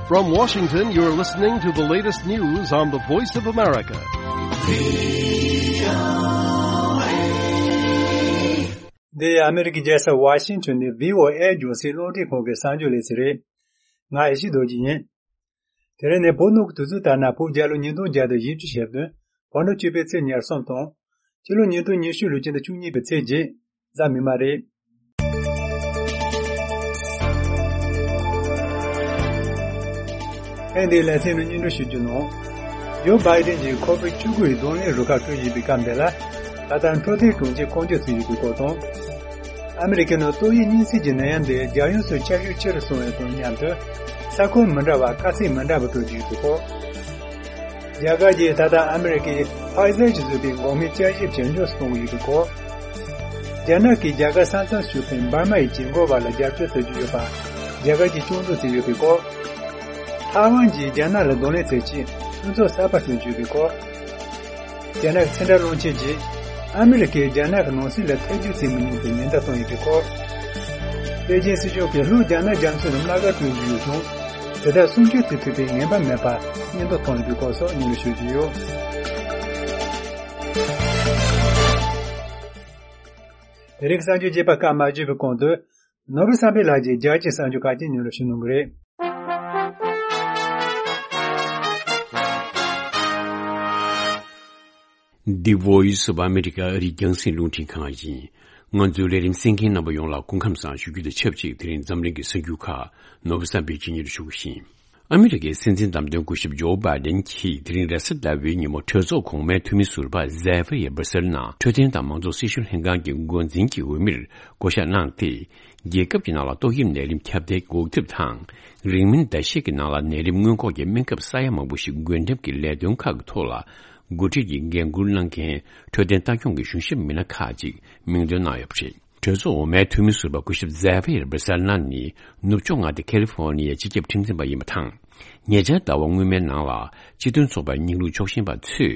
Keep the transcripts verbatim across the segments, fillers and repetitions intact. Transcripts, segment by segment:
From Washington, you're listening to the latest news on the Voice of America. འདི་ཨ་མེ་རི་ཀའི་རྒྱལ་ས་ཝ་ཤིང་ཊོན་ནས་བྷི་ཨོ་ཨེ་རྒྱང་སྲིང་རླུང་འཕྲིན་ཁང་གི་གསར་འགྱུར་ལས་ཚན་རེད། ང་ཨེ་ཤི་རྡོ་རྗེ་ཡིན། དེ་རིང་ནི་བོད་ནང་གི་དུས་ཚོད་ལྟར་ན་བོད་རྒྱལ་ལོ་ཉིས་སྟོང་བརྒྱ་དང་བཞི་བཅུ་ཞེ་བདུན། བོད་ནང་བཅུ་པའི་ཚེས་ཉེར་གསུམ་དང་། ཕྱི་ལོ་ཉིས་སྟོང་ཉི་ཤུ་ལོའི་སྤྱི་ཟླ་བཅུ་གཉིས་པའི་ཚེས་བརྒྱད། གཟའ་མིག་དམར་རེད། ཐེངས་འདིའི་ལེ་ཚན་ནང་སྙན་སྒྲོན་ཞུ་རྒྱུ་ནང་། ཇོ་བྷའི་ཌེན་གྱིས་ཁོ་པའི་བཅུ་དགུ་ཡི་རྡུང་ལེན་རུ་ཁག་སྤྲོད་བཞིན་པའི་སྐབས་འདི་ལ། ད་ལྟ་འཕྲོད་བསྟེན་དྲུང་ཆེ་བསྐོ་འཇོག་བྱས་ཡོད་པའི་སྐོར་དང་། ཨ་མེ་རི་ཁའི་ནང་ཏོག་དབྱིབས་གཉན་སྲིན་གྱི་ནད་ཡམས་འདི་རྒྱལ་ཡོངས་སུ་ཁྱབ་ཤུགས་ཆེ་རུ་སོང་བའི་དང་མཉམ་དུ། ས་ཁོངས་མི་འདྲ་བར་དཀའ་ཚེགས་མི་འདྲ་བ་སྤྲོད་བཞིན་ཡོད་པའི་སྐོར། རྒྱ་གར་གྱིས་ད་ལྟ་ཨ་མེ་རི་ཀའི་ཕའི་ཛར་གྱིས་བཟོས་པའི་འགོག་སྨན་བསྐྱར་ཞིབ་ཇེ་མགྱོགས་སུ་གཏོང་གི་ཡོད་པའི་སྐོར། རྒྱ་ནག་གིས་རྒྱ་གར་ས་མཚམས་ཞུགས་པའི་འབར་མ་ཡི་གྱེན་འགོག་པ་ལ་རྒྱབ་སྐྱོར་བྱེད་ཀྱི་ཡོད་པ། རྒྱ་གར་གྱིས་སྐྱོན་འཛུགས་བྱས་ཡོད་པའི་སྐོར། ཐའེ་ཝན་གྱིས་རྒྱ་ནག་ལ་གདོང་ལེན་བྱེད་ཆེད་མཐུན་ཚོགས་གསར་པ་བཙུགས་ཡོད་པའི་སྐོར། རྒྱ་ནག་གི་ཚན་རིག་བློན་ཆེན་གྱིས་ཨ་མེ་རི་ཁས་རྒྱ་ནག་གི་ནང་སྲིད་ལ་ཐེ་བྱུས་བྱེད་མི་ཉན་པའི་ཉེན་བརྡ་བཏང་ཡོད་པའི་སྐོར། པེ་ཅིན་སྲིད་གཞུང་གིས་ལྷོ་རྒྱ་ནག་རྒྱ་མཚོའི་ནང་མངའ་སྒར་བསྐྲུན་གྱི་ཡོད་ཀྱང་། དེ་དག་སྲུང་སྐྱོབ་བྱེད་ཐུབ་པའི་ངེས་པ་མེད་པར་སྙན་ཐོ་བཏང་ཡོད་པའི་སྐོར་སོགས་སྙན་སྒྲོན་ཞུ་རྒྱུ་ཡོད། དེ་རིང་གསར་འགྱུར་རྒྱས་པ་སྐབས་མ་བརྗོད་པའི་གོང་དུ། ནོར་བུ་བསམ་འཕེལ་ལགས་ཀྱིས་རྒྱལ་སྤྱིའི་གསར་འགྱུར་ཁག་ཅིག་སྙན་སྒྲོན་ཞུ་གནང་གི་རེད། འདི་Voice of America ཨ་རིའི་རྒྱང་སྲིང་རླུང་འཕྲིན་ཁང་ཡིན། ང་ཚོའི་ལས་རིམ་གསན་མཁན་རྣམ་པ་ཡོངས་ལ་སྐུ་ཁམས་བཟང་ཞུ་རྒྱུ་དང་ཆབས་ཅིག་དེ་རིང་འཛམ་གླིང་གི་གསར་འགྱུར་ཁག་ནོར་བུ་བསམ་འཕེལ་གྱིས་སྙན་སྒྲོན་ཞུ་གི་ཡིན། ཨ་མི་རི་ཀའི་སྲིད་འཛིན་བདམས་ཐོན་སྐུ་ཞབས་ཇོ་བྷའི་ཌེན་གྱིས་དེ་རིང་རེས་གཟའ་ཟླ་བའི་ཉིན་མོ་གྲོས་ཚོགས་གོང་མའི་འཐུས་མི་ཟུར་པ་ཛེ་ཕི་ཡར་བྷ་སེལ་ནང་འཕྲོད་བསྟེན་དང་མང་གཙོ་སྲི་ཞུ་ལྷན་ཁང་གི་འགོ་འཛིན་གྱི་འོས་མིར་བསྐོ་གཞག་གནང་སྟེ། རྒྱལ་ཁབ་ཀྱི་ནང་ལ་ཏོག་དབྱིབས་ནད་རིམས་ཁྱབ་གདལ་འགོག་ཐབས་དང་། རིང་མིན་ཟླ་ཤས་ཀྱི་ནང་ལ་ནད་རིམས་སྔོན་འགོག་གི་སྨན་ཁབ་ས་ཡ་མང་པོ་ཞིག་འགོས་འགྲེམས་ཀྱི་ལས་དོན་ཁག་གི་ཐོག་ལ། འགོ་ཁྲིད་ཀྱིས་འགན་འཁུར་གནང་མཁན་འཕྲོད་བསྟེན་ལྟ་སྐྱོང་གི་གཞུང་ཞབས་མི་སྣ་ཁག་ཅིག་མིང་འདོན་གནང་ཡོད་པ་རེད། གྲོས་ཚོགས་འོག་མའི་འཐུས་མི་ཟུར་པ་སྐུ་ཞབས་ཛེ་ཕི་ཡར་བྷ་སེལ་ན་ནི་ནུབ་ཕྱོགས་མངའ་སྡེ་ཁ་ལི་ཧྥོ་ནི་ཡའི་སྤྱི་ཁྱབ་ཁྲིམས་འཛིན་པ་ཡིན་པ་དང་། ཉེ་ཆར་ཟླ་བ་སྔོན་མའི་ནང་ལ་སྤྱི་མཐུན་ཚོགས་པའི་སྙིང་རུས་ཕྱོགས་ཞེན་པ་ཚོས་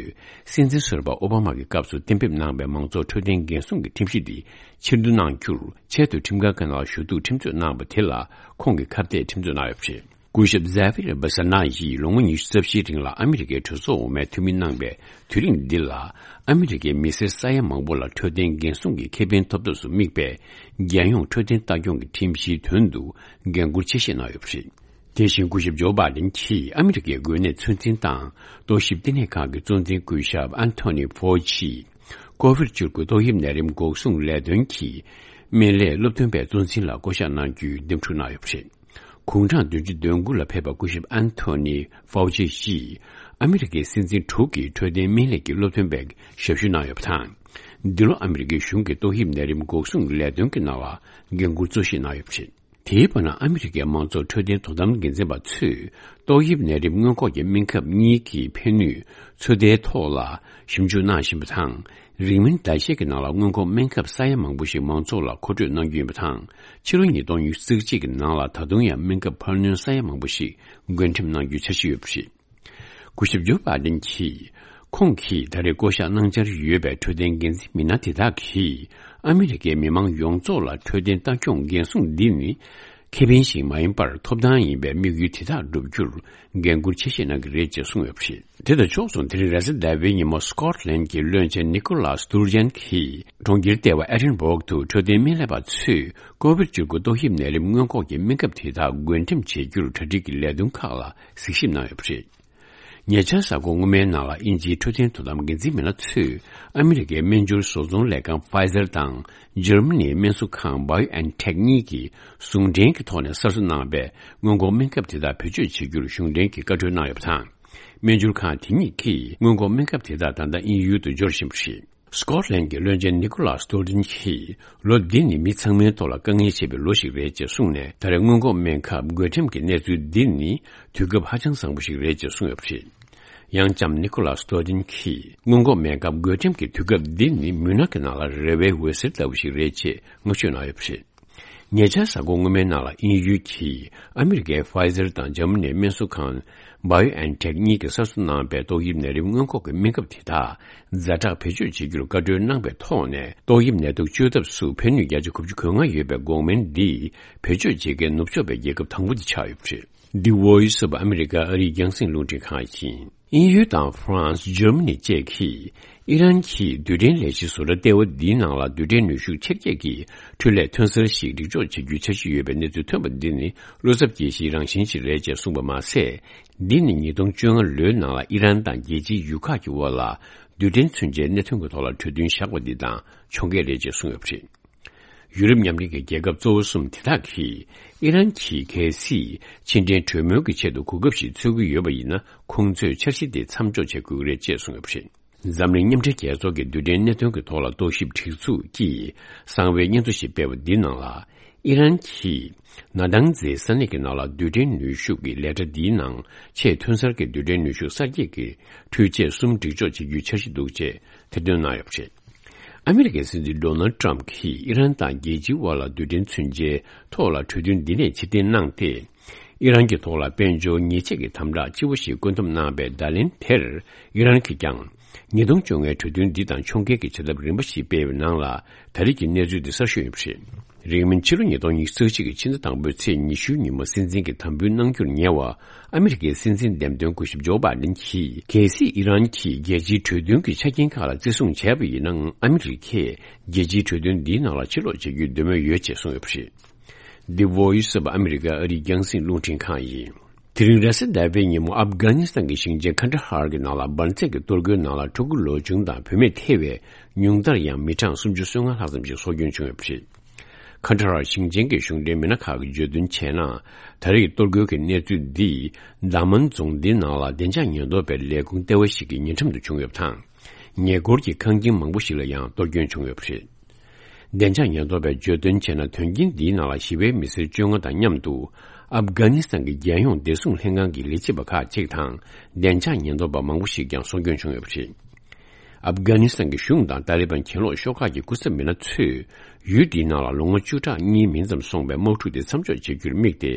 སྲིད་འཛིན་ཟུར་པ་ཨོ་བྷ་མ་གི་སྐབས་སུ་གཏན་འབེབས་གནང་བའི་མང་ཚོགས་འཕྲོད་བསྟེན་འགན་སྲུང་གི་ཁྲིམས་གཞི་འདི་ཕྱིར་བསྡུ་གནང་རྒྱུར་ཆེས་མཐོའི་ཁྲིམས་ཁང་གི་ནང་ལ་ཞུ་གཏུག་ཁྲིམས་རྩོད་གནང་བ་དེ་ལ་ཁོང་གིས་ཁ་གཏད་ཁྲིམས་རྩོད་གནང་ཡོད་པ་རེད། སྐུ་ཞབས་ཛེ་ཕི་ཡར་བྷ་སེལ་ན་ཡིས་ལོ་ངོ་ཉི་ཤུ་རྩ་བཞིའི་རིང་ལ་ཨ་མི་རི་ཀའི་གྲོས་ཚོགས་འོག་མའི་འཐུས་མི་གནང་བའི་དུས་རིང་འདི་ལ། ཨ་མི་རི་ཀའི་མི་སེར་ས་ཡ་མང་པོ་ལ་འཕྲོད་བསྟེན་འགན་སྲུང་གི་ཁེ་ཕན་ཐོབ་ཐབས་སུ་དམིགས་པའི་རྒྱལ་ཡོངས་འཕྲོད་བསྟེན་ལྟ་སྐྱོང་གི་ཁྲིམས་གཞིའི་དོན་དུ་འགན་འཁུར་ཆེ་བཞེས་གནང་ཡོད་པ་རེད། དེ་བཞིན་སྐུ་ཞབས་ཇོ་བྷའི་ཌེན་གྱིས་ཨ་མི་རི་ཀའི་འགོས་ནད་ཚོད་འཛིན་དང་ལྟོ་ཞིབ་ལྟེ་གནས་ཁང་གི་གཙོ་འཛིན་སྐུ་ཞབས་ཨན་ཐོ་ནི་ཕའོ་ཆི། ཀོ་ཝིཌ་བཅུ་དགུ་ཏོག་དབྱིབས་ནད་རིམས་འགོག་སྲུང་ལས་དོན་གྱི་སྨན་ལས་སློབ་སྟོན་པའི་གཙོ་འཛིན་ལ་བསྐོ་གཞག་གནང་རྒྱུའི་འདེམས་སྒྲུག་གནང་ཡོད་པ་རེད། དགུང་གྲངས་བདུན་ཅུ་དོན་དགུ་ལ་ཕེབས་པ་སྐུ་ཞབས་ཨན་ཐོ་ནི་ཕའོ་ཆི་ཡིས་ཨ་མི་རི་ཀའི་སྲིད་འཛིན་དྲུག་གི་འཕྲོད་བསྟེན་སྨན་ལས་ཀྱི་སློབ་སྟོན་པའི་ཞབས་ཞུ་གནང་ཡོད་པ་དང་། འདི་ལོ་ཨ་མི་རི་ཀའི་གཞུང་གི་ཏོག་དབྱིབས་ནད་རིམས་འགོག་སྲུང་ལས་དོན་གྱི་ནང་ལ་འགན་འཁུར་གཙོ་བཞེས་གནང་ཡོད་པ་རེད། དེའི་བར་ན་ཨ་མི་རི་ཀའི་མང་གཙོ་འཕྲོད་བསྟེན་དོ་དམ་འགན་འཛིན་པ་ཚོས་ཏོག་དབྱིབས་ནད་རིམས་སྔོན་འགོག་གི་སྨན་ཁབ་གཉིས་ཀྱི་ཕན་ནུས་ཚོད་ལྟའི་ཐོག་ལ་ཞིབ་འཇུག་གནང་བཞིན་པ་དང་། རིང་མིན་ཟླ་ཤས་ཀྱི་ནང་ལ་སྔོན་འགོག་སྨན་ཁབ་ས་ཡ་མང་པོ་ཞིག་མང་ཚོགས་ལ་མཁོ་སྤྲོད་གནང་རྒྱུ་ཡིན་པ་དང་། ཕྱི་ལོ་ཉིས་སྟོང་ཉི་ཤུ་རྩ་གཅིག་གི་ནང་ལ་ད་དུང་ཡང་སྨན་ཁབ་འཕར་སྣོན་ས་ཡ་མང་པོ་ཞིག་འགོས་འགྲེམས་གནང་རྒྱུའི་འཆར་གཞི་ཡོད་པ་རེད། སྐུ་ཞབས་ཇོ་བྷའི་ཌེན་གྱིས། ཁོང་གིས་ད་རེས་བསྐོ་གཞག་གནང་འཆར་ཡོད་པའི་འཕྲོད་བསྟེན་འགན་འཛིན་མི་སྣ་དེ་དག་གིས་ཨ་མི་རི་ཀའི་མི་མང་ཡོངས་རྫོགས་ལ་འཕྲོད་བསྟེན་ལྟ་སྐྱོང་འགན་སྲུང་འདི་ནི་ཁེ་ཕན་ཞིག་མ་ཡིན་པར་ཐོབ་ཐང་ཡིན་པའི་དམིགས་ཡུལ་དེ་དག་བསྒྲུབ་རྒྱུར་འགན་འཁུར་ཆེ་བཞེས་གནང་གི་རེད་ཅེས་གསུངས་ཡོད་པ་རེད། དེ་དང་ཕྱོགས་མཚུངས་དེ་རིང་རེས་གཟའ་ཟླ་བའི་ཉིན་མོ་སི་ཀོ་ཊ་ལན་གྱི་བློན་ཆེན་ནི་ཀོ་ལཱས་ཏུར་ཇན་གྱིས་གྲོང་ཁྱེར་ལྟེ་བ་ཨེ་ཌིན་སྦུག་ཏུ་འཕྲོད་བསྟེན་སྨན་ལས་པ་ཚོས་ཀོ་ཝིཌ་བཅུ་དགུ་ཏོག་དབྱིབས་ནད་རིམས་སྔོན་འགོག་གི་སྨན་ཁབ་དེ་དག་འགོས་འགྲེམས་བྱེད་རྒྱུར་གྲ་སྒྲིག་གི་ལས་དོན་ཁག་ལ་གཟིགས་ཞིབ་གནང་ཡོད་པ་རེད། ཉེ་ཆར་གཟའ་འཁོར་སྔོན་མའི་ནང་ལ་དབྱིན་ཇིའི་འཕྲོད་བསྟེན་དོ་དམ་འགན་འཛིན་མི་སྣ་ཚོས་ཨ་མི་རི་ཀའི་སྨན་སྦྱོར་བཟོ་ཚོང་ལས་ཁང་Pfizer་དང་འཇར་མ་ནིའི་སྨན་གསོ་ཁང་BioNTech་གཉིས་ཀྱིས་ཟུང་འབྲེལ་གྱི་ཐོག་ནས་གསར་བཟོ་གནང་བའི་སྔོན་འགོག་སྨན་ཁབ་དེ་དག་བེད་སྤྱོད་བྱེད་རྒྱུར་གཞུང་འབྲེལ་གྱིས་བཀའ་འཁྲོལ་གནང་ཡོད་པ་དང་། སྨན་སྦྱོར་ཁང་དེ་གཉིས་ཀྱིས་སྔོན་འགོག་སྨན་ཁབ་དེ་དག་ད་ལྟ་དབྱིན་ཡུལ་དུ་འབྱོར་བཞིན་པ་རེད། སི་ཀོ་ཊ་ལན་གྱི་བློན་ཆེན་ནི་ཀོ་ལཱས་སྟོལ་ཏིན་གྱིས་ལོ་འདི་ནི་མི་ཚང་མའི་ཐོག་ལ་དཀའ་ངལ་ཆེ་བའི་ལོ་ཞིག་རེད་ཅེས་གསུངས་ནས། ད་རེས་སྔོན་འགོག་སྨན་ཁབ་འགོས་འགྲེམས་ཀྱི་གནས་ཚུལ་འདི་ནི་དུས་སྐབས་ཧ་ཅང་བཟང་པོ་ཞིག་རེད་ཅེས་གསུངས་ཡོད་པ་རེད། ཡང་ལྕམ་ནི་ཀོ་ལཱས་སྟོལ་ཏིན་གྱིས་སྔོན་འགོག་སྨན་ཁབ་འགོས་འགྲེམས་ཀྱི་དུས་སྐབས་འདི་ནི་མུན་ནག་གི་ནང་ལ་རེ་བའི་འོད་ཟེར་ལྟ་བུ་ཞིག་རེད་ཅེས་བསྔགས་བརྗོད་གནང་ཡོད་པ་རེད། ཉེ་ཆར་གཟའ་འཁོར་སྔོན་མའི་ནང་ལ་དབྱིན་ཡུལ་གྱིས་ཨ་མི་རི་ཀའི་Pfizer་དང་འཇར་མ་ནིའི་སྨན་གསོ་ཁང་BioNTech་གཉིས་ཀྱིས་གསར་བཟོ་གནང་པའི་ཏོག་དབྱིབས་ནད་རིམས་སྔོན་འགོག་གི་སྨན་ཁབ་དེ་དག་ཛ་དྲག་བེད་སྤྱོད་བྱེད་རྒྱུར་བཀའ་འཁྲོལ་གནང་པའི་ཐོག་ནས། ཏོག་དབྱིབས་ནད་དུག་བཅོས་ཐབས་སུ་ཕན་ནུས་བརྒྱ་ཆ་དགུ་བཅུ་གོ་ལྔ་ཡོད་པའི་འགོག་སྨན་འདི་བེད་སྤྱོད་བྱེད་མཁན་ནུབ་ཕྱོགས་པའི་རྒྱལ་ཁབ་དང་པོ་དེ་ཆགས་ཡོད་པ་རེད། The Voice of America ཨ་རིའི་རྒྱང་སྲིང་རླུང་འཕྲིན་ཁང་ཡིན། དབྱིན་ཡུལ་དང་ཧྥ་རན་སི། འཇར་མ་ནི་བཅས་ཀྱིས་ཨི་རན་གྱི་རྡུལ་ཕྲན་ལས་གཞི་བཟོ་གྲྭ་ལྟེ་བ་འདིའི་ནང་ལ་རྡུལ་ཕྲན་ནུས་ཤུགས་ཆེར་སྐྱེད་ཀྱི་འཕྲུལ་ལས་ཐོན་གསར་ཞིག་སྒྲིག་འཇོག་བྱེད་རྒྱུའི་འཆར་གཞི་ཡོད་པའི་གནས་ཚུལ་ཐོན་པ་འདི་ནི་བློ་འཚབ་སྐྱེ་གཞིའི་རང་བཞིན་ཞིག་རེད་ཅེས་གསུངས་པ་མ་ཟད། འདི་ནི་ཉིས་སྟོང་བཅོ་ལྔ་ལོའི་ནང་ལ་ཨི་རན་དང་རྒྱལ་སྤྱིའི་ཡུལ་ཁག་གི་དབར་ལ་རྡུལ་ཕྲན་མཚོན་ཆའི་གནད་དོན་གྱི་ཐོག་ལ་གྲོས་མཐུན་བཞག་པ་འདི་དང་ཕྱོགས་འགལ་རེད་ཅེས་གསུངས་ཡོད་པ་རེད། ཡུ་རོབ་མཉམ་འབྲེལ་གྱི་རྒྱལ་ཁབ་གཙོ་བོ་གསུམ་དེ་དག་གིས་ཨི་རན་གྱིས་གལ་སྲིད་ཕྱི་འབྲེལ་གྲོས་མོལ་གྱི་ཆེད་དུ་གོ་སྐབས་ཤིག་འཚོལ་གྱི་ཡོད་པ་ཡིན་ན། ཁོང་ཚོས་འཆར་གཞི་དེ་མཚམས་འཇོག་བྱེད་དགོས་ཀྱི་རེད་ཅེས་གསུངས་ཡོད་པ་རེད། འཛམ་གླིང་མཉམ་འབྲེལ་རྒྱལ་ཚོགས་ཀྱི་རྡུལ་ཕྲན་གནད་དོན་གྱི་ཐོག་ལ་རྟོག་ཞིབ་སྒྲིག་འཛུགས་ཀྱིས་གསང་བའི་སྙན་ཐོ་ཞིག་སྤེལ་བ་འདིའི་ནང་ལ། ཨི་རན་གྱིས་ན་ཏང་ཛའི་ས་གནས་ཀྱི་ནང་ལ་རྡུལ་ཕྲན་ནུས་ཤུགས་ཀྱི་ལས་གྲྭ་འདིའི་ནང་ཆེས་ཐོན་གསར་གྱི་རྡུལ་ཕྲན་ནུས་ཤུགས་གསར་སྐྱེད་ཀྱི་འཕྲུལ་ཆས་གསུམ་སྒྲིག་འཇོག་བྱེད་རྒྱུའི་འཆར་གཞི་འདུག་ཅེས་ཐེར་འདོན་གནང་ཡོད་པ་རེད། ཨ་མི་རི་ཀའི་སྲིད་འཛིན་ཌོ་ནལ་ཊམ་གྱིས་ཨི་རན་དང་རྒྱལ་སྤྱིའི་དབར་ལ་རྡུལ་ཕྲན་མཚོན་ཆའི་ཐོག་ལ་གྲོས་མཐུན་འདི་ནས་ཕྱིར་འཐེན་གནང་སྟེ། ཨི་རན་གྱི་ཐོག་ལ་དཔལ་འབྱོར་ཉེས་ཆད་ཀྱི་དམ་དྲག་ལྕི་པོ་ཞིག་བཀོད་འདོམས་གནང་བའི་བརྡ་ལན་དེར། ཨི་རན་གྱིས་ཀྱང་ཉིས་སྟོང་བཅོ་ལྔའི་གྲོས་མཐུན་འདི་དང་ཕྱོགས་འགལ་གྱི་བྱེད་ཐབས་རིམ་པ་ཞིག་སྤེལ་བའི་ནང་ལ། ད་རེས་ཀྱི་གནས་ཚུལ་འདི་གསར་ཤོས་ཡིན་པ་རེད། རིང་མིན་ཕྱི་ལོ་ཉིས་སྟོང་ཉི་ཤུ་རྩ་གཅིག་གི་ཕྱི་ཟླ་དང་པོའི་ཚེས་ཉི་ཤུའི་ཉིན་མོ་སྲིད་འཛིན་གྱི་དམ་འབུལ་གནང་རྒྱུར་ཉེ་བ། ཨ་མི་རི་ཀའི་སྲིད་འཛིན་འདེམས་ཐོན་སྐུ་ཞབས་ཇོ་བྷའི་ཌེན་གྱིས། གལ་སྲིད་ཨི་རན་གྱིས་རྒྱལ་སྤྱིའི་གྲོས་མཐུན་གྱི་ཆ་རྐྱེན་ཁག་ལ་བརྩི་སྲུང་བྱས་པ་ཡིན་ནའང་། ཨ་མི་རི་ཀས་རྒྱལ་སྤྱིའི་གྲོས་མཐུན་འདིའི་ནང་ལ་ཕྱིར་ལོག་བྱེད་རྒྱུའི་འདོད་མོས་ཡོད་ཅེས་གསུངས་ཡོད་པ་རེད། The Voice of America ཨ་རིའི་རྒྱང་སྲིང་རླུང་འཕྲིན་ཁང་ཡིན། དེ་རིང་རེས་གཟའ་ཟླ་བའི་ཉིན་མོ་ཨབ་གྷ་ནི་སི་ཐན་གྱི་ཞིང་ཆེན་ཁན་ད་ཧར་གྱི་ནང་ལ་འབར་རྫས་ཀྱི་གཏོར་རྒོལ་ནང་ལ་ཕྲུ་གུ་ལོ་ཆུང་དང་བུད་མེད་ཐེ་བའི་ཉུང་མཐར་ཡང་མི་གྲངས་སུམ་ཅུ་སོ་ལྔ་ལྷག་ཙམ་ཞིག་སྲོག་སྐྱོན་བྱུང་ཡོད་པ་རེད། ཁ་ཏ་ར་ཞིང་ཆེན་གྱི་གཞུང་འབྲེལ་མི་སྣ་ཁག་གིས་བརྗོད་དོན་བྱས་ན། ད་རེས་གཏོར་རྒོལ་གྱི་གནས་ཚུལ་འདི་དཱ་མན་རྫོང་འདིའི་ནང་ལ་བདེ་འཇགས་ཉེན་རྟོག་པའི་ལས་ཁུངས་ལྟེ་བ་ཞིག་གི་ཉེ་འགྲམ་དུ་བྱུང་ཡོད་པ་དང་། ཉེ་འཁོར་གྱི་ཁང་ཁྱིམ་མང་པོ་ཞིག་ལ་ཡང་གཏོར་སྐྱོན་བྱུང་ཡོད་པ་རེད། བདེ་འཇགས་ཉེན་རྟོག་པས་བརྗོད་དོན་བྱས་ན། དོན་རྐྱེན་འདིའི་ནང་ལ་ཞི་བའི་མི་སེར་བཅོ་ལྔ་དང་མཉམ་དུ་ཨབ་གྷ་ནི་སི་ཐན་གྱི་རྒྱལ་ཡོངས་བདེ་སྲུང་ལྷན་ཁང་གི་ལས་བྱེད་པ་ཁག་ཅིག་དང་། བདེ་འཇགས་ཉེན་རྟོག་པ་མང་པོ་ཞིག་ཀྱང་སྲོག་སྐྱོན་བྱུང་ཡོད་པ་རེད། ཨབ་གྷ་ནི་སི་ཐན་གྱི་གཞུང་དང་ཏཱ་ལི་བན་གྱེན་ལོག་ཤོག་ཁག་གི་སྐུ་ཚབ་མི་སྣ་ཚོས་ཡུལ་འདིའི་ནང་ལ་ལོ་ངོ་བཅུ་ཕྲག་གཉིས་མིན་ཙམ་སོང་བའི་དམག་འཁྲུག་དེ་མཚམས་འཇོག་བྱེད་རྒྱུར་དམིགས་ཏེ།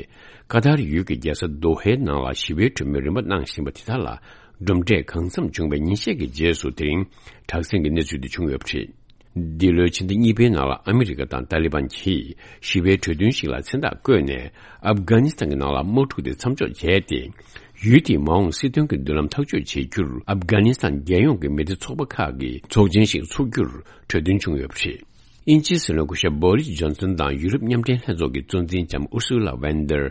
ཀ་ཏར་ཡུལ་གྱི་རྒྱལ་ས་དོ་ཧའི་ནང་ལ་ཞི་བའི་གྲོས་མོལ་རིམ་པ་གནང་བཞིན་པ་དེ་དག་ལ། གྲུབ་འབྲས་གང་འཚམ་བྱུང་བའི་ཉིན་ཤས་ཀྱི་རྗེས་སུ་དེ་རིང་དྲག་ཟིང་གི་གནས་ཚུལ་དེ་བྱུང་ཡོད་པ་རེད། འདི་ལོའི་ཕྱི་ཟླ་གཉིས་པའི་ནང་ལ་ཨ་མི་རི་ཀ་དང་ཏཱ་ལི་བན་གྱིས་ཞི་བའི་གྲོས་མཐུན་ཞིག་ལ་མཚན་རྟགས་བཀོད་ནས། ཨབ་གྷ་ནི་སི་ཐན་གྱི་ནང་ལ་དམག་འཁྲུག་དེ་མཚམས་འཇོག་བྱས་ཏེ། ཡུལ་དེའི་མ་འོངས་སྲིད་དོན་གྱི་མདུན་ལམ་ཐག་གཅོད་བྱེད་རྒྱུར་ཨབ་གྷ་ནི་སི་ཐན་རྒྱལ་ཡོངས་ཀྱི་མི་སྡེ་ཚོགས་པ་ཁག་གི་ཚོགས་ཆེན་ཞིག་འཚོགས་རྒྱུར་གྲོས་མཐུན་བྱུང་ཡོད་པ་རེད། དབྱིན་ཇིའི་སྲིད་བློན་སྐུ་ཞབས་བོ་རིས་ཇོན་སན་དང་ཡུ་རོབ་མཉམ་འབྲེལ་ལྷན་ཚོགས་ཀྱི་གཙོ་འཛིན་ལྕམ་ཨུར་སུ་ལ་ཝན་ཏར་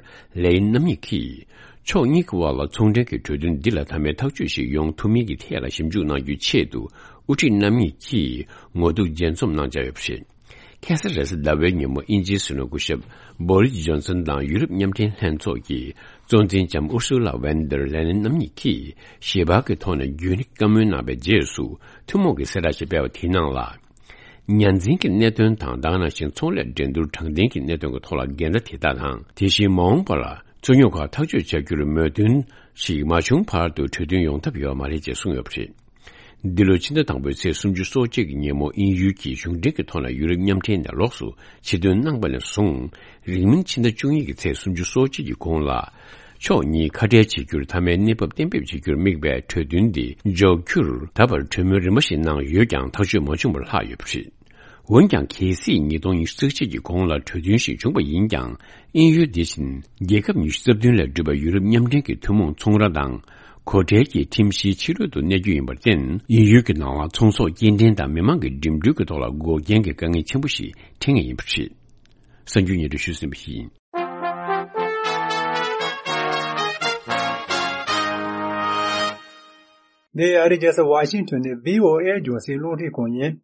ལེ་ཡིན་རྣམ་གཉིས་ཀྱིས། ཕྱོགས་གཉིས་ཀྱི་དབར་ལ་ཚོང་འབྲེལ་གྱི་གྲོས་མཐུན་འདི་ལ་མཐའ་མའི་ཐག་གཅོད་ཞིག་ཡོང་ཐུབ་མིན་གྱི་ཐད་ལ་ཞིབ་འཇུག་གནང་རྒྱུའི་ཆེད་དུ། དབུ་ཁྲིད་རྣམ་གཉིས་ཀྱིས་ངོ་ཐུག་མཇལ་འཛོམས་གནང་འཆར་ཡོད་པ་རེད། ཁ་སང་རེས་གཟའ་ཟླ་བའི་ཉིན་མོ་དབྱིན་ཇིའི་སྲིད་བློན་སྐུ་ཞབས་བོ་རིས་ཇོན་སན་དང་ཡུ་རོབ་མཉམ་འབྲེལ་ལྷན་ཚོགས་ཀྱི་གཙོ་འཛིན་ལྕམ་ཨུར་སུ་ལ་ཝན་ཏར་ལེ་ཡིན་རྣམ་གཉིས་ཀྱིས་ཞལ་པར་གྱི་ཐོག་ནས་རྒྱུན་རིང་བཀའ་མོལ་གནང་བའི་རྗེས་སུ། ཐུན་མོང་གི་གསལ་བསྒྲགས་ཤིག་སྤེལ་བ་དེའི་ནང་ལ། ཉ་འཛིན་གྱི་གནད་དོན་དང་། ད་ག་ནང་བཞིན་ཚོང་ལས་འགྲན་བསྡུར་དྲང་བདེན་གྱི་གནད་དོན་གྱི་ཐོག་ལ་འགལ་ཟླ་དེ་དག་དང་། དེ་བཞིན་མ་འོངས་པར་རྩོད་རྙོག་ཁག་ཐག་གཅོད་བྱ་རྒྱུར་མོས་མཐུན་ཞིག་མ་བྱུང་བར་དུ་གྲོས་མཐུན་ཡོང་ཐབས་ཡོད་མ་རེད་ཅེས་གསུངས་ཡོད་པ་རེད། འདི་ལོའི་ཕྱི་ཟླ་དང་པོའི་ཚེས་སུམ་ཅུ་སོ་གཅིག་གི་ཉིན་མོ་དབྱིན་ཡུལ་གྱིས་གཞུང་འབྲེལ་གྱི་ཐོག་ནས་ཡུ་རོབ་མཉམ་འབྲེལ་ནས་ལོགས་སུ་ཕྱིར་ཐོན་གནང་པ་ནས་བཟུང་། རིང་མིན་ཕྱི་ཟླ་བཅུ་གཉིས་ཀྱི་ཚེས་སུམ་ཅུ་སོ་གཅིག་གི་གོང་ལ། ཕྱོགས་གཉིས་ཁ་བྲལ་བྱེད་རྒྱུར་མཐའ་མའི་གནས་བབ་གཏན་འབེབས་བྱེད་རྒྱུར་དམིགས་པའི་གྲོས་མཐུན་འདི་འཇོག་རྒྱུར། ད་བར་གྲོས་མོལ་རིམ་པ་ཞིག་གནང་ཡོད་ཀྱང་། ཐག་གཅོད་མ་བྱུང་བར་ལྷག་ཡོད་པ་རེད། འོན་ཀྱང་། གལ་སྲིད་ཉིས་སྟོང་ཉི་ཤུ་རྩ་གཅིག་གི་གོང་ལ་གྲོས་མཐུན་ཞིག་བྱུང་བ་ཡིན་ཀྱང་། དབྱིན་ཡུལ་འདི་བཞིན་རྒྱལ་ཁབ་ཉི་ཤུ་རྩ་བདུན་ལས་གྲུབ་པའི་ཡུ་རོབ་མཉམ་འབྲེལ་གྱི་ཐུན་མོང་ཚོང་ར་དང་། གོ་ཁྲལ་གྱི་ཁྲིམས་གཞིའི་ཕྱི་རོལ་དུ་གནས་རྒྱུ་ཡིན་པར་བརྟེན། དབྱིན་ཡུལ་གྱི་ནང་ལ་ཚོང་ཟོག་སྐྱེལ་འདྲེན་དང་མི་མང་གི་འགྲིམ་འགྲུལ་གྱི་ཐོག་ལ་འགོག་རྐྱེན་གྱི་དཀའ་ངལ་ཆེན་པོ་ཞིག་འཕྲད་ངེས་ཡིན་པ་རེད། གསར་འགྱུར་སྙན་སྒྲོན་ཞུས་ཟིན་པ་ཡིན། འདི་ཨ་རིའི་རྒྱལ་ས་ཝ་ཤིང་ཊོན་ནས་བྷི་ཨོ་ཨེ་རྒྱང་སྲིང་རླུང་འཕྲིན་ཁང་ཡིན།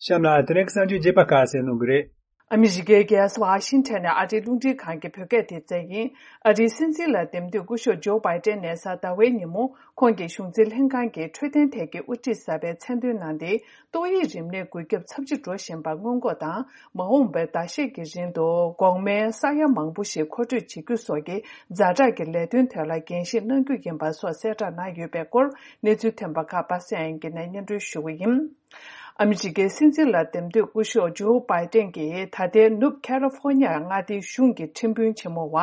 གཤམ་ལ་དེ་རིང་གི་གསར་འགྱུར་རྒྱས་པ་ཁ་གསལ་གནང་གི་རེད། ཨ་མི་རི་ཀའི་རྒྱལ་ས་ཝ་ཤིང་ཊོན་ནས་ཨ་རིའི་རླུང་འཕྲིན་ཁང་གི་བོད་སྐད་སྡེ་ཚན་ཡིན། ཨ་རིའི་སྲིད་འཛིན་ལ་འདེམས་ཐོན་སྐུ་ཞབས་ཇོ་བྷའི་ཏན་ནས་གཟའ་ཟླ་བའི་ཉིན་མོ་ཁོང་གི་གཞུང་འཛིན་ལྷན་ཁང་གི་འཕྲོད་བསྟེན་ཐད་ཀྱི་དབུ་ཁྲིད་གསར་པའི་མཚན་འདོན་གནང་སྟེ། ཏོག་དབྱིབས་རིམས་ནད་འགོས་ཁྱབ་ཚབས་ཆེ་འགྲོ་བཞིན་པ་སྔོན་འགོག་དང་། མ་འོངས་པའི་ཟླ་ཤས་ཀྱི་རིང་དུ་འགོག་སྨན་ས་ཡ་མང་པོ་ཞིག་མཁོ་སྤྲོད་བྱེད་རྒྱུ་སོགས་ཀྱི་ཛ་དྲག་གི་ལས་དོན་ཐད་ལ་འགན་བཞེས་གནང་རྒྱུ་ཡིན་པ་སོགས་གསལ་བསྒྲགས་གནང་ཡོད་པའི་སྐོར། གནས་ཚུལ་ཐོན་པ་ཁག་པ་སངས་དབྱངས་སྐྱིད་ནས་སྙན་སྒྲོན་ཞུ་གི་ཡིན། ཨ་མི་རི་ཀའི་སྲིད་འཛིན་ལ་འདེམས་ཐོན་སྐུ་ཞབས་ཇོ་བྷའི་ཏན་གྱིས་ད་ལྟའི་ནུབ་ཁ་ལི་ཧྥོ་ནི་ཡ་མངའ་སྡེའི་གཞུང་གི་ཁྲིམས་དཔོན་ཆེན་མོ་བ་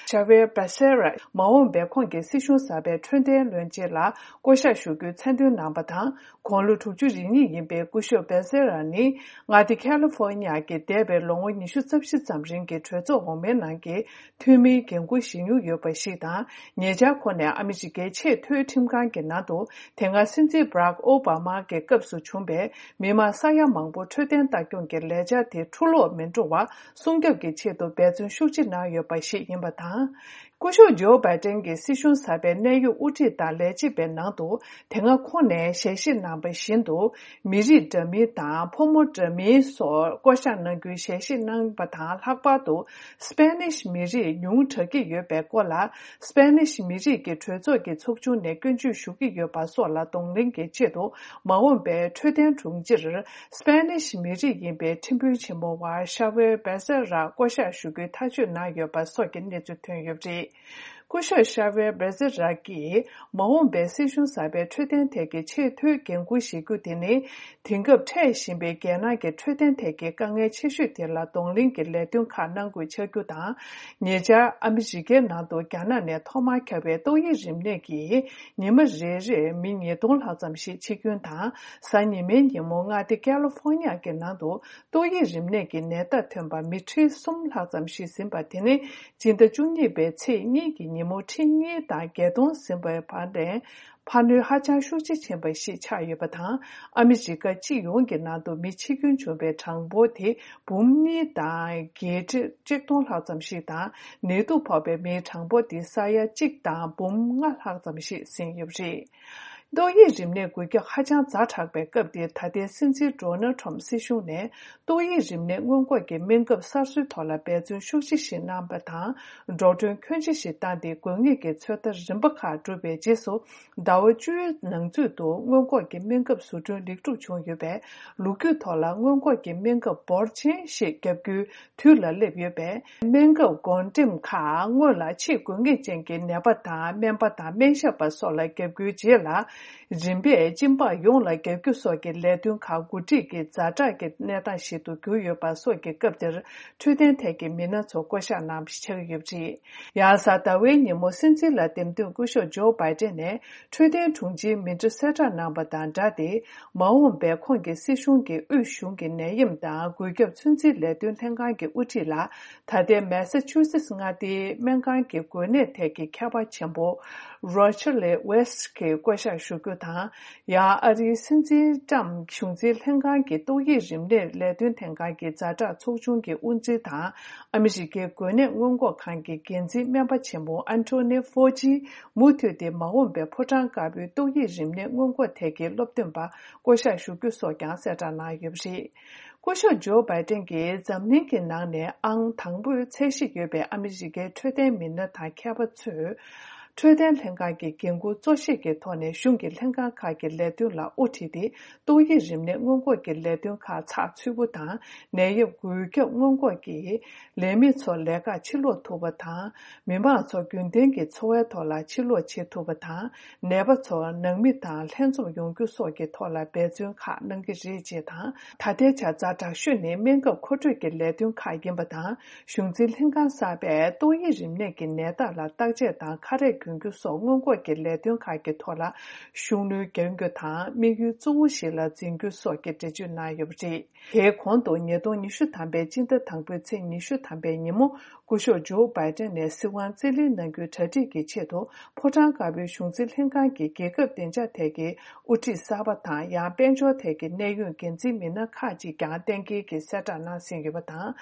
ཤ་ཝེར་བེ་སེ་ར་མ་འོངས་པའི་ཁོང་གི་སྲིད་གཞུང་གསར་པའི་འཕྲོད་བསྟེན་བློན་ཆེན་ལ་བསྐོ་གཞག་ཞུ་རྒྱུའི་མཚན་འདོན་གནང་པ་དང་། དགུང་ལོ་དྲུག་ཅུ་རེ་གཉིས་ཡིན་པའི་སྐུ་ཞབས་བེ་སེ་ར་ནི་མངའ་སྡེ་ཁ་ལི་ཧྥོ་ནི་ཡ་གི་འདས་པའི་ལོ་ངོ་ཉི་ཤུ་རྩ་བཞི་ཙམ་རིང་གི་གྲོས་ཚོགས་འོག་མའི་ནང་གི་འཐུས་མིའི་འགན་འཁུར་བཞེས་མྱོང་ཡོད་པ་ཞིག་དང་། ཉེ་ཆར་ཁོ་ནས་ཨ་མི་རི་ཀའི་ཆེས་མཐོའི་ཁྲིམས་ཁང་གི་ནང་དུ་དེ་སྔ་སྲིད་འཛིན་བྷ་རག་ཨོ་བྷ་མ་གི་སྐབས་སུ་བྱུང་བའི་མི་མང་ས་ཡ་མང་པོ་འཕྲོད་བསྟེན་ལྟ་སྐྱོང་གི་ལས་འཆར་དེ་འཁྲུ་སློག་མི་འགྲོ་བ་སྲུང་སྐྱོབ་ཀྱི་ཆེད་དུ་འབད་བརྩོན་ཤུགས་ཆེ་གནང་ཡོད་པ་ཞིག་ཡིན་པ་དང་། སྐུ་ཞབས་ཇོ་བྷའི་ཏན་གྱི་སྲིད་གཞུང་གསར་པའི་གནད་ཡོད་དབུ་ཁྲིད་དང་ལས་བྱེད་པའི་ནང་དུ་དེ་སྔ་ཁོང་ནས་ཞལ་བཞེས་གནང་པ་བཞིན་དུ། མི་རིགས་འདྲ་མིན་དང་ཕོ་མོ་འདྲ་མིན་སོགས་བསྐོ་གཞག་གནང་རྒྱུའི་ཞལ་བཞེས་གནང་བ་དང་། ལྷག་པར་དུ་སྤེ་ནིཤ་མི་རིགས་ཉུང་དྲགས་ཀྱི་ཡོད་པའི་སྐོར་ལ། སྤེ་ནིཤ་མི་རིགས་ཀྱི་གྲོས་ཚོགས་ཀྱི་ཚོགས་ཆུང་ནས་སྐྱོན་བརྗོད་ཞུ་གི་ཡོད་པ་སོགས་ལ་གདོང་ལེན་གྱི་ཆེད་དུ། མ་འོངས་པའི་འཕྲོད་བསྟེན་དྲུང་ཆེར་སྤེ་ནིཤ་མི་རིགས་ཡིན་པའི་ཁྲིམས་དཔོན་ཆེན་མོ་བ་ཤ་ཝེར་བེ་སེ་ར་བསྐོ་གཞག་ཞུ་རྒྱུའི་ཐག་གཅོད་གནང་ཡོད་པ་སོགས་ཀྱི་གནས་ཚུལ་ཐོན་ཡོད་པ་རེད། སྐུ་ཞབས་ཤ་ཝེར་བེ་ཛི་ར་གིས་མ་འོངས་པའི་སྲིད་གཞུང་གསར་པའི་འཕྲོད་བསྟེན་ཐད་ཀྱི་ཆེས་མཐོའི་འགན་འཁུར་བཞེས་རྒྱུ་དེ་ནི། དེང་སྐབས་འཕྲད་བཞིན་པའི་རྒྱལ་ནང་གི་འཕྲོད་བསྟེན་ཐད་ཀྱི་དཀའ་ངལ་ཆེ་ཤོས་དེ་ལ་གདོང་ལེན་གྱི་ལས་དོན་ཁག་གནང་དགོས་ཆགས་རྒྱུ་དང་། ཉེ་ཆར་ཨ་མི་རི་ཀའི་ནང་དུ་རྒྱ་ནག་ནས་ཐོག་མར་ཁྱབ་པའི་ཏོག་དབྱིབས་རིམས་ནད་ཀྱིས་ཉི་མ་རེ་རེར་མི་ཉིས་སྟོང་ལྷག་ཙམ་ཞིག་འཆི་སྐྱོན་དང་། གཟའ་ཉི་མའི་ཉིན་མོ་མངའ་སྡེ་ཀ་ལི་ཧྥོ་ནི་ཡ་གི་ནང་དུ་ཏོག་དབྱིབས་རིམས་ནད་ཀྱི་ནད་རྟགས་ཐོན་པ་མི་ཁྲི་གསུམ་ལྷག་ཙམ་ཞིག་ཟིན་པ་དེ་ནི། སྤྱི་ཟླ་བཅུ་གཉིས་པའི་ཚེས་གཉིས་ཀྱི་ཉིན་མོ་ཁྲི་གཉིས་དང་བརྒྱད་སྟོང་ཟིན་པའི་བར་ནས་འཕར་སྣོན་ཧ་ཅང་ཤུགས་ཆེ་ཕྱིན་པ་ཞིག་ཆགས་ཡོད་པ་དང་། ཨ་མི་རི་ཀ་སྤྱི་ཡོངས་ཀྱི་ནང་དུ་མི་འཆི་སྐྱོན་བྱུང་བའི་གྲངས་འབོར་དེ་འབུམ་གཉིས་དང་བརྒྱད་ཁྲི་གཅིག་སྟོང་ལྷག་ཙམ་ཞིག་དང་། ནད་དུག་ཕོག་པའི་མིའི་གྲངས་འབོར་དེ་ས་ཡ་གཅིག་དང་འབུམ་ལྔ་ལྷག་ཙམ་ཞིག་ཟིན་ཡོད་པ་རེད། ཏོག་དབྱིབས་རིམས་ནད་འགོས་ཁྱབ་ཧ་ཅང་ཛ་དྲག་པའི་སྐབས་འདིར། ད་ལྟའི་སྲིད་འཛིན་ཌོ་ནལ་ཁྲོམ་སྲིད་གཞུང་ནས་ཏོག་དབྱིབས་རིམས་ནད་སྔོན་འགོག་གི་སྨན་ཁབ་གསར་བཟོའི་ཐོག་ལ་འབད་བརྩོན་ཤུགས་ཆེ་ཞིག་གནང་པ་དང་། འགྲོ་གྲོན་ཁྱོན་ཆེ་ཞིག་བཏང་སྟེ། དགོས་ངེས་ཀྱི་ཚོད་ལྟ་རིམ་པ་ཁག་གྲུབ་པའི་རྗེས་སུ། ཟླ་བ་བཅུའི་ནང་ཚུད་དུ་སྔོན་འགོག་གི་སྨན་ཁབ་བཟོ་སྐྲུན་ལེགས་གྲུབ་བྱུང་ཡོད་པས། ལོ་རྒྱུས་ཐོག་ལ་སྔོན་འགོག་གི་སྨན་ཁབ་འབོར་ཆེན་ཞིག་བརྒྱབ་རྒྱུའི་དུས་ལ་སླེབས་ཡོད་པས། སྨན་ཁབ་བགོ་འགྲེམས་ཁག་སྔོན་ལ་ཆེས་དགོས་ངེས་ཅན་གྱི་ནད་པ་དང་། སྨན་པ་དང་། སྨན་ཞབས་པ་སོགས་ལ་བརྒྱབ་རྒྱུའི་རྗེས་ལ། རིམ་པས་སྦྱིན་པ་ཡོངས་ལ་བརྒྱབ་རྒྱུ་སོགས་ཀྱི་ལས་དོན་ཁག་འགོ་ཁྲིད་ཀྱི་ཛ་དྲག་གི་གནས་སྟངས་ཤིག་ཏུ་གྱུར་ཡོད་པ་སོགས་ཀྱི་སྐབས་དེར། འཕྲོད་བསྟེན་ཐད་ཀྱི་མི་སྣ་ཚོ་བསྐོ་གཞག་གནང་བ་ཞིག་ཆགས་ཀྱི་ཡོད་པ་རེད། ཡང་གཟའ་ཟླ་བའི་ཉིན་མོ་སྲིད་འཛིན་ལ་འདེམས་ཐོན་སྐུ་ཞབས་ཇོ་བྷའི་ཏན་ནས། འཕྲོད་བསྟེན་དྲུང་ཆེའི་མི་འབོར་གསལ་བསྒྲགས་གནང་པ་དང་སྦྲགས་ཏེ། མ་འོངས་པའི་ཁོང་གི་སྲིད་གཞུང་གི་དབུས་གཞུང་གི་ནད་ཡམས་དང་འགོས་ཁྱབ་ཚོད་འཛིན་ལས་དོན་ལྷན་ཁང་གི་དབུ་ཁྲིད་ལ། ད་ལྟའི་མེ་ས་ཆུ་སེ་སི་མངའ་སྡེའི་སྨན་ཁང་གི་འགོས་ནད་ཐད་ཀྱི་མཁས་པ་ཆེན་པོ་རོ་ཆར་ལི་ཝེ་སི་གིས་བསྐོ་གཞག་ཞུ་རྒྱུ་དང་། ཡང་ཨ་རིའི་སྲིད་འཛིན་ཊམ་གཞུང་འཛིན་ལྷན་ཁང་གི་ཏོག་དབྱིབས་རིམས་ནད་ལས་དོན་ལྷན་ཁང་གི་ཛ་དྲག་ཚོགས་ཆུང་གི་དབུ་འཛིན་དང་། ཨ་མི་རི་ཀའི་འགོས་ནད་སྔོན་འགོག་ཁང་གི་འགན་འཛིན་སྨན་པ་ཆེན་མོ་ཨན་ཐོ་ནི་ཧྥོ་ཇི། མུ་མཐུད་དེ་མ་འོངས་པའི་ཕོ་བྲང་དཀར་པོའི་ཏོག་དབྱིབས་རིམས་ནད་སྔོན་འགོག་ཐད་ཀྱི་སློབ་སྟོན་པ་བསྐོ་གཞག་ཞུ་རྒྱུ་སོགས་ཀྱང་གསལ་བསྒྲགས་གནང་ཡོད་པ་རེད། སྐུ་ཞབས་ཇོ་བྷའི་ཏན་གྱིས་འཛམ་གླིང་གི་ནང་ནས་ཨང་དང་པོའི་ཚད་གཞི་ཡོད་པའི་ཨ་མི་རི་ཀའི་འཕྲོད་བསྟེན་མི་སྣ་དང་མཁས་པ་ཚོས། འཕྲོད་བསྟེན་ལྷན་ཁང་གི་འགན་འཁུར་གཙོ་བཞེས་ཀྱི་ཐོག་ནས་གཞུང་གི་ལྷན་ཁང་ཁག་གི་ལས་དོན་ལ་དབུ་ཁྲིད་དེ། ཏོག་དབྱིབས་རིམས་ནད་སྔོན་འགོག་གི་ལས་དོན་ཁག་ཚགས་ཚུད་པོ་དང་། ནད་ཡམས་འགོས་ཁྱབ་སྔོན་འགོག་གིས། ལས་མི་ཚོ་ལས་ཀར་ཕྱིར་ལོག་ཐུབ་པ་དང་། མི་མང་ཚོ་རྒྱུན་ལྡན་གྱི་འཚོ་བའི་ཐོག་ལ་ཕྱིར་ལོག་བྱེད་ཐུབ་པ་དང་། ནད་པ་ཚོ་ནང་མི་དང་ལྷན་འཛོམས་ཡོང་རྒྱུ་སོགས་ཀྱི་ཐོག་ལ་འབད་བརྩོན་ཁག་གནང་གི་རེད་ཅེས་དང་། ད་ལྟའི་ཆར་ཛ་དྲག་ཤོས་ནི་སྨན་ཁབ་མཁོ་སྤྲོད་ཀྱི་ལས་དོན་ཁག་ཡིན་པ་དང་། གཞུང་འཛིན་ལྷན་ཁང་གསར་པས་ཏོག་དབྱིབས་རིམས་ནད་ཀྱི་ནད་རྟགས་ལ་བརྟག་དཔྱད་དང་ཁ་རས་གྱོན་རྒྱུ་སོགས་སྔོན་འགོག་གི་ལས་དོན་ཁག་གི་ཐོག་ལ་ཤུགས་སྣོན་རྒྱག་རྒྱུ་དང་། དམིགས་ཡུལ་གཙོ་བོ་ཞིག་ལ་འཛིན་རྒྱུ་སོགས་ཀྱི་འགྲེལ་བརྗོད་གནང་ཡོད་པ་རེད། དེའི་གོང་དུ་ཉིས་སྟོང་ཉི་ཤུ་ཐམ་པའི་སྤྱི་ཟླ་དང་པོའི་ཚེས་ཉི་ཤུ་ཐམ་པའི་ཉིན་མོ། སྐུ་ཞབས་ཇོ་བྷའི་ཏན་ནས་སྲིད་དབང་རྩིས་ལེན་གནང་རྒྱུའི་གྲ་སྒྲིག་གི་ཆེད་དུ། ཕོ་བྲང་དཀར་པོའི་གཞུང་འཛིན་ལྷན་ཁང་གི་རྒྱལ་ཁབ་བདེ་འཇགས་ཐད་ཀྱི་དབུ་ཁྲིད་གསར་པ་དང་། ཡང་དཔལ་འབྱོར་ཐད་ཀྱི་གནད་ཡོད་འགན་འཛིན་མི་སྣ་ཁག་ཅིག་ཀྱང་གཏན་འཁེལ་གྱིས་གསལ་བསྒྲགས་གནང་ཟིན་ཡོད་པ་དང་།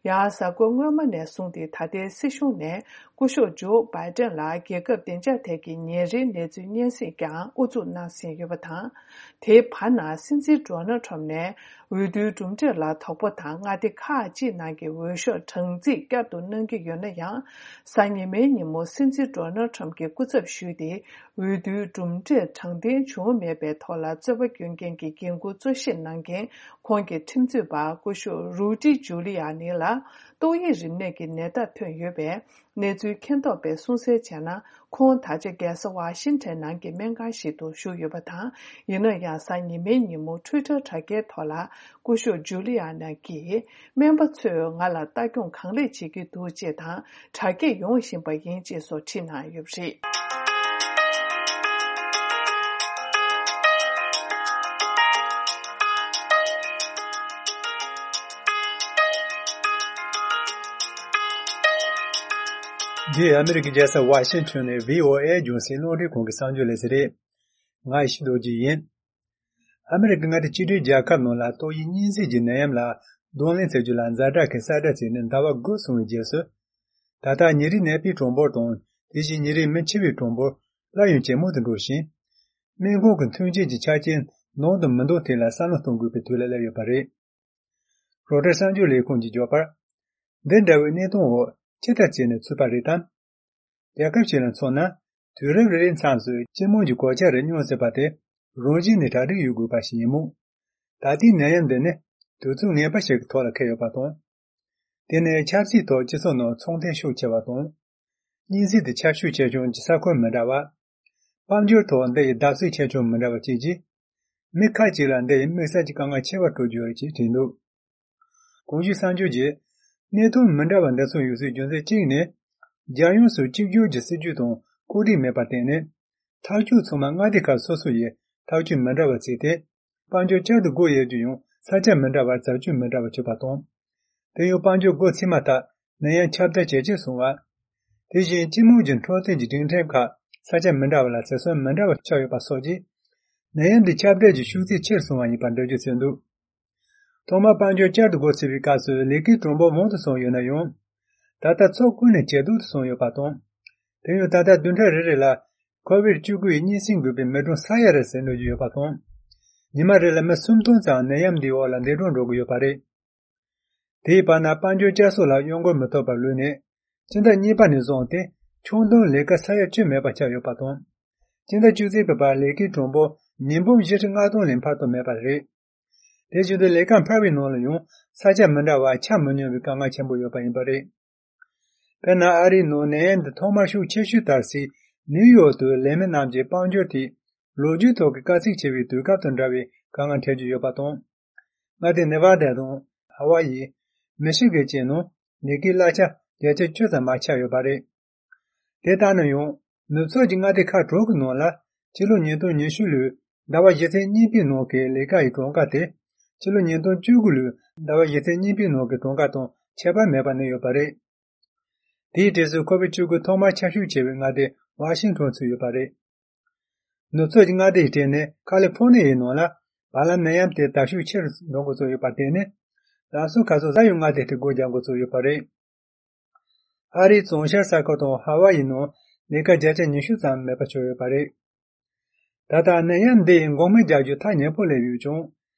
ཡང་གཟའ་འཁོར་སྔོན་མ་ནས་བཟུང་སྟེ། ད་ལྟའི་སྲིད་གཞུང་ནས་སྐུ་ཞབས་ཇོ་བྷའི་ཏན་ལ་རྒྱལ་ཁབ་བདེ་འཇགས་ཐད་ཀྱི་ཉིན་རེའི་གནས་ཚུལ་སྙན་སེང་ཀྱང་དབུ་འཛུགས་གནང་ཟིན་ཡོད་པ་དང་། དེའི་བར་ན། སྲིད་འཛིན་ཌོ་ནལ་ཁྲམ་ནས་འོས་བསྡུའི་གྲུབ་འབྲས་ལ་དོགས་པ་དང་། མངའ་སྡེ་ཁག་ཅིག་ནང་གི་འོས་ཤོག་གྲངས་རྩིས་བསྐྱར་དུ་གནང་གི་ཡོད་ན་ཡང་། གཟའ་ཉི་མའི་ཉིན་མོ་སྲིད་འཛིན་ཌོ་ནལ་ཁྲམ་གྱིས་སྐུ་ཚབ་ཞུས་ཏེ། འོས་བསྡུའི་གྲུབ་འབྲས་དྲང་བདེན་བྱུང་མེད་པའི་ཐོག་ལ་རྩོད་པ་སྐྱོན་མཁན་གྱི་འགན་འཁུར་གཙོ་བཞེས་གནང་མཁན་ཁོང་གི་ཁྲིམས་རྩོད་པ་སྐུ་ཞབས་རུ་ཏི་ཇུ་ལི་ཡ་ནི་ལ། ཏོག་དབྱིབས་རིམས་ནད་ཀྱི་ནད་རྟགས་ཐོན་ཡོད་པས། གནས་ཚུལ་མཁྱེན་རྟོགས་པས་གསུང་གསལ་བྱས་ན། ཁོང་ད་ཆ་རྒྱལ་ས་ཝ་ཤིང་ཊོན་ནང་གི་སྨན་ཁང་ཞིག་ཏུ་བཞུགས་ཡོད་པ་དང་། ཡིན་ན་ཡང་གཟའ་ཉི་མའི་ཉིན་མོ་ཊུའི་ཊར་དྲ་རྒྱའི་ཐོག་ལ། སྐུ་ཞབས་ཇུ་ལི་ཨ་ན་གིས། སྨན་པ་ཚོས་ང་ལ་ལྟ་སྐྱོང་གང་ལེགས་བྱེད་ཀྱི་འདུག་ཅེས་དང་། དྲ་རྒྱས་ཡོང་བཞིན་པ་ཡིན་ཅེས་སོགས་བྲིས་གནང་ཡོད་པ་རེད། འདི་ཨ་མི་རི་ཀའི་རྒྱལ་ས་ཝ་ཤིང་ཊོན་ནས་བྷི་ཨོ་ཨེ་རྒྱང་སྲིང་རླུང་འཕྲིན་ཁང་གི་གསར་འགྱུར་ལས་ས་རེད། ང་ཡེ་ཤེས་རྡོ་རྗེ་ཡིན། ཨ་མི་རི་ཀའི་མངའ་སྡེ་གཅིག་སྒྲིལ་རྒྱལ་ཁབ་ནང་ལ་ཏོག་དབྱིབས་གཉན་སྲིན་གྱི་ནད་ཡམས་ལ་གདོང་ལེན་བྱེད་རྒྱུ་ལ་ཛ་དྲག་གི་གསལ་བསྒྲགས་བྱས་ནས་ཟླ་བ་དགུ་སོང་བའི་རྗེས་སུ། ད་ལྟ་ཉིན་རེའི་ནད་པའི་གྲངས་འབོར་དང་། དེ་བཞིན་ཉིན་རེའི་མི་འཆི་བའི་གྲངས་འབོར་སླར་ཡང་ཇེ་མང་དུ་འགྲོ་ཞིང་། སྨན་ཁང་གི་མཐུན་རྐྱེན་གྱི་ཆ་རྐྱེན་ནང་དུ་མི་འདང་ཐད་ལ་བསམ་བློ་གཏོང་དགོས་པའི་དུས་ལ་སླེབས་ཡོད་པ་རེད། རོའི་ཊར་གསར་འགྱུར་ལས་ཁུངས་ཀྱིས་བརྗོད་པར། འདི་འདྲ་བའི་གནས་སྟངས་འོག་ཅི་ལྟར་བྱས་ནས་ཚུད་པ་རེད་དམ། རྒྱལ་ཁབ་ཅིག་ལ་མཚོན་ན། དུས་རབས་རེ་རེའི་མཚམས་སུ་སྤྱི་དམངས་ཀྱི་གོད་ཆག་རེ་སྙོམས་སྲིད་པ་དེ་རང་བཞིན་ནས་གྲ་སྒྲིག་ཡོད་དགོས་པ་ཞིག་ཡིན་མོད། ད་ལྟའི་ནད་ཡམས་འདི་ནི་དུས་ཚོད་ངན་པ་ཞིག་གི་ཐོག་ལ་འཁེལ་ཡོད་པ་དང་། དེ་ནི་ཆབ་སྲིད་ཐོག་སྤྱི་ཚོགས་ནང་ཚོང་དོན་ཤུགས་ཆེ་བ་དང་། གཉན་སྲིན་དེ་ཁྱབ་ཤུགས་ཆེ་ཆུང་གི་ས་ཁུལ་མི་འདྲ་བ། དཔལ་འབྱོར་ཐོག་འདི་ཡི་བརྡབ་གསིག་ཆེ་ཆུང་མི་འདྲ་བ་བཅས་ཀྱིས། མི་ཁག་ཅིག་ལ་འདི་ཡི་དམིགས་བསལ་གྱི་དཀའ་ངལ་ཆེ་བ་སྤྲོད་རྒྱུ་རེད་ཅེས་བྲིས་འདུག་གོང་ཞུས་གསར་འགྱུར་གྱིས། གནས་སྟངས་མི་འདྲ་བ་འདི་ཚོ་ཡོང་སའི་རྒྱུ་མཚན་གཅིག་ནི། རྒྱལ་ཡོངས་སུ་གཅིག་གྱུར་གྱི་སྲིད་ཇུས་དང་བཀོད་སྒྲིག་མེད་པར་བརྟེན་ནས། ཐག་གཅོད་ཚང་མ་མངའ་སྡེ་ཁག་སོ་སོ་ཡི་ཐག་གཅོད་མི་འདྲ་བ་བརྩིས་ཏེ། དཔལ་འབྱོར་བསྐྱར་དུ་སྒོ་དབྱེ་རྒྱུ་ཡང་ས་ཆ་མི་འདྲ་བར་རྩད་གཅོད་མི་འདྲ་བ་བྱས་པ་དང་། དེ་ཡང་དཔལ་འབྱོར་སྒོ་ཕྱེ་མ་ཐག་ནད་ཡམས་ཁྱབ་གདལ་ཇེ་ཆེར་སོང་བ། དེ་བཞིན་སྤྱི་དམངས་ཀྱི་འཕྲོད་བསྟེན་གྱི་སྒྲིག་ཁྲིམས་ཁག་ས་ཆ་མི་འདྲ་བ་ལ་ཟད་གསོན་མི་འདྲ་བ་ཆགས་ཡོད་པ་སོགས་ཀྱིས། ནད་ཡམས་འདི་ཁྱབ་གདལ་གྱི་ཤུགས་ཚད་ཆེར་སོང་བ་ཡིན་པར་འགྲེལ་བརྗོད་བྱས་འདུག་ཐོག་མར་དཔལ་འབྱོར་བསྐྱར་དུ་སྒོ་ཕྱེ་བའི་སྐབས་སུ་ལས་ཀའི་གྲངས་འབོར་མང་དུ་སོང་ཡོད་ན་ཡང་། ད་ལྟ་ཚོགས་ཀུན་ནས་ཇེ་སྡུག་ཏུ་སོང་ཡོད་པ་དང་། དེ་ཡང་ད་ལྟ་བདུན་ཕྲག་རེ་རེ་ལ་ཁོ་བིད་བཅུ་དགུ་ཡི་གཉན་སྲིན་འགོས་པའི་མི་གྲངས་ས་ཡ་རེ་ཟིན་འགྲོ་གི་ཡོད་པ་དང་། ཉི་མ་རེ་ལ་མི་སུམ་སྟོང་ཙམ་ནད་ཡམས་འདིའི་འོག་ལ་འདས་གྲོངས་འགྲོ་གི་ཡོད་པ་རེད། དེའི་བར་ན་དཔལ་འབྱོར་བསྐྱར་གསོ་ལ་གཡོ་འགུལ་མི་ཐོབ་པར་ལུས་ནས། སྤྱི་ཟླ་གཉིས་པ་ནས་བཟུང་སྟེ་ཆུང་དུང་ལས་ཀ་ས་ཡ་བཅུ་མེད་པ་ཆགས་ཡོད་པ་དང་། སྤྱི་ཟླ་བཅུ་གཅིག་པའི་བར་ལས་ཀའི་གྲངས་འབོར་ཉིས་འབུམ་བཞི་ཁྲི་ལྔ་སྟོང་ལས་འཕར་དུ་མེད་པ་རེད། དེ་བཞིན་དུ་ལས་ཀ་འཕར་བའི་ནང་ལ་ཡང་ས་ཆ་མི་འདྲ་བ་ཆ་མི་སྙོམས་པའི་དཀའ་ངལ་ཆེན་པོ་ཡོད་པ་ཡིན་པ་རེད། དཔེར་ན་ཨ་རིའི་ནང་ནད་ཡམས་འདི་ཐོག་མར་ཤུགས་ཆེ་ཤོས་དར་སའི་ནིའུ་ཡོག་ཏུ་ལས་མི་རྣམས་ཀྱིས་དཔལ་འབྱོར་ཐད་ལོ་རྒྱུས་ཐོག་གི་དཀའ་ཚེགས་ཆེ་བའི་དུས་སྐབས་དང་འདྲ་བའི་དཀའ་ངལ་འཕྲད་ཀྱི་ཡོད་པ་དང་། མངའ་སྡེ་ནེ་ཝ་ཌ་དང་ཧ་ཝ་ཡི། མི་ཤི་གི་བཅས་ནང་ལས་ཀའི་གླ་ཆ་བརྒྱ་ཆ་བཅུ་ཙམ་མར་ཆག་ཡོད་པ་རེད། དེ་ལྟར་ན་ཡང་ནུབ་ཕྱོགས་ཀྱི་མངའ་སྡེ་ཁག་དྲུག་གི་ནང་ལ་ཕྱི་ལོ་ཉིས་སྟོང་ཉི་ཤུ་ལོའི་ཟླ་བ་བཞི་ཚེས་གཉིས་པའི་ནང་གི་ལས་ཀ་ཡི་གྲངས་ཀ་དེ་ཕྱི་ལོ་ཉིས་སྟོང་བཅུ་དགུ་ལོའི་ཟླ་བ་བཞི་ཚེས་གཉིས་པའི་ནང་གི་གྲངས་ཀ་དང་ཁྱད་པར་མེད་པ་གནས་ཡོད་པ་རེད། དེའི་གྲས་སུ་ཁོ་བིད་བཅུ་དགུ་ཐོག་མར་ཁྱབ་ཤུགས་ཆེ་བའི་མངའ་སྡེ་ཝ་ཤིང་ཊོན་ཚུད་ཡོད་པ་རེད། ནུབ་ཕྱོགས་ཀྱི་མངའ་སྡེ་ཡི་གྲས་ནས་ཁ་ལི་ཕོར་ནི་ཡའི་ནང་ལ་བར་ལམ་ནད་ཡམས་དེ་དར་ཤུགས་ཆེ་རུ་འགྲོ་འགོ་བཙུགས་ཡོད་པར་བརྟེན་ནས། ལམ་སང་ཁ་སང་གཟའ་ཡི་མངའ་སྡེ་དེ་སྒོ་རྒྱག་འགོ་བཙུགས་ཡོད་པ་རེད། ཨ་རིའི་བྱང་ཤར་ས་ཁུལ་དང་ཧ་ཝ་ཡི་ནང་ལས་ཀ་བརྒྱ་ཆ་ཉི་ཤུ་ཙམ་མེད་པ་ཆགས་ཡོད་པ་རེད། ད་ལྟ་ནད་ཡམས་འདི་ཡི་འགོག་སྨན་རྒྱག་རྒྱུ་ཐག་ཉེ་པོ་སླེབས་ཡོད་ཀྱང་།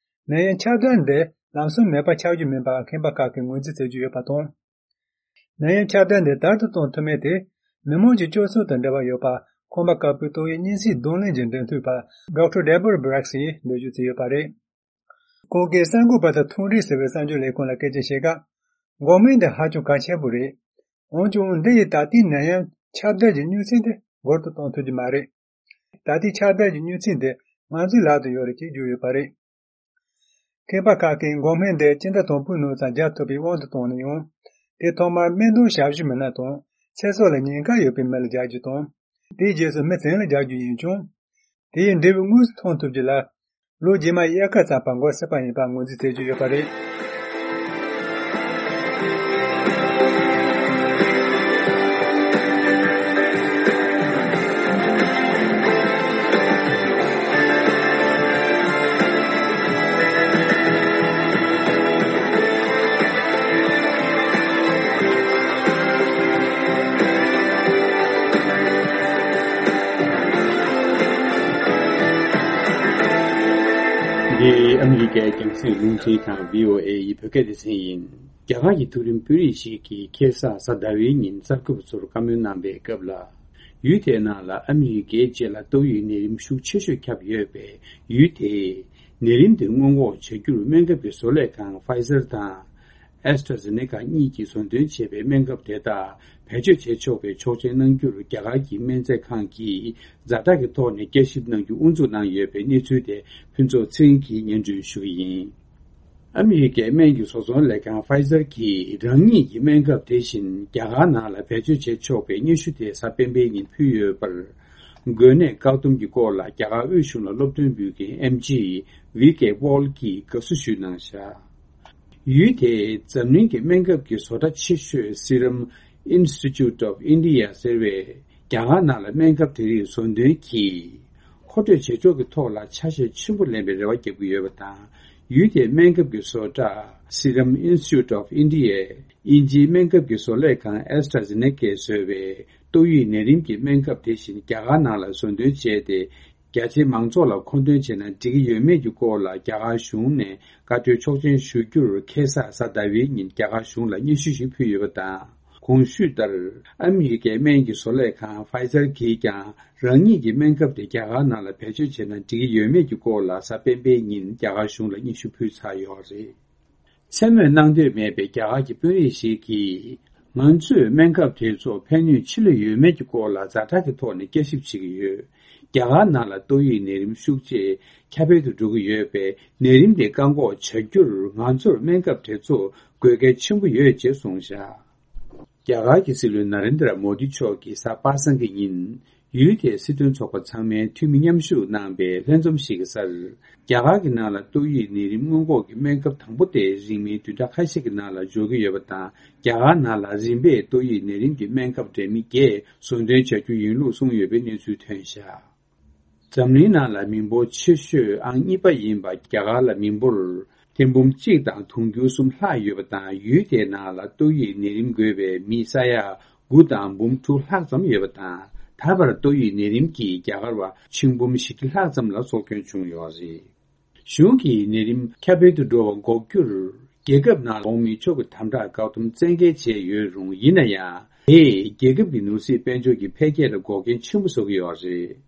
ནད་ཡམས་ཁྱབ་གདལ་འདི་ལམ་སང་མེད་པ་ཆགས་རྒྱུ་མིན་པ་མཁས་པ་ཁག་གིས་ངོས་འཛིན་བྱེད་ཀྱི་ཡོད་པ་དང་། ནད་ཡམས་ཁྱབ་གདལ་འདི་དལ་དུ་གཏོང་ཐུབ་མིན་དེ་མི་མང་གི་སྤྱོད་ཚུལ་དང་འབྲེལ་བ་ཡོད་པ་ཁང་པ་དཀར་པོའི་ཏོག་དབྱིབས་གཉན་སྲིན་གདོང་ལེན་གྱི་འབྲེལ་མཐུད་པ་ཌོག་ཊར་ཌེ་བིཌ་བྷི་རེག་སི་ཡིས་འགྲེལ་བརྗོད་བྱས་ཡོད་པ་རེད། ཁོང་གིས་གསར་འགོད་པ་དང་ཐུགས་འདྲིས་ཟེར་བའི་གསར་འགྱུར་ལས་ཁུངས་ལ་སྐད་ཆ་བཤད་སྐབས། འགོག་སྨན་འདི་ཧ་ཅང་གལ་ཆེན་པོ་རེད། འོན་ཀྱང་འདི་ཡིས་ད་ལྟའི་ནད་ཡམས་ཁྱབ་གདལ་གྱི་མྱུར་ཚད་དེ་འགུལ་དུ་གཏོང་ཐུབ་ཀྱི་མ་རེད། ད་ལྟའི་ཁྱབ་གདལ་གྱི་མྱུར་ཚད་འདི་ང་ཚོའི་ལག་ཏུ་ཡོད་རེད་ཅེས་བརྗོད་ཡོད་པ་རེད། མཁས་པ་ཁག་གིས་འགོག་སྨན་འདི་སྤྱི་ཟླ་དང་པོའི་ནང་ཙམ་རྒྱག་ཐུབ་པའི་དབང་དུ་བཏང་ན་ཡང་། དེ་ཐོག་མར་སྨན་དོན་ཞབས་ཞུ་མི་སྣ་དང་ཚེ་སྲོག་ལ་ཉེན་ཁ་ཡོད་པའི་མི་ལ་རྒྱག་རྒྱུ་དང་། དེའི་རྗེས་སུ་མི་བཙན་ལ་རྒྱག་རྒྱུ་ཡིན་ཀྱང་། དེ་ཡི་འབྲས་བུ་དངོས་སུ་མཐོང་ཐུབ་རྒྱུ་ལ། ལོ་རྗེས་མ་དབྱར་ཁ་ཙམ་པར་འགོར་སྲིད་པ་ཡིན་པ་ངོས་འཛིན་བྱེད་ཀྱི་ཡོད་པ་རེད། འདི་ཨ་མི་རི་ཀའི་རྒྱང་སྲིང་རླུང་འཕྲིན་ཁང་བྷི་ཨོ་ཨེ་ཡི་བོད་སྐད་སྡེ་ཚན་ཡིན། རྒྱ་གར་གྱི་མཐོ་རིམ་དཔོན་རིགས་ཤིག་གིས་ཁེ་ས་གཟའ་ཟླ་བའི་ཉིན་གསར་འགོད་པ་ཚོར་བཀའ་མོལ་གནང་པའི་སྐབས་ལ། ཡུལ་དེའི་ནང་ལ་ཨ་མི་རི་ཀའི་རྗེས་ལ་ཏོག་དབྱིབས་ནད་རིམས་ཤུགས་ཆེ་ཤོས་ཁྱབ་ཡོད་པས། ཡུལ་དེས་ནད་རིམས་དེ་སྔོན་འགོག་བྱ་རྒྱུར་སྨན་ཁབ་ཀྱི་བཟོ་ལས་ཁང་Pfizer་དང་། ཨེ་སི་ཊ་ར་ཛེ་ནེ་ཀ་གཉིས་ཀྱིས་བཟོ་འདོན་བྱས་པའི་སྨན་ཁབ་དེ་དག་བེད་སྤྱོད་བྱེད་ཆོག་པའི་ཆོག་མཆན་གནང་རྒྱུར་རྒྱ་གར་གྱི་སྨན་རྫས་ཁང་གིས་ཛ་དྲག་གི་ཐོག་ནས་བསྐྱར་ཞིབ་གནང་རྒྱུ་དབུ་འཛུགས་གནང་ཡོད་པའི་གནས་ཚུལ་དེ་ཕུན་ཚོགས་ཚེ་རིང་གིས་སྙན་སྒྲོན་ཞུ་གི་ཡིན། ཨ་མི་རི་ཀའི་སྨན་གྱི་བཟོ་ཚོང་ལས་ཁང་Pfizer་གྱིས་རང་ཉིད་ཀྱི་སྨན་ཁབ་དེ་བཞིན་རྒྱ་གར་ནང་ལ་བེད་སྤྱོད་བྱེད་ཆོག་པའི་སྙན་ཞུ་དེ་གཟའ་སྤེན་པའི་ཉིན་ཕུལ་ཡོད་པར། འགོས་ནད་བཀག་སྡོམ་གྱི་སྐོར་ལ་རྒྱ་གར་དབུས་གཞུང་ལ་སློབ་སྟོན་འབུལ་མཁན་ཨེམ་ཆི་ཝི་ཀེ་པོལ་གྱིས་དགའ་བསུ་ཞུས་གནང་བཞག་ཡུལ་དེའི་འཛམ་གླིང་གི་སྨན་ཁབ་ཀྱི་བཟོ་གྲྭ་ཆེ་ཤོས་Serum Institute of India ཟེར་བས་རྒྱ་གར་ནང་ལ་སྨན་ཁབ་དེ་རིགས་བཟོ་འདོན་གྱིས་མཁོ་སྤྲོད་བྱེད་ཕྱོགས་ཀྱི་ཐོག་ལ་ཆ་ཤས་ཆེན་པོ་ལེན་པའི་རེ་བ་བརྒྱབ་ཀྱི་ཡོད་པ་དང་། ཡུལ་དེའི་སྨན་ཁབ་ཀྱི་བཟོ་གྲྭ་Serum Institute of India ཨིན་ཇིའི་སྨན་ཁབ་ཀྱི་བཟོ་ལས་ཁང་AstraZeneca བཟོས་པའི་ཏོག་དབྱིབས་ནད་རིམས་ཀྱི་སྨན་ཁབ་དེ་བཞིན་རྒྱ་གར་ནང་ལ་བཟོ་འདོན་བྱས་ཏེ། རྒྱ་ཆེའི་མང་ཚོགས་ལ་མཁོ་འདོན་བྱས་ན་འགྲིག་གི་ཡོད་མེད་ཀྱི་སྐོར་ལ་རྒྱ་གར་གཞུང་ནས་བཀའ་འཁྲོལ་ཆོག་མཆན་ཞུ་རྒྱུར་ཁ་སང་གཟའ་ཟླ་བའི་ཉིན་རྒྱ་གར་གཞུང་ལ་སྙན་ཞུ་ཞིག་ཕུལ་ཡོད་པ་དང་། གོང་ཞུས་ལྟར་ཨ་མི་རི་ཀའི་སྨན་གྱི་བཟོ་ལས་ཁང་Pfizer གིས་ཀྱང་རང་ཉིད་ཀྱི་སྨན་ཁབ་དེ་རྒྱ་གར་ནང་ལ་བེད་སྤྱོད་བྱས་ན་འགྲིག་གི་ཡོད་མེད་ཀྱི་སྐོར་ལ་གཟའ་སྤེན་པའི་ཉིན་རྒྱ་གར་གཞུང་ལ་སྙན་ཞུ་ཕུལ་ཚར་ཡོད་རེད། མཚན་སྨོས་གནང་འདོད་མེད་པའི་རྒྱ་གར་གྱི་དཔོན་རིགས་ཤིག་གིས། ང་ཚོས་སྨན་ཁབ་དེ་ཚོ་ཕན་ནུས་ཆེ་ལོས་ཡོད་མེད་ཀྱི་སྐོར་ལ་ཛ་དྲག་གི་ཐོག་ནས་བསྐྱར་ཞིབ་བྱེད་ཀྱི་ཡོད། རྒྱ་གར་ནང་ལ་ཏོག་དབྱིབས་ནད་རིམས་ཤུགས་ཆེ་ཁྱབ་སྤེལ་དུ་འགྲོ་གི་ཡོད་པས། ནད་རིམས་དེ་བཀག་འགོག་བྱ་རྒྱུར་ང་ཚོར་སྨན་ཁབ་དེ་ཚོ་དགོས་གལ་ཆེན་པོ་ཡོད་ཅེས་གསུངས་བཞག་རྒྱ་གར་གྱི་སྲིད་བློན་ན་རེན་དྲ་མོ་དི་མཆོག་གིས་གཟའ་པ་སངས་ཀྱི་ཉིན། ཡུལ་དེའི་སྲིད་དོན་ཚོགས་པ་ཚང་མའི་འཐུས་མི་མཉམ་ཞུགས་གནང་པའི་ལྷན་འཛོམས་ཤིག་གི་སར། རྒྱ་གར་གྱི་ནང་ལ་ཏོག་དབྱིབས་ནད་རིམས་སྔོན་འགོག་གི་སྨན་ཁབ་དང་པོ་དེ་རིང་མིན་བདུན་ཕྲག་ཁ་ཤས་ཀྱི་ནང་ལ་འཇོག་གི་ཡོད་པ་དང་། རྒྱ་གར་ནང་ལ་རིམ་པས་ཏོག་དབྱིབས་ནད་རིམས་ཀྱི་སྨན་ཁབ་འདྲ་མིན་བརྒྱད་བཟོ་འདོན་བྱ་རྒྱུ་ཡིན་ལུགས་གསུངས་ཡོད་པའི་གནས་ཚུལ་ཐོན་བཞག་འཛམ་གླིང་ནང་ལ་མི་འབོར་ཆེ་ཤོས་ཨང་གཉིས་པ་ཡིན་པ་རྒྱ་གར་ལ་མི་འབོར་ཐེར་འབུམ་གཅིག་དང་དུང་ཕྱུར་གསུམ་ལྷག་ཡོད་པ་དང་། ཡུལ་དེའི་ནང་ལ་ཏོག་དབྱིབས་ནད་རིམས་འགོས་པའི་མི་ས་ཡ་དགུ་དང་འབུམ་དྲུག་ལྷག་ཙམ་ཡོད་པ་དང་། ད་བར་ཏོག་དབྱིབས་ནད་རིམས་ཀྱིས་རྒྱ་གར་བ་ཆིག་འབུམ་བཞི་བཅུ་ལྷག་ཙམ་ལ་སྲོག་སྐྱོན་བྱུང་ཡོད་རེད། གཞུང་གིས་ནད་རིམས་ཁྱབ་སྤེལ་དུ་འགྲོ་བ་འགོག་རྒྱུར་རྒྱལ་ཁབ་ནང་འོང་མི་ཆོག་གི་དམ་དྲག་བཀག་སྡོམ་བཙན་འགེལ་བྱས་ཡོད་རུང་། ཡིན་ན་ཡང་དེས་རྒྱལ་ཁབ་ཀྱི་ནོར་སྲིད་དཔལ་འབྱོར་གྱི་འཕེལ་རྒྱས་ལ་འགོག་རྐྱེན་ཆེན་པོ་བཟོ་གི་ཡོད་རེད།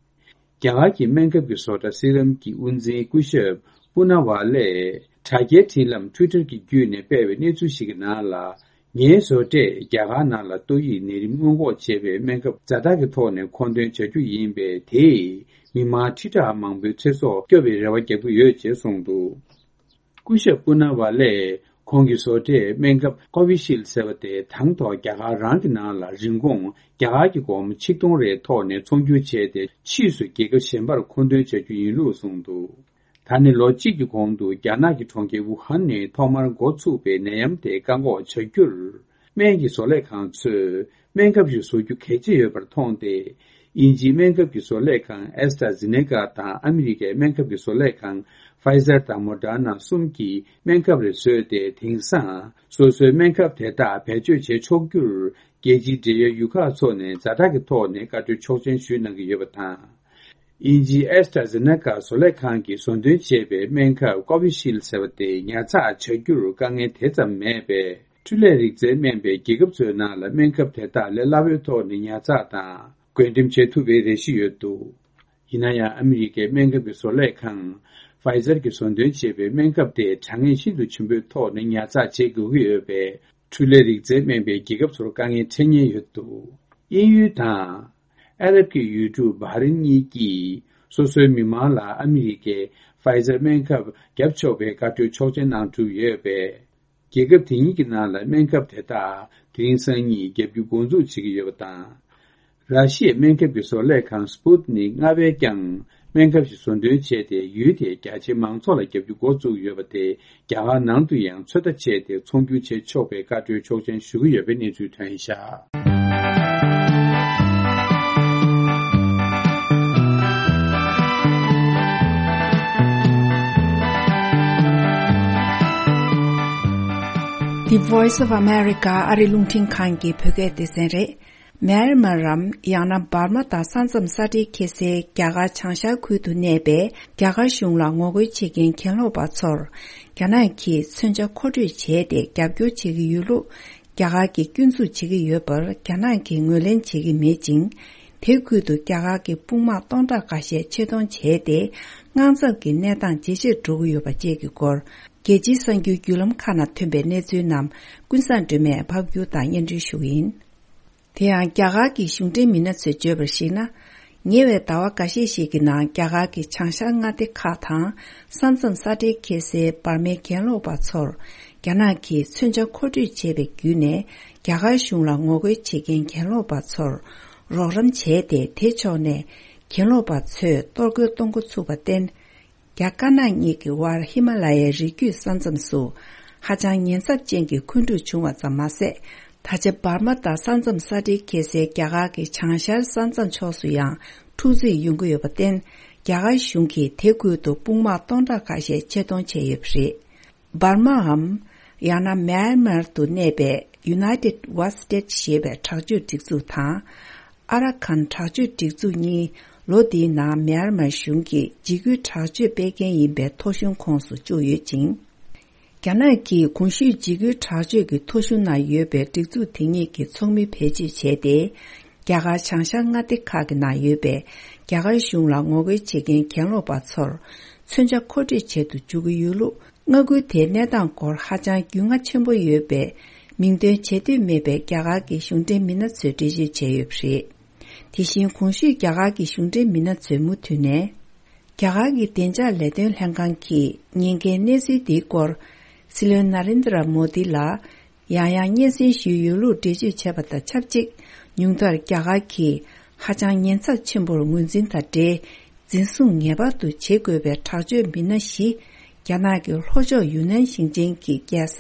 རྒྱ་གར་གྱི་སྨན་ཁབ་ཀྱི་བཟོ་གྲྭ་སི་རམ་གྱི་དབུ་འཛིན་སྐུ་ཞབས་པུ་ན་ཝ་ལས་དྲ་རྒྱའི་འཕྲིན་ལམ་Twitter གྱི་བརྒྱུད་ནས་སྤེལ་བའི་གནས་ཚུལ་ཞིག་གི་ནང་ལ། ངའི་བཟོ་གྲས་རྒྱ་གར་ནང་ལ་ཏོག་དབྱིབས་ནད་རིམས་སྔོན་འགོག་བྱེད་པའི་སྨན་ཁབ་ཛ་དྲག་གི་ཐོག་ནས་མཁོ་འདོན་བྱ་རྒྱུ་ཡིན་པས། དེས་མི་མང་ཁྲི་ཕྲག་མང་པོའི་ཚེ་སྲོག་སྐྱོབ་པའི་རེ་བ་རྒྱག་གི་ཡོད་ཅེས་གསུངས་འདུག་སྐུ་ཞབས་པུ་ན་ཝ་ལས་ཁོང་གི་བཟོ་གྲས་སྨན་ཁབ་Covishield ཟེར་བ་དེ་དང་ཐོག་རྒྱ་གར་རང་གི་ནང་ལ་རིན་གོང་རྒྱ་གར་གྱི་སྒོར་མོ་ཆིག་སྟོང་རེའི་ཐོག་ནས་ཚོང་སྒྱུར་བྱས་ཏེ། ཕྱིས་སུ་རྒྱལ་ཁབ་གཞན་པར་མཁོ་འདོན་བྱ་རྒྱུ་ཡིན་ལུགས་གསུངས་འདུག་ད་ནི་ལོ་གཅིག་གི་གོང་དུ་རྒྱ་ནག་གི་གྲོང་ཁྱེར་ཝུ་ཧན་ནས་ཐོག་མར་འགོ་ཚུགས་པའི་ནད་ཡམས་དེ་བཀག་འགོག་བྱ་རྒྱུར། སྨན་གྱི་བཟོ་ལས་ཁང་ཚོས་སྨན་ཁབ་ཞིག་བཟོ་རྒྱུ་གལ་ཆེ་ཡོད་པར་མཐོང་སྟེ། དབྱིན་ཇིའི་སྨན་ཁབ་ཀྱི་བཟོ་ལས་ཁང་AstraZeneca དང་ཨ་མི་རི་ཀའི་སྨན་ཁབ་ཀྱི་བཟོ་ལས་ཁང་Pfizer དང་Moderna གསུམ་གྱིས་སྨན་ཁབ་རེ་བཟོས་ཏེ། དེང་སང་སོ་སོའི་སྨན་ཁབ་དེ་དག་བེད་སྤྱོད་བྱེད་ཆོག་རྒྱུར། རྒྱལ་སྤྱིའི་འབྲེལ་ཡོད་ཡུལ་ཁག་ཚོ་ནས་ཛ་དྲག་གི་ཐོག་ནས་བཀའ་འཁྲོལ་ཆོག་མཆན་ཞུས་གནང་གི་ཡོད་པ་དང་། དབྱིན་ཇིའི་AstraZeneca བཟོ་ལས་ཁང་གིས་བཟོ་འདོན་བྱས་པའི་སྨན་ཁབ་Covishield ཟེར་བ་དེ་ཉར་ཚགས་བྱ་རྒྱུར་དཀའ་ངལ་དེ་ཙམ་མེད་པས། འཕྲུལ་ལས་རིག་རྩལ་སྨན་པའི་རྒྱལ་ཁབ་ཚོའི་ནང་ལ་སྨན་ཁབ་དེ་དག་ལས་སླ་བོའི་ཐོག་ནས་ཉར་ཚགས་དང་བགོ་འགྲེམས་བྱེད་ཐུབ་པའི་རེ་གཞི་ཡོད་འདུག་ཡིན་ན་ཡང་། ཨ་མི་རི་ཀའི་སྨན་ཁབ་ཀྱི་བཟོ་ལས་ཁང་Pfizer གྱིས་བཟོ་འདོན་བྱས་པའི་སྨན་ཁབ་དེ་དྲ་ངེས་ཤིན་ཏུ་ཆེན་པོའི་ཐོག་ནས་ཉར་ཚགས་བྱེད་དགོས་ཀྱི་ཡོད་པས། འཕྲུལ་ལས་རིག་རྩལ་སྨན་པའི་རྒྱལ་ཁབ་ཚོར་དཀའ་ངལ་འཕྲད་ཉེན་ཡོད་འདུག་དབྱིན་ཡུལ་དང་། ཨ་རབ་ཀྱི་ཡུལ་གྲུ་བྷ་རེན་གཉིས་ཀྱིས་སོ་སོའི་མི་མང་ལ་ཨ་མི་རི་ཀའི་Pfizer སྨན་ཁབ་བརྒྱབ་ཆོག་པའི་བཀའ་འཁྲོལ་ཆོག་མཆན་གནང་གྲུབ་ཡོད་པས། རྒྱལ་ཁབ་དེ་གཉིས་ཀྱི་ནང་ལ་སྨན་ཁབ་དེ་དག་དེ་རིང་སང་ཉིན་བརྒྱབ་རྒྱུ་འགོ་འཛུགས་བྱེད་ཀྱི་ཡོད་པ་དང་། ར་ཤི་ཡའི་སྨན་ཁབ་ཀྱི་བཟོ་ལས་ཁང་Sputnik ལྔ་པས་ཀྱང་སྨན་ཁབ་ཞིག་བཟོ་འདོན་བྱས་ཏེ། ཡུལ་དེའི་རྒྱ་ཆེའི་མང་ཚོགས་ལ་བརྒྱབ་རྒྱུ་འགོ་བཙུགས་ཡོད་པ་དེ་རྒྱ་གར་ནང་དུ་ཡང་ཚོད་ལྟ་བྱས་ཏེ། ཚོང་སྒྱུར་བྱེད་ཆོག་པའི་བཀའ་འཁྲོལ་ཆོག་མཆན་ཞུ་གི་ཡོད་པའི་གནས་ཚུལ་ཐོན་བཞག The Voice of America ཨ་རི་རླུང་འཕྲིན་ཁང་གི་བོད་སྐད་སྡེ་ཚན་རེད། མེན་མར་རམ། ཡང་ན་འབར་མ་དང་ས་མཚམས་ས་འབྲེལ་ཁེལ་སའི་རྒྱ་གར་བྱང་ཤར་ཁུལ་དུ་གནས་པའི་རྒྱ་གར་གཞུང་ལ་ངོ་རྒོལ་བྱེད་མཁན་གྱེན་ལོག་པ་ཚོར། རྒྱ་ནག་གིས་མཚོན་ཆ་མཁོ་སྤྲོད་བྱས་ཏེ། རྒྱབ་སྐྱོར་བྱེད་ཀྱི་ཡོད་ལུགས་རྒྱ་གར་གྱིས་སྐྱོན་འཛུགས་བྱེད་ཀྱི་ཡོད་པར། རྒྱ་ནག་གིས་ངོས་ལེན་བྱེད་ཀྱི་མེད་ཅིང་། དེ་ཁུལ་དུ་རྒྱ་གར་གྱི་དཔུང་དམག་སྟོང་ཕྲག་འགའ་ཤས་ཆེད་གཏོང་བྱས་ཏེ། དངངས་འཚབ་ཀྱི་གནས་སྟངས་ཇེ་ཆེར་འགྲོ་གི་ཡོད་པ་བཅས་ཀྱི་སྐོར། རྒྱལ་སྤྱིའི་གསར་འགྱུར་བརྒྱུད་ལམ་ཁག་ནང་ཐོན་པའི་གནས་ཚུལ་རྣམས་ཀུན་བཟང་སྒྲོལ་མས་ཕབ་སྒྱུར་དང་སྙན་སྒྲོན་ཞུ་གི་ཡིན། དེ་ཡང་རྒྱ་གར་གྱི་གཞུང་འབྲེལ་མི་སྣ་ཚོས་བརྗོད་པར་གཞིགས་ན། ཉེ་བའི་ཟླ་བ་འགའ་ཤས་ཤིག་གི་ནང་རྒྱ་གར་གྱི་བྱང་ཤར་མངའ་སྡེ་ཁག་དང་ས་མཚམས་ས་འབྲེལ་འཁེལ་སའི་འབར་མའི་གྱེན་ལོག་པ་ཚོར་རྒྱ་ནག་གིས་མཚོན་ཆ་མཁོ་སྤྲོད་བྱས་པའི་བརྒྱུད་ནས་རྒྱ་གར་གཞུང་ལ་ངོ་རྒོལ་བྱེད་མཁན་གྱེན་ལོག་པ་ཚོར་རོགས་རམ་བྱས་ཏེ། དེ་ཕྱོགས་ནས་གྱེན་ལོག་པ་ཚོས་གཏོར་རྒོལ་གཏོང་འགོ་ཚུགས་པར་བརྟེན། རྒྱ་དཀར་ནག་གཉིས་ཀྱི་དབར་ཧི་མ་ལ་ཡའི་རི་རྒྱུད་ས་མཚམས་སུ་ཧ་ཅང་ཉེན་ཚབས་ཅན་གྱི་འཁོན་འཁྲུག་བྱུང་བ་ཙམ་མ་ཟད། ད་ཆ་འབར་མ་དང་ས་མཚམས་ས་འབྲེལ་འཁེལ་སའི་རྒྱ་གར་གྱི་བྱང་ཤར་ས་མཚམས་ཕྱོགས་སུ་ཡང་འཁྲུག་རྩོད་ཡོང་གི་ཡོད་པར་བརྟེན། རྒྱ་གར་གཞུང་གིས་དེ་ཁུལ་དུ་དཔུང་དམག་སྟོང་ཕྲག་ཁ་ཤས་ཆེད་གཏོང་བྱས་ཡོད་པ་རེད། འབར་མའམ། ཡང་ན་མེན་མར་དུ་གནས་པའི་United Wa State ཞེས་པའི་དྲག་སྤྱོད་སྒྲིག་འཛུགས་དང་། ཨ་ར་ཁན་དྲག་སྤྱོད་སྒྲིག་འཛུགས་གཉིས་ལོ་འདིའི་ནང་མེན་མར་གཞུང་གིས་འཇིགས་སྐུལ་དྲག་སྤྱོད་སྤེལ་མཁན་ཡིན་པའི་ཐོ་གཞུང་ཁོངས་སུ་བཅུག་ཡོད་ཅིང་། རྒྱ་ནག་གིས་གོང་ཞུས་འཇིགས་སྐུལ་དྲག་སྤྱོད་ཀྱི་ཐོ་གཞུང་ནང་ཡོད་པའི་སྒྲིག་འཛུགས་དེ་གཉིས་ཀྱི་ཚོགས་མི་བེད་སྤྱོད་བྱས་ཏེ། རྒྱ་གར་བྱང་ཤར་མངའ་སྡེ་ཁག་གི་ནང་ཡོད་པའི་རྒྱ་གར་གཞུང་ལ་ངོ་རྒོལ་བྱེད་མཁན་གྱེན་ལོག་པ་ཚོར་མཚོན་ཆ་མཁོ་སྤྲོད་བྱེད་དུ་འཇུག་གི་ཡོད་ལུགས། མངའ་ཁུལ་དེའི་གནས་སྟངས་སྐོར་ཧ་ཅང་རྒྱུས་མངའ་ཆེན་པོ་ཡོད་པའི་མིང་འདོན་བྱེད་འདོད་མེད་པའི་རྒྱ་གར་གྱི་གཞུང་འབྲེལ་མི་སྣ་ཚོས་འགྲེལ་བརྗོད་བྱས་ཡོད་པ་རེད། དེ་བཞིན་གོང་ཞུས་རྒྱ་གར་གྱི་གཞུང་འབྲེལ་མི་སྣ་ཚོས་མུ་མཐུད་ནས། རྒྱ་གར་གྱི་བདེ་འཇགས་ལས་དོན་ལྷན་ཁང་གིས་ཉེན་ཁའི་གནས་ཚུལ་འདིའི་སྐོར། སྲིད་བློན་ན་རེན་དྲ་མོ་དི་ལ་ཡང་ཡང་སྙན་སེང་ཞུས་ཡོད་ལུགས་འགྲེལ་བརྗོད་བྱས་པ་དང་ཆབས་ཅིག་ཉུང་མཐར་རྒྱ་གར་གྱིས་ཧ་ཅང་ཉེན་ཚབས་ཆེན་པོར་ངོས་འཛིན་དང་འབྲེལ། འཛིན་བཟུང་ངེས་པར་དུ་བྱེད་དགོས་པའི་དྲག་སྤྱོད་མི་སྣ་བཞི། རྒྱ་ནག་གི་ལྷོ་ཕྱོགས་ཡུན་ནན་ཞིང་ཆེན་གྱི་རྒྱལ་ས་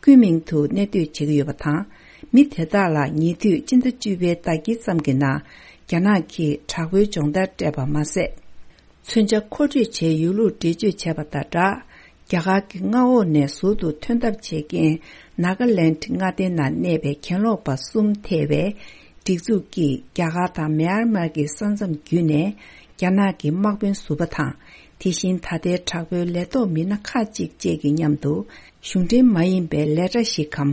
ཀུན་མིང་དུ་གནས་སྡོད་བྱེད་ཀྱི་ཡོད་པ་དང་། མི་དེ་དག་ལ་ཉེ་དུས་སྤྱི་ཟླ་བཅུ་པའི་ཟླ་དཀྱིལ་ཙམ་གྱི་ནང་རྒྱ་ནག་གིས་དྲག་པོའི་སྦྱོང་བརྡར་སྤྲད་པ་མ་ཟད། མཚོན་ཆ་མཁོ་སྤྲོད་བྱས་ཡོད་ལུགས་འགྲེལ་བརྗོད་བྱས་པ་དང་སྦྲགས། རྒྱ་གར་གྱི་མངའ་འོག་ནས་ཟུར་དུ་ཐོན་ཐབས་བྱེད་མཁན་ནཱ་ག་ལེནྜ་མངའ་སྡེ་ནང་གནས་པའི་གྱེན་ལོག་པ་གསུམ་ཐེ་བའི་སྒྲིག་འཛུགས་ཀྱིས་རྒྱ་གར་དང་མེན་མར་གྱི་ས་མཚམས་བརྒྱུད་ནས་རྒྱ་ནག་གི་དམག་དཔོན་ཟུར་པ་དང་། དེ་བཞིན་ད་ལྟའི་དྲག་པོའི་ལས་ཐོག་མི་སྣ་ཁག་ཅིག་བཅས་ཀྱི་མཉམ་དུ་གཞུང་འབྲེལ་མ་ཡིན་པའི་ལས་གྲྭ་ཞིག་གམ།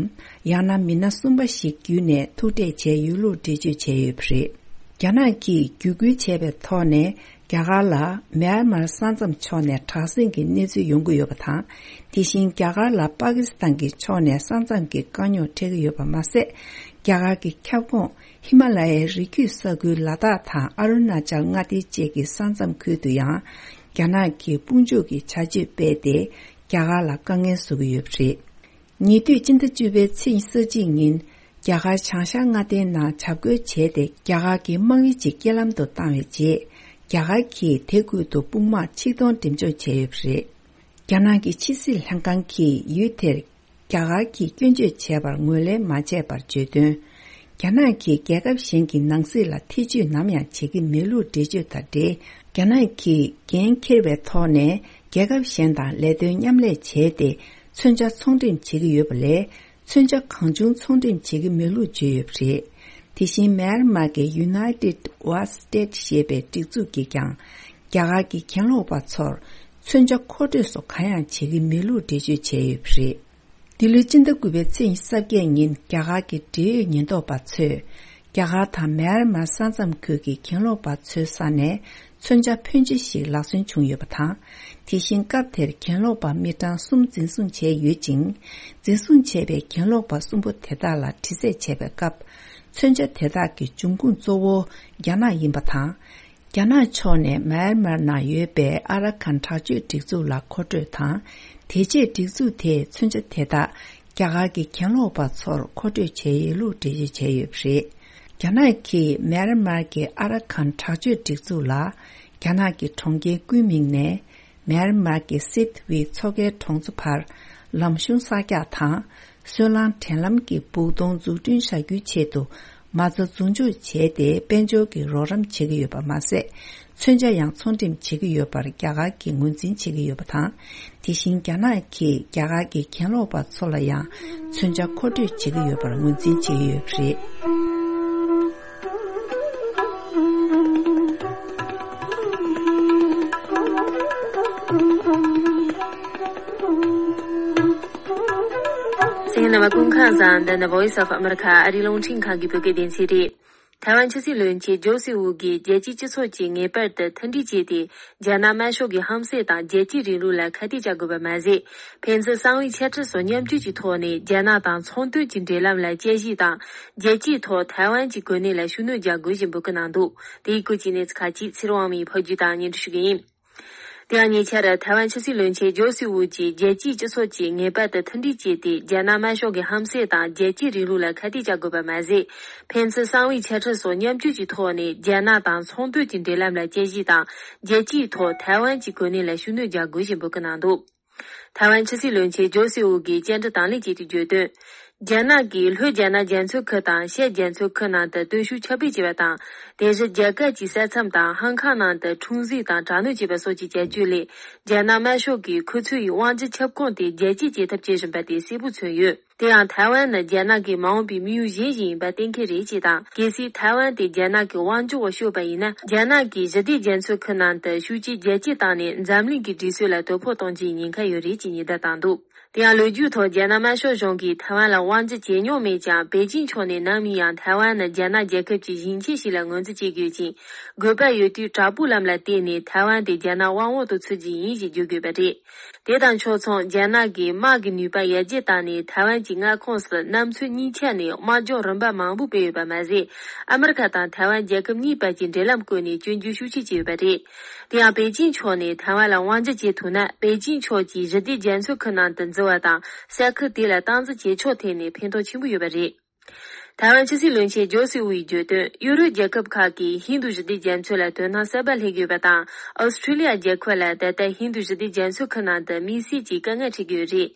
ཡང་ན་མི་སྣ་གསུམ་པ་ཞིག་བརྒྱུད་ནས་ཐུག་འཕྲད་བྱས་ཡོད་ལུགས་འགྲེལ་བརྗོད་བྱས་ཡོད་པ་རེད། རྒྱ་ནག་གིས་བརྒྱུད་སྐུལ་བྱས་པའི་ཐོག་ནས། རྒྱ་གར་ལ་མེན་མར་ས་མཚམས་ཕྱོགས་ནས་དྲག་ཟིང་གི་གནས་ཚུལ་ཡོང་གི་ཡོད་པ་དང་། དེ་བཞིན་རྒྱ་གར་ལ་པ་ཀི་སི་ཐན་གྱི་ཕྱོགས་ནས་ས་མཚམས་ཀྱི་དཀའ་རྙོག་འཕྲད་ཀྱི་ཡོད་པ་མ་ཟད། རྒྱ་གར་གྱི་ཁྱབ་ཁོངས་ཧི་མ་ལ་ཡའི་རི་རྒྱུད་ས་ཁུལ་ལ་དྭགས་དང་ཨ་རུ་ན་ཅལ་མངའ་སྡེ་བཅས་ཀྱི་ས་མཚམས་ཁུལ་དུ་ཡང་རྒྱ་ནག་གིས་དཔུང་འཇུག་གི་བྱ་སྤྱོད་སྤེལ་ཏེ། རྒྱ་གར་ལ་དཀའ་ངལ་བཟོ་གི་ཡོད་པ་རེད། ཉེ་དུས་སྤྱི་ཟླ་བཅུ་པའི་ཚེས་ཉི་ཤུ་རྩ་གཅིག་ཉིན། རྒྱ་གར་བྱང་ཤར་མངའ་སྡེའི་ནང་འཇབ་རྒོལ་བྱས་ཏེ། རྒྱ་གར་གྱི་དམག་ཡུལ་གཅིག་རྐྱེན་ལམ་དུ་བཏང་བའི་རྗེས། རྒྱ་གར་གྱིས་དེ་ཁུལ་དུ་དཔུང་དམག་ཆིག་སྟོང་འགྲེམས་འཇོག་བྱས་ཡོད་པ་རེད། རྒྱ་ནག་གི་ཕྱི་སྲིད་ལྷན་ཁང་གིས་ཡུལ་དེར་རྒྱ་གར་གྱིས་སྐྱོན་བརྗོད་བྱས་པར་ངོས་ལེན་མ་བྱས་པར་བརྗོད་དོན། རྒྱ་ནག་གིས་རྒྱལ་ཁབ་གཞན་གྱི་ནང་སྲིད་ལ་ཐེ་བྱུས་ནམ་ཡང་བྱེད་ཀྱི་མེད་ལུགས་འགྲེལ་བརྗོད་དང་འབྲེལ། རྒྱ་ནག་གིས་འགན་འཁྱེར་བའི་ཐོག་ནས་རྒྱལ་ཁབ་གཞན་དང་ལས་དོན་མཉམ་ལས་བྱས་ཏེ། མཚོན་ཆ་ཚོང་འགྲེམས་བྱེད་ཀྱི་ཡོད་པ་ལས། མཚོན་ཆ་གང་བྱུང་ཚོང་འགྲེམས་བྱེད་ཀྱི་མེད་ལུགས་བརྗོད་ཡོད་པ་རེད། དེ་བཞིན་མེན་མར་གྱི་United Wa State ཞེས་པའི་སྒྲིག་འཛུགས་ཀྱིས་ཀྱང་། རྒྱ་གར་གྱི་གྱེན་ལོག་པ་ཚོར་མཚོན་ཆ་མཁོ་སྤྲོད་སོགས་གང་ཡང་བྱེད་ཀྱི་མེད་ལུགས་འགྲེལ་བརྗོད་བྱས་ཡོད་པ་རེད། འདི་ལོའི་སྤྱི་ཟླ་དགུ་པའི་ཚེས་ཉི་ཤུ་རྩ་བརྒྱད་ཉིན། རྒྱ་གར་གྱི་འབྲེལ་ཡོད་ཉེན་རྟོག་པ་ཚོས། རྒྱ་གར་དང་མེན་མར་ས་མཚམས་ཁུལ་གྱི་གྱེན་ལོག་པ་ཚོའི་ས་ནས་མཚོན་ཆ་ཕོན་ཆེ་ཞིག་ལག་སོན་བྱུང་ཡོད་པ་དང་། དེ་བཞིན་སྐབས་དེར་གྱེན་ལོག་པ་མི་གྲངས་གསུམ་འཛིན་བཟུང་བྱས་ཡོད་ཅིང་། འཛིན་བཟུང་བྱས་པའི་གྱེན་ལོག་པ་གསུམ་པོ་དེ་དག་ལ་དྲི་རྩད་བྱས་པའི་སྐབས། མཚོན་ཆ་དེ་དག་གི་འབྱུང་ཁུངས་གཙོ་བོ་རྒྱ་ནག་ཡིན་པ་དང་། རྒྱ་ནག་ཕྱོགས་ནས་མཱ་ཡན་མར་ནང་ཡོད་པའི་ཨ་ར་ཁན་དྲག་སྤྱོད་སྒྲིག་འཛུགས་ལ་མཁོ་སྤྲོད་དང་། དེ་རྗེས་སྒྲིག་འཛུགས་དེས་མཚོན་ཆ་དེ་དག་རྒྱ་གར་གྱི་གྱེན་ལོག་པ་ཚོར་མཁོ་སྤྲོད་བྱས་ཡོད་ལུགས་འགྲེལ་བརྗོད་བྱས་ཡོད་པ་རེད། རྒྱ་ནག་གིས་མཱ་ཡན་མར་གྱི་ཨ་ར་ཁན་དྲག་སྤྱོད་སྒྲིག་འཛུགས་ལ། རྒྱ་ནག་གི་གྲོང་ཁྱེར་ཀུན་མིང་ནས། མཱ་ཡན་མར་གྱི་སིད་ཝི་མཚོ་ཁའི་གྲོང་ཚོ་བར། ལམ་གཞུང་གསར་རྒྱག་དང་། སོལ་རླངས་འདྲེན་ལམ་གྱི་སྦུག་དོང་འཛུགས་སྐྲུན་བྱ་རྒྱུའི་ཆེད་དུ། མ་རྩ་འཛུགས་འཇོག་བྱས་ཏེ། དཔལ་འབྱོར་གྱི་རོགས་རམ་བྱེད་ཀྱི་ཡོད་པ་མ་ཟད། མཚོན་ཆ་ཡང་ཚོང་འགྲེམས་བྱེད་ཀྱི་ཡོད་པར་རྒྱ་གར་གྱིས་ངོས་འཛིན་བྱེད་ཀྱི་ཡོད་པ་དང་། དེ་བཞིན་རྒྱ་ནག་གིས་རྒྱ་གར་གྱི་གྱེན་ལོག་པ་ཚོ་ལ་ཡང་མཚོན་ཆ་མཁོ་སྤྲོད་བྱེད་ཀྱི་ཡོད་པར་ངོས་འཛིན་བྱེད་ཀྱི་ཡོད་པ་རེད། གསན་མཁན་རྣམ་པ་སྐུ་ཁམས་བཟང་། འདི་ནི་Voice of America ཨ་རིའི་རླུང་འཕྲིན་ཁང་གི་བོད་སྐད་སྡེ་ཚན་རེད། ཐའེ་ཝན་ཕྱི་སྲིད་བློན་ཆེན་ཇོ་སི་ཝུ་གིས་རྒྱལ་སྤྱིའི་སྤྱི་ཚོགས་ཀྱིས་ངེས་པར་དུ་མཐུན་སྒྲིལ་བྱས་ཏེ། རྒྱ་ནག་དམར་ཤོག་གི་ཧམ་སེམས་དང་རྒྱལ་སྤྱིའི་རིང་ལུགས་ལ་ཁ་གཏད་གཅོག་དགོས་པ་མ་ཟད། ཕན་ཚུན་གསང་བའི་འཆད་ཁྲིད་སོགས་མཉམ་སྤྱོད་ཀྱི་ཐོག་ནས་རྒྱ་ནག་དང་ཚོང་དོན་གྱི་འབྲེལ་ལམ་ལ་དཔྱད་ཞིབ་དང་། རྒྱལ་སྤྱིའི་ཐོག་ཐའེ་ཝན་གྱི་གོ་གནས་ལ་ཤུགས་སྣོན་རྒྱག་དགོས་ཞེས་འབོད་སྐུལ་གནང་འདུག་དེའི་སྐོར་གྱི་གནས་ཚུལ་ཁག་ཅིག་ཚེ་རིང་དབང་མོས་ཕབ་སྒྱུར་དང་སྙན་སྒྲོན་ཞུ་གི་ཡིན། དེ་ཡང་ཉེ་ཆར་ཐའེ་ཝན་ཕྱི་སྲིད་བློན་ཆེན་ཇོ་སི་ཝུ་གྱིས་རྒྱལ་སྤྱིའི་སྤྱི་ཚོགས་ཀྱིས་ངེས་པར་དུ་མཐུན་སྒྲིལ་བྱས་ཏེ། རྒྱ་ནག་དམར་ཤོག་གི་ཧམ་སེམས་དང་རྒྱལ་སྤྱིའི་རིང་ལུགས་ལ་ཁ་གཏད་གཅོག་དགོས་པ་མ་ཟད། ཕན་ཚུན་གསང་བའི་འཆད་ཁྲིད་སོགས་མཉམ་སྤྱོད་ཀྱི་ཐོག་ནས་རྒྱ་ནག་དང་ཚོང་དོན་གྱི་འབྲེལ་ལམ་ལ་དཔྱད་ཞིབ་དང་། རྒྱལ་སྤྱིའི་ཐོག་ཐའེ་ཝན་གྱི་གོ་གནས་ལ་ཤུགས་སྣོན་རྒྱག་དགོས་ཞེས་འབོད་སྐུལ་གནང་འདུག་ཐའེ་ཝན་ཕྱི་སྲིད་བློན་ཆེན་ཇོ་སི་ཝུ་གིས་བཅར་འདྲི་དང་ལེན་བྱས་ཏེ་བརྗོད་དོན། རྒྱ་ནག་གིས་ལྷོ་རྒྱ་ནག་རྒྱ་མཚོའི་ཁུལ་དང་ཤར་རྒྱ་མཚོའི་ཁུལ་ནང་དུ་གཏོར་ཤུགས་ཁྱབ་སྤེལ་བྱས་པ་དང་། དེ་བཞིན་རྒྱ་གར་གྱི་ས་མཚམས་དང་ཧང་ཁང་ནང་དུ་འཁྲུག་འཛིང་དང་དྲག་གནོན་བྱས་པ་སོགས་ཀྱི་བྱ་སྤྱོད་ལས། རྒྱ་ནག་དམར་ཤོག་གིས་ཁོ་ཚོའི་དབང་སྒྱུར་ཁྱབ་ཁོངས་དེ་རྒྱ་སྐྱེད་བྱེད་ཐབས་བྱེད་བཞིན་པ་དེ་གསལ་པོ་མཚོན་ཡོད། དེ་ཡང་ཐའེ་ཝན་ནི་རྒྱ་ནག་གི་མ་འོངས་པའི་དམིགས་ཡུལ་གཞན་ཞིག་ཡིན་པ་གཏན་འཁེལ་རེད་ཅེས་དང་། གལ་སྲིད་ཐའེ་ཝན་དེ་རྒྱ་ནག་གི་དབང་སྒྱུར་འོག་ཤོར་བ་ཡིན་ན། རྒྱ་ནག་གིས་ཞི་བདེ་རྒྱ་མཚོའི་ཁུལ་ནང་དུ་ཤུགས་རྐྱེན་རྒྱ་སྐྱེད་བཏང་ནས། འཛམ་གླིང་གི་སྒྲིག་སྲོལ་ལ་དོ་ཕོག་གཏོང་རྒྱུའི་ཉེན་ཁ་ཡོད་རེད་ཅེས་ཉེན་བརྡ་བཏང་འདུག་དེ་ཡང་ལོ་རྒྱུས་ཐོག་རྒྱ་ནག་དམར་ཤོག་གཞུང་གིས་ཐའེ་ཝན་ལ་དབང་སྒྱུར་བྱས་མྱོང་མེད་ཀྱང་། པེ་ཅིང་ཕྱོགས་ནས་ནམ་ཡིན་ཡང་ཐའེ་ཝན་ནི་རྒྱ་ནག་རྒྱལ་ཁབ་ཀྱི་ཞིང་ཆེན་ཞིག་ལ་ངོས་འཛིན་བྱེད་དགོས་ཅིང་། དགོས་པ་ཡོད་དུས་དྲག་པོའི་ལམ་ལ་བརྟེན་ནས་ཐའེ་ཝན་དེ་རྒྱ་ནག་དབང་འོག་ཏུ་ཚུད་རྒྱུ་ཡིན་ཞེས་བརྗོད་དགོས་པ་རེད། དེ་དང་ཕྱོགས་མཚུངས། རྒྱ་ནག་གིས་དམག་གི་ནུས་པ་ཡར་རྒྱས་བཏང་ནས། ཐའེ་ཝན་གྱི་མངའ་ཁོངས་སུ་གནམ་མཚོ་གཉིས་ཆ་ནས་དམག་སྦྱོང་རིམ་པ་མང་པོ་སྤེལ་ཡོད་པ་མ་ཟད། ཨ་མི་རི་ཁ་དང་ཐའེ་ཝན་རྒྱལ་ཁབ་གཉིས་བར་གྱི་འབྲེལ་ལམ་བཀོད་ནས་སྐྱོན་བརྗོད་ཤུགས་ཆེ་བྱས་ཡོད་པ་རེད། དེ་ཡང་པེ་ཅིང་ཕྱོགས་ནས་ཐའེ་ཝན་ལ་དབང་སྒྱུར་བྱེད་ཐུབ་ན། པེ་ཅིང་ཕྱོགས་ཀྱིས་ཞི་བདེ་རྒྱ་མཚོའི་ཁུལ་ནང་དུ་འཛུལ་བ་དང་། ས་ཁུལ་དེ་ལ་སྟངས་འཛིན་བྱེད་ཕྱོགས་ཐད་ནས་ཕན་ཐོགས་ཆེན་པོ་ཡོད་པ་རེད། ཐའེ་ཝན་ཕྱི་སྲིད་བློན་ཆེན་ཇོ་སི་ཝུའི་བརྗོད་དོན། ཡུ་རོབ་རྒྱལ་ཁབ་ཁག་གིས་ཧིན་རྡུ་ཞི་བདེ་རྒྱ་མཚོ་ལ་དོ་སྣང་གསར་པ་སླེབས་ཡོད་པ་དང་། ཨོ་སི་ཁྲུ་ལི་ཡ་རྒྱལ་ཁབ་ལ་ད་ལྟ་ཧིན་རྡུ་ཞི་བདེ་རྒྱ་མཚོའི་ཁུལ་ནང་དུ་དམིགས་བསལ་གྱི་དཀའ་ངལ་འཕྲད་ཀྱི་ཡོད་རེད།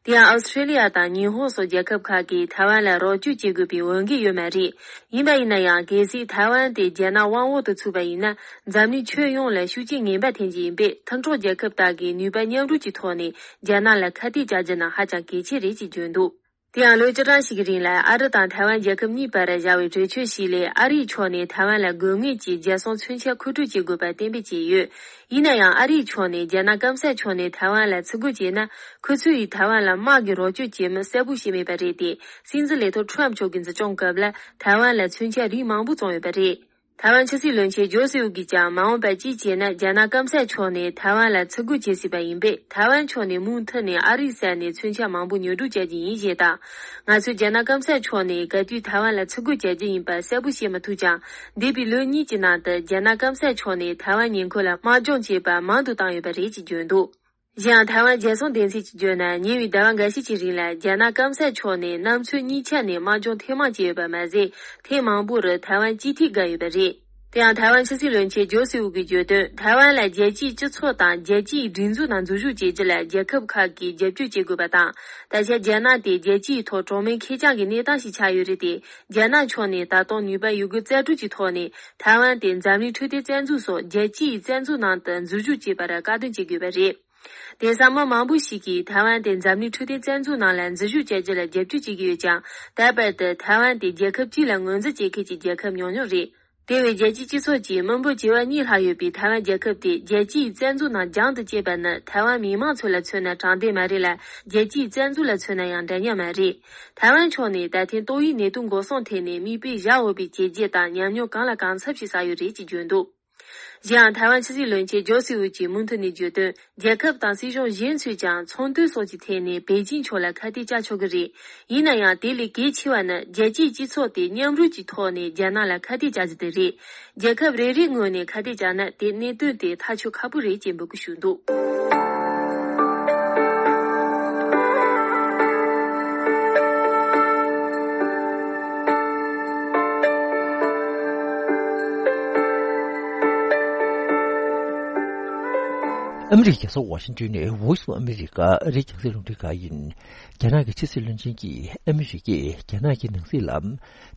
དེ་ཡང་ཨོ་སི་ཁྲུ་ལི་ཡ་དང་ཉི་ཧོང་སོགས་རྒྱལ་ཁབ་ཁག་གིས་ཐའེ་ཝན་ལ་རོགས་སྐྱོར་བྱེད་དགོས་པའི་འོས་འགན་ཡོད་མ་རེད། ཡིན་པ་ཡིན་ན་ཡང་། གལ་སྲིད་ཐའེ་ཝན་དེ་རྒྱ་ནག་དབང་འོག་ཏུ་ཚུད་པ་ཡིན་ན། འཛམ་གླིང་ཁྱོན་ཡོངས་ལ་ཤུགས་རྐྱེན་ངན་པ་འཐེན་གྱི་ཡིན་པས། མཐུན་གྲོགས་རྒྱལ་ཁབ་དག་གིས་ནུས་པ་མཉམ་རུབ་ཀྱི་ཐོག་ནས་རྒྱ་ནག་ལ་ཁ་གཏད་བཅག་རྒྱུ་ནི་ཧ་ཅང་གལ་ཆེ་རེད་ཅེས་བརྗོད་འདུག་དེ་ཡང་ལོ་བཅུ་གྲངས་ཤིག་གི་རིང་ལ་ཨ་རི་དང་ཐའེ་ཝན་རྒྱལ་ཁབ་གཉིས་བར་བཞག་པའི་གྲོས་ཆོད་ཞིག་ལས། ཨ་རིའི་ཕྱོགས་ནས་ཐའེ་ཝན་ལ་དགོས་ངེས་ཀྱི་རྒྱལ་སྲུང་མཚོན་ཆ་མཁོ་སྤྲོད་བྱེད་དགོས་པ་གཏན་འབེབས་བྱས་ཡོད། ཡིན་ན་ཡང་། ཨ་རིའི་ཕྱོགས་ནས་རྒྱ་ནག་སྐམ་ས་ཕྱོགས་ནས་ཐའེ་ཝན་ལ་ཚུར་རྒོལ་བྱས་ན། ཁོ་ཚོ་ཡིས་ཐའེ་ཝན་ལ་དམག་གི་རོགས་སྐྱོར་བྱེད་མིན་གསལ་པོ་བྱས་མེད་པ་རེད་དེ། སྲིད་འཛིན་ལས་ཐོག་ཁྲོམ་མཆོག་གི་འཛིན་སྐྱོང་སྐབས་ལ་ཐའེ་ཝན་ལ་མཚོན་ཆ་རིགས་མང་པོ་བཙོངས་ཡོད་པ་རེད། ཐའེ་ཝན་ཕྱི་སྲིད་བློན་ཆེན་ཇོ་སི་ཝུ་གིས་ཀྱང་། མ་འོངས་པར་གཅིག་བྱས་ན། རྒྱ་ནག་སྐམ་ས་ཕྱོགས་ནས་ཐའེ་ཝན་ལ་ཚུར་རྒོལ་བྱེད་སྲིད་པ་ཡིན་པས། ཐའེ་ཝན་ཕྱོགས་ནས་མུ་མཐུད་ནས་ཨ་རིའི་ས་ནས་མཚོན་ཆ་མང་པོ་ཉོ་སྒྲུབ་བྱ་རྒྱུ་ཡིན་ཞེས་དང་། ང་ཚོས་རྒྱ་ནག་སྐམ་ས་ཕྱོགས་ནས་ག་དུས་ཐའེ་ཝན་ལ་ཚུར་རྒོལ་བྱ་རྒྱུ་ཡིན་པ་གསལ་པོ་བཤད་མི་ཐུབ་ཀྱང་། འདས་པའི་ལོ་གཉིས་ཀྱི་ནང་དུ་རྒྱ་ནག་སྐམ་ས་ཕྱོགས་ནས་ཐའེ་ཝན་ཉེ་འཁོར་ལ་དམག་སྦྱོང་བྱས་པ་མང་དུ་བཏང་ཡོད་པ་རེད་ཅེས་བརྗོད་འདུག་གཞན་ཡང་། ཐའེ་ཝན་རྒྱལ་སྲུང་སྡེ་ཚན་གྱིས་བརྗོད་ན། ཉེ་བའི་ཟླ་བ་འགའ་ཤས་ཀྱི་རིང་ལ་རྒྱ་ནག་སྐམ་ས་ཕྱོགས་ནས་གནམ་མཚོ་གཉིས་ཆ་ནས་དམག་སྦྱོང་ཐེངས་མང་བྱས་ཡོད་པ་མ་ཟད། ཐེངས་མང་པོ་རུ་ཐའེ་ཝན་སྤྱི་འཐུས་བཀག་ཡོད་པ་རེད། དེ་ཡང་། ཐའེ་ཝན་ཕྱི་སྲིད་བློན་ཆེན་ཇོ་སི་ཝུ་གིས་བརྗོད་དོན། ཐའེ་ཝན་ལ་རྒྱལ་སྤྱིའི་སྤྱི་ཚོགས་དང་རྒྱལ་སྤྱིའི་སྒྲིག་འཛུགས་ནང་འཛུལ་ཞུགས་བྱེད་རྒྱུ་ལ་རྒྱལ་ཁབ་ཁག་གིས་རྒྱབ་སྐྱོར་བྱེད་དགོས་པ་དང་། ད་ཆ་རྒྱ་ནག་དེ་རྒྱལ་སྤྱིའི་ཐོག་གྲངས་མེད་ཁེར་རྐྱང་གི་གནས་སྟངས་ཤིག་ཆགས་ཡོད་རེད་དེ། རྒྱ་ནག་ཕྱོགས་ནས་ད་དུང་ནུས་པ་ཡོད་རྒུ་རྩལ་སྤྲུགས་ཀྱི་ཐོག་ནས་ཐའེ་ཝན་དེ་འཛམ་གླིང་འཕྲོད་བསྟེན་རྩ་འཛུགས་སོགས་རྒྱལ་སྤྱིའི་རྩ་འཛུགས་ནང་དུ་འཛུལ་ཞུགས་བྱེད་པར་བཀག་སྡོམ་བྱེད་དགོས་པ་རེད། དེང་སང་མི་མང་པོ་ཞིག་གིས་ཐའེ་ཝན་དེ་འཛམ་གླིང་འཕྲོད་བསྟེན་རྩ་འཛུགས་ནང་ལ་འཛུལ་ཞུགས་བྱ་རྒྱུ་ལ་རྒྱབ་སྐྱོར་བྱེད་ཀྱི་ཡོད་ཀྱང་། ད་བར་དུ་ཐའེ་ཝན་དེ་རྒྱལ་ཁབ་གཅིག་ལ་ངོས་འཛིན་བྱེད་མཁན་གྱི་རྒྱལ་ཁབ་ཉུང་ཉུང་རེད། དེ་བས་རྒྱལ་སྤྱིའི་སྤྱི་ཚོགས་ཀྱིས་མི་འབོར་བྱེ་བ་གཉིས་ལྷག་ཡོད་པའི་ཐའེ་ཝན་རྒྱལ་ཁབ་དེ་རྒྱལ་སྤྱིའི་རྩ་འཛུགས་ནང་རྒྱང་དུ་བསྐྱལ་བ་ནི། ཐའེ་ཝན་མི་མང་ཚོ་ལ་མཚོན་ན་དྲང་བདེན་མ་རེད་ལ། རྒྱལ་སྤྱིའི་རྩ་འཛུགས་ལ་མཚོན་ན་ཡང་འདྲ་མཉམ་མ་རེད། ཐའེ་ཝན་ཕྱོགས་ནས་ད་ཐེངས་ཏོག་དབྱིབས་ནད་དུག་འགོག་སྲུང་ཐད་ནས་མིག་དཔེ་བཞག་འོས་པའི་བྱས་རྗེས་དང་ཉམས་མྱོང་གང་ལ་གང་འཚམ་ཞིག་བསགས་ཡོད་རེད་ཅེས་བརྗོད་འདུག་གཞན་ཡང་། ཐའེ་ཝན་ཕྱི་སྲིད་བློན་ཆེན་ཇོ་སི་ཝུ་གྱིས་མུ་མཐུད་ནས་བརྗོད་དོན། རྒྱལ་ཁབ་དང་སྲིད་གཞུང་གཞན་ཚོས་ཀྱང་ཚོང་དོན་སོགས་ཀྱི་ཐད་ནས་པེ་ཅིང་ཕྱོགས་ལ་ཁ་གཏད་བཅག་ཆོག་གི་རེད། ཡིན་ན་ཡང་། དེ་ལས་གལ་ཆེ་བ་ནི་རྒྱལ་སྤྱིའི་སྤྱི་ཚོགས་དེ་མཉམ་རུབ་ཀྱི་ཐོག་ནས་རྒྱ་ནག་ལ་ཁ་གཏད་བཅག་རྒྱུ་དེ་རེད། རྒྱལ་ཁབ་རེ་རེའི་ངོས་ནས་ཁ་གཏད་བཅག་ན། དེ་གནད་དོན་དེ་ཐག་གཅོད་ཁག་པོ་རེད་ཅེས་འབོད་སྐུལ་ཞུས་འདུག་ཨ་མི་རི་ཀའི་རྒྱལ་ས་ཝ་ཤིང་ཏོན་ནས་Voice of America ཨ་རིའི་རྒྱང་སྲིང་རླུང་འཕྲིན་ཁང་ཡིན། རྒྱ་ནག་གི་ཕྱི་སྲིད་བློན་ཆེན་གྱིས་ཨ་མི་རི་ཀས་རྒྱ་ནག་གི་ནང་སྲིད་ལ་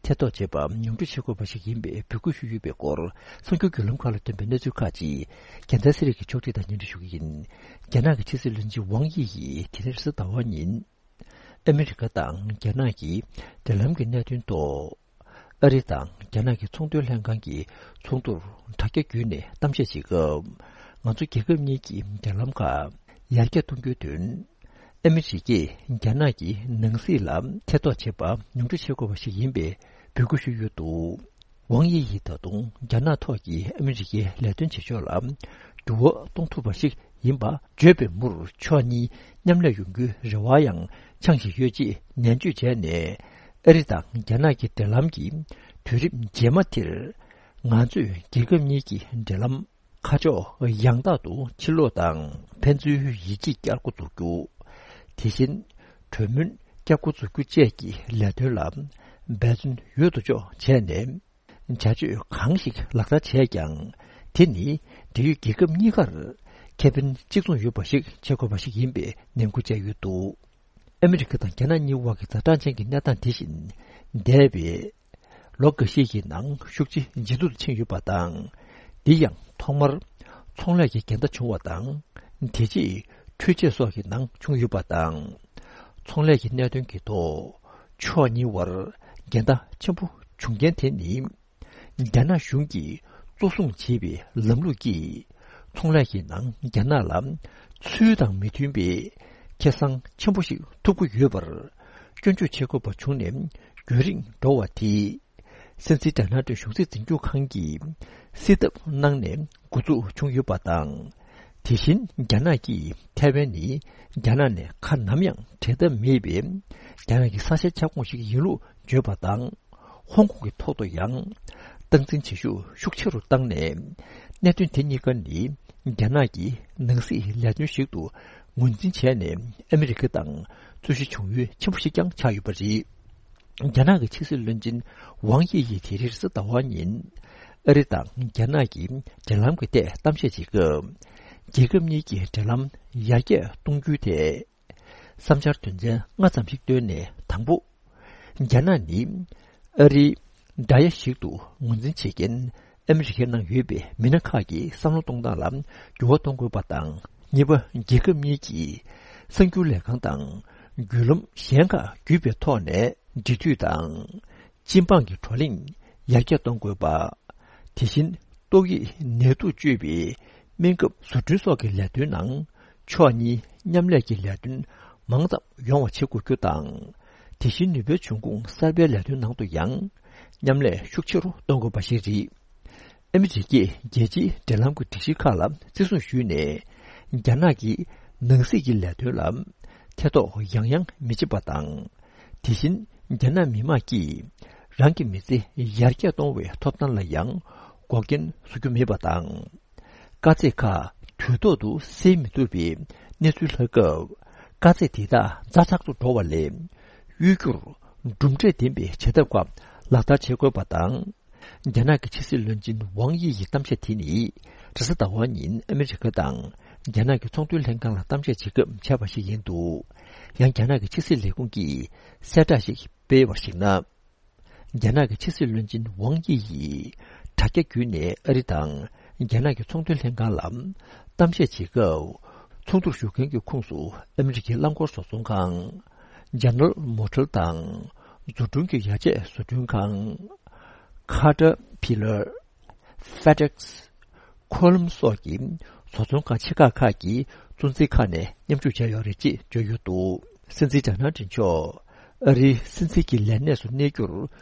ཐེ་གཏོགས་བྱེད་པ་མྱོང་འགྲོ་བྱེད་དགོས་པ་ཞིག་ཡིན་པའི་འབོད་སྐུལ་ཞུས་ཡོད་པའི་སྐོར། གསར་འགྱུར་བརྒྱུད་ལམ་ཁག་ལ་ཐོན་པའི་གནས་ཚུལ་ཁག་ཅིག་རྒྱལ་མཚན་ཚེ་རིང་གིས་ཕྱོགས་སྒྲིག་དང་སྙན་སྒྲོན་ཞུ་གི་ཡིན། རྒྱ་ནག་གི་ཕྱི་སྲིད་བློན་ཆེན་ཝང་དབྱི་ཡིས་དེ་རིང་རེས་གཟའ་ཟླ་བ་ཉིན། ཨ་མི་རི་ཀ་དང་རྒྱ་ནག་གི་འབྲེལ་ལམ་གྱི་གནད་དོན་ཐོག་ཨ་རི་དང་རྒྱ་ནག་གི་ཚོང་དོན་ལྷན་ཁང་གི་ཚོགས་འདུར་དྲ་རྒྱ་བརྒྱུད་ནས་གཏམ་བཤད་བྱེད་སྐབས། ང་ཚོ་རྒྱལ་ཁབ་གཉིས་ཀྱི་འབྲེལ་ལམ་ཁག་ཡར་རྒྱས་གཏོང་རྒྱུའི་དོན། ཨ་མི་རི་ཀས་རྒྱ་ནག་གི་ནང་སྲིད་ལ་ཐེ་གཏོགས་བྱེད་པ་མྱོང་འགྲོ་བྱེད་དགོས་པ་ཞིག་ཡིན་པའི་འབོད་སྐུལ་ཞུས་ཡོད་འདུག་ཝང་དབྱི་ཡིས་ད་དུང་རྒྱ་ནག་ཐོག་གི་ཨ་མི་རི་ཀའི་ལས་དོན་བྱེད་ཕྱོགས་ལ་འགྱུར་བ་གཏོང་ཐུབ་པ་ཞིག་ཡིན་པ་བརྗོད་པའི་མུར། ཕྱོགས་གཉིས་མཉམ་ལས་ཡོང་རྒྱུའི་རེ་བ་ཡང་འཆང་བཞིན་ཡོད་ཅེས་ནན་བརྗོད་བྱས་ནས། ཨ་རི་དང་རྒྱ་ནག་གི་འབྲེལ་ལམ་གྱི་དུས་རིམ་རྗེས་མ་དེར། ང་ཚོས་རྒྱལ་ཁབ་གཉིས་ཀྱི་འབྲེལ་ལམ་ཁ་ཕྱོགས་ཡང་དག་ཏུ་ཕྱིར་ལོག་དང་། ཕན་ཚུན་ཡིད་ཆེས་བསྐྱར་འགོ་འཛུགས་རྒྱུ། དེ་བཞིན་གྲོས་མོལ་བསྐྱར་འགོ་འཛུགས་རྒྱུ་བཅས་ཀྱི་ལས་དོན་ལ་འབད་བརྩོན་ཡོད་དོ་ཅོག་བྱས་ནས། བྱ་སྤྱོད་གང་ཞིག་ལག་བསྟར་བྱས་ཀྱང་། དེ་ནི་འབྲེལ་ཡོད་རྒྱལ་ཁབ་གཉིས་ཀར་ཁེ་ཕན་གཅིག་མཚུངས་ཡོད་པ་ཞིག་བྱེད་དགོས་པ་ཞིག་ཡིན་པའི་ནན་སྐུལ་བྱས་ཡོད་འདུག་ཨ་མི་རི་ཀ་དང་རྒྱ་ནག་གཉིས་དབར་གྱི་ཛ་དྲག་ཅན་གྱི་གནས་སྟངས་དེ་བཞིན་འདས་པའི་ལོ་འགའ་ཤས་ཀྱི་ནང་ཤུགས་ཆེ་ཇེ་སྡུག་ཏུ་ཕྱིན་ཡོད་པ་དང་། འདི་ཡང་ཐོག་མར་ཚོང་ལས་ཀྱི་འགལ་ཟླ་བྱུང་བ་དང་། དེ་རྗེས་འཕྲུལ་ཆས་སོགས་ཀྱི་ནང་བྱུང་ཡོད་པ་དང་། ཚོང་ལས་ཀྱི་གནད་དོན་གྱི་ཐོག་ཕྱོགས་གཉིས་དབར་འགལ་ཟླ་ཆེན་པོ་བྱུང་རྐྱེན་དེ་ནི། རྒྱ་ནག་གཞུང་གིས་གཙོ་བཟུང་བྱས་པའི་ལམ་ལུགས་ཀྱིས། ཚོང་ལས་ཀྱི་ནང་རྒྱ་ནག་ལ་ཚུལ་དང་མི་མཐུན་པའི་ཁེ་བཟང་ཆེན་པོ་ཞིག་ཐོབ་ཀྱི་ཡོད་པར་སྐྱོན་བརྗོད་བྱེད་དགོས་པ་བྱུང་ནས་རྒྱུན་རིང་འགྲོ་བ་དེས། སྲིད་འཛིན་ཌོ་ནལ་ཏྲམ་གཞུང་སྲིད་འཛིན་སྐྱོང་ཁང་གིས་སེལ་ཐབས་གནང་ནས་འགོ་འཛུགས་བྱུང་ཡོད་པ་དང་། དེ་བཞིན་རྒྱ་ནག་གིས་ཐའེ་ཝན་ནི་རྒྱ་ནག་ནས་ཁ་ནམ་ཡང་བྲལ་ཐབས་མེད་པའི་རྒྱ་ནག་གི་ས་ཆའི་ཁྱབ་ཁོངས་ཤིག་ཡིན་ལུགས་བརྗོད་པ་དང་། ཧོང་ཀོང་གི་ཐོག་ཏུ་ཡང་སྟངས་འཛིན་བྱེད་ཤུགས་ཤུགས་ཆེ་རུ་བཏང་ནས། གནད་དོན་དེ་གཉིས་ཀ་ནི་རྒྱ་ནག་གི་ནང་སྲིད་ལས་དོན་ཞིག་ཏུ་ངོས་འཛིན་བྱས་ནས་ཨ་མི་རི་ཀ་དང་རྩོད་གཞི་བྱུང་ཡུལ་ཆེན་པོ་ཞིག་ཀྱང་ཆགས་ཡོད་པ་རེད། རྒྱ་ནག་གི་ཕྱི་སྲིད་བློན་ཆེན་ཝང་དབྱི་ཡིས་དེ་རིང་རེས་གཟའ་ཟླ་བ་ཉིན་ཨ་རི་དང་རྒྱ་ནག་གི་འབྲེལ་ལམ་གྱི་ཐད་གཏམ་བཤད་བྱེད་སྐབས། རྒྱལ་ཁབ་གཉིས་ཀྱི་འབྲེལ་ལམ་ཡར་རྒྱས་གཏོང་རྒྱུའི་ཐད། བསམ་འཆར་དོན་ཚན་ལྔ་ཙམ་ཞིག་བཏོན་ནས། དང་པོ། རྒྱ་ནག་ནི་ཨ་རིའི་དགྲ་ཡ་ཞིག་ཏུ་ངོས་འཛིན་བྱེད་མཁན་ཨ་མི་རི་ཀའི་ནང་ཡོད་པའི་མི་སྣ་ཁག་གི་བསམ་བློ་གཏོང་སྟངས་ལ་འགྱུར་བ་གཏོང་དགོས་པ་དང་། གཉིས་པ། རྒྱལ་ཁབ་གཉིས་ཀྱིས་གསར་འགྱུར་ལས་ཁང་དང་བརྒྱུད་ལམ་གཞན་ཁག་བརྒྱུད་པའི་ཐོག་ནས་འབྲེལ་མཐུད་དང་། སྤྱི་འབངས་ཀྱི་བགྲོ་གླེང་ཡར་རྒྱས་གཏོང་དགོས་པ། དེ་བཞིན་ཏོག་དབྱིབས་ནད་དུག་བཅོས་པའི་སྨན་ཁབ་བཟོ་སྐྲུན་སོགས་ཀྱི་ལས་དོན་ནང་ཕྱོགས་གཉིས་མཉམ་ལས་ཀྱི་ལས་དོན་མང་ཙམ་ཡོང་བ་བྱེད་དགོས་རྒྱུ་དང་། དེ་བཞིན་ནུས་པའི་འབྱུང་ཁུངས་གསར་པའི་ལས་དོན་ནང་དུ་ཡང་མཉམ་ལས་ཤུགས་ཆེ་རུ་གཏོང་དགོས་པ་ཞིག་རེད། ཨ་མི་རི་ཀས་རྒྱལ་སྤྱིའི་འབྲེལ་ལམ་གྱི་སྒྲིག་གཞི་ཁག་ལ་བརྩི་སྲུང་ཞུས་ནས། རྒྱ་ནག་གི་ནང་སྲིད་ཀྱི་ལས་དོན་ལ་ཐེ་གཏོགས་ཡང་ཡང་མི་བྱེད་པ་དང་། དེ་བཞིན་རྒྱ་ནག་མི་དམངས་ཀྱིས་རང་གི་མི་ཚེ་ཡར་རྒྱས་གཏོང་བའི་ཐོབ་ཐང་ལ་ཡང་འགོག་རྐྱེན་བཟོ་རྒྱུ་མེད་པ་དང་། དཀའ་ཚེགས་ཁག་དུས་ཐོག་ཏུ་སེལ་མི་ཐུབ་པའི་གནས་ཚུལ་ལྷག་སྐབས། དཀའ་ཚེགས་དེ་དག་ཛ་དྲག་ཏུ་འགྲོ་བ་ལས་གཡོལ་རྒྱུར་གྲུབ་འབྲས་ལྡན་པའི་བྱེད་ཐབས་ཁག་ལག་བསྟར་བྱེད་དགོས་པ་དང་། རྒྱ་ནག་གི་ཕྱི་སྲིད་བློན་ཆེན་ཝང་དབྱི་ཡི་གཏམ་བཤད་དེ་ནི། རེས་གཟའ་ཟླ་བ་ཉིན་ཨ་མི་རི་ཀ་དང་རྒྱ་ནག་གི་ཚོང་དོན་ལྷན་ཁང་ལ་གཏམ་བཤད་བྱེད་སྐབས་བྱས་པ་ཞིག་ཡིན་འདུག་ཡང་རྒྱ་ནག་གི་ཕྱི་སྲིད་ལས་ཁུངས་ཀྱིས་གསལ་བསྒྲགས་ཤིག་སྤེལ་བར་གཞིགས་ན། རྒྱ་ནག་གི་ཕྱི་སྲིད་བློན་ཆེན་ཝང་དབྱི་ཡིས་དྲ་རྒྱ་བརྒྱུད་ནས་ཨ་རི་དང་རྒྱ་ནག་གི་ཚོང་དོན་ལྷན་ཁང་ལ་གཏམ་བཤད་བྱེད་སྐབས། ཚོགས་འདུར་ཞུགས་མཁན་གྱི་ཁོངས་སུ་ཨ་མི་རི་ཀའི་རླངས་འཁོར་བཟོ་ཚོང་ཁང་། ཇེ་ནེ་རལ་མོ་ཊར་དང་། འཛུགས་སྐྲུན་གྱི་ཡ་ཆས་བཟོ་སྐྲུན་ཁང་། ཁ་ཏར་པི་ལར། ཧྥེ་ཌེག་སི། ཁོ་ལམ་སོགས་ཀྱི་བཟོ་ཚོང་ཁང་ཆེ་ཁག་ཁག་གི་གཙོ་འཛིན་ཁག་ནས་མཉམ་ཞུགས་བྱས་ཡོད་རེད་ཅེས་བརྗོད་ཡོད་འདུག་སྲིད་འཛིན་ཌོ་ནལ་ཊམ་མཆོག་ཨ་རིའི་སྲིད་འཛིན་གྱི་ལས་གནས་སུ་གནས་རྒྱུར་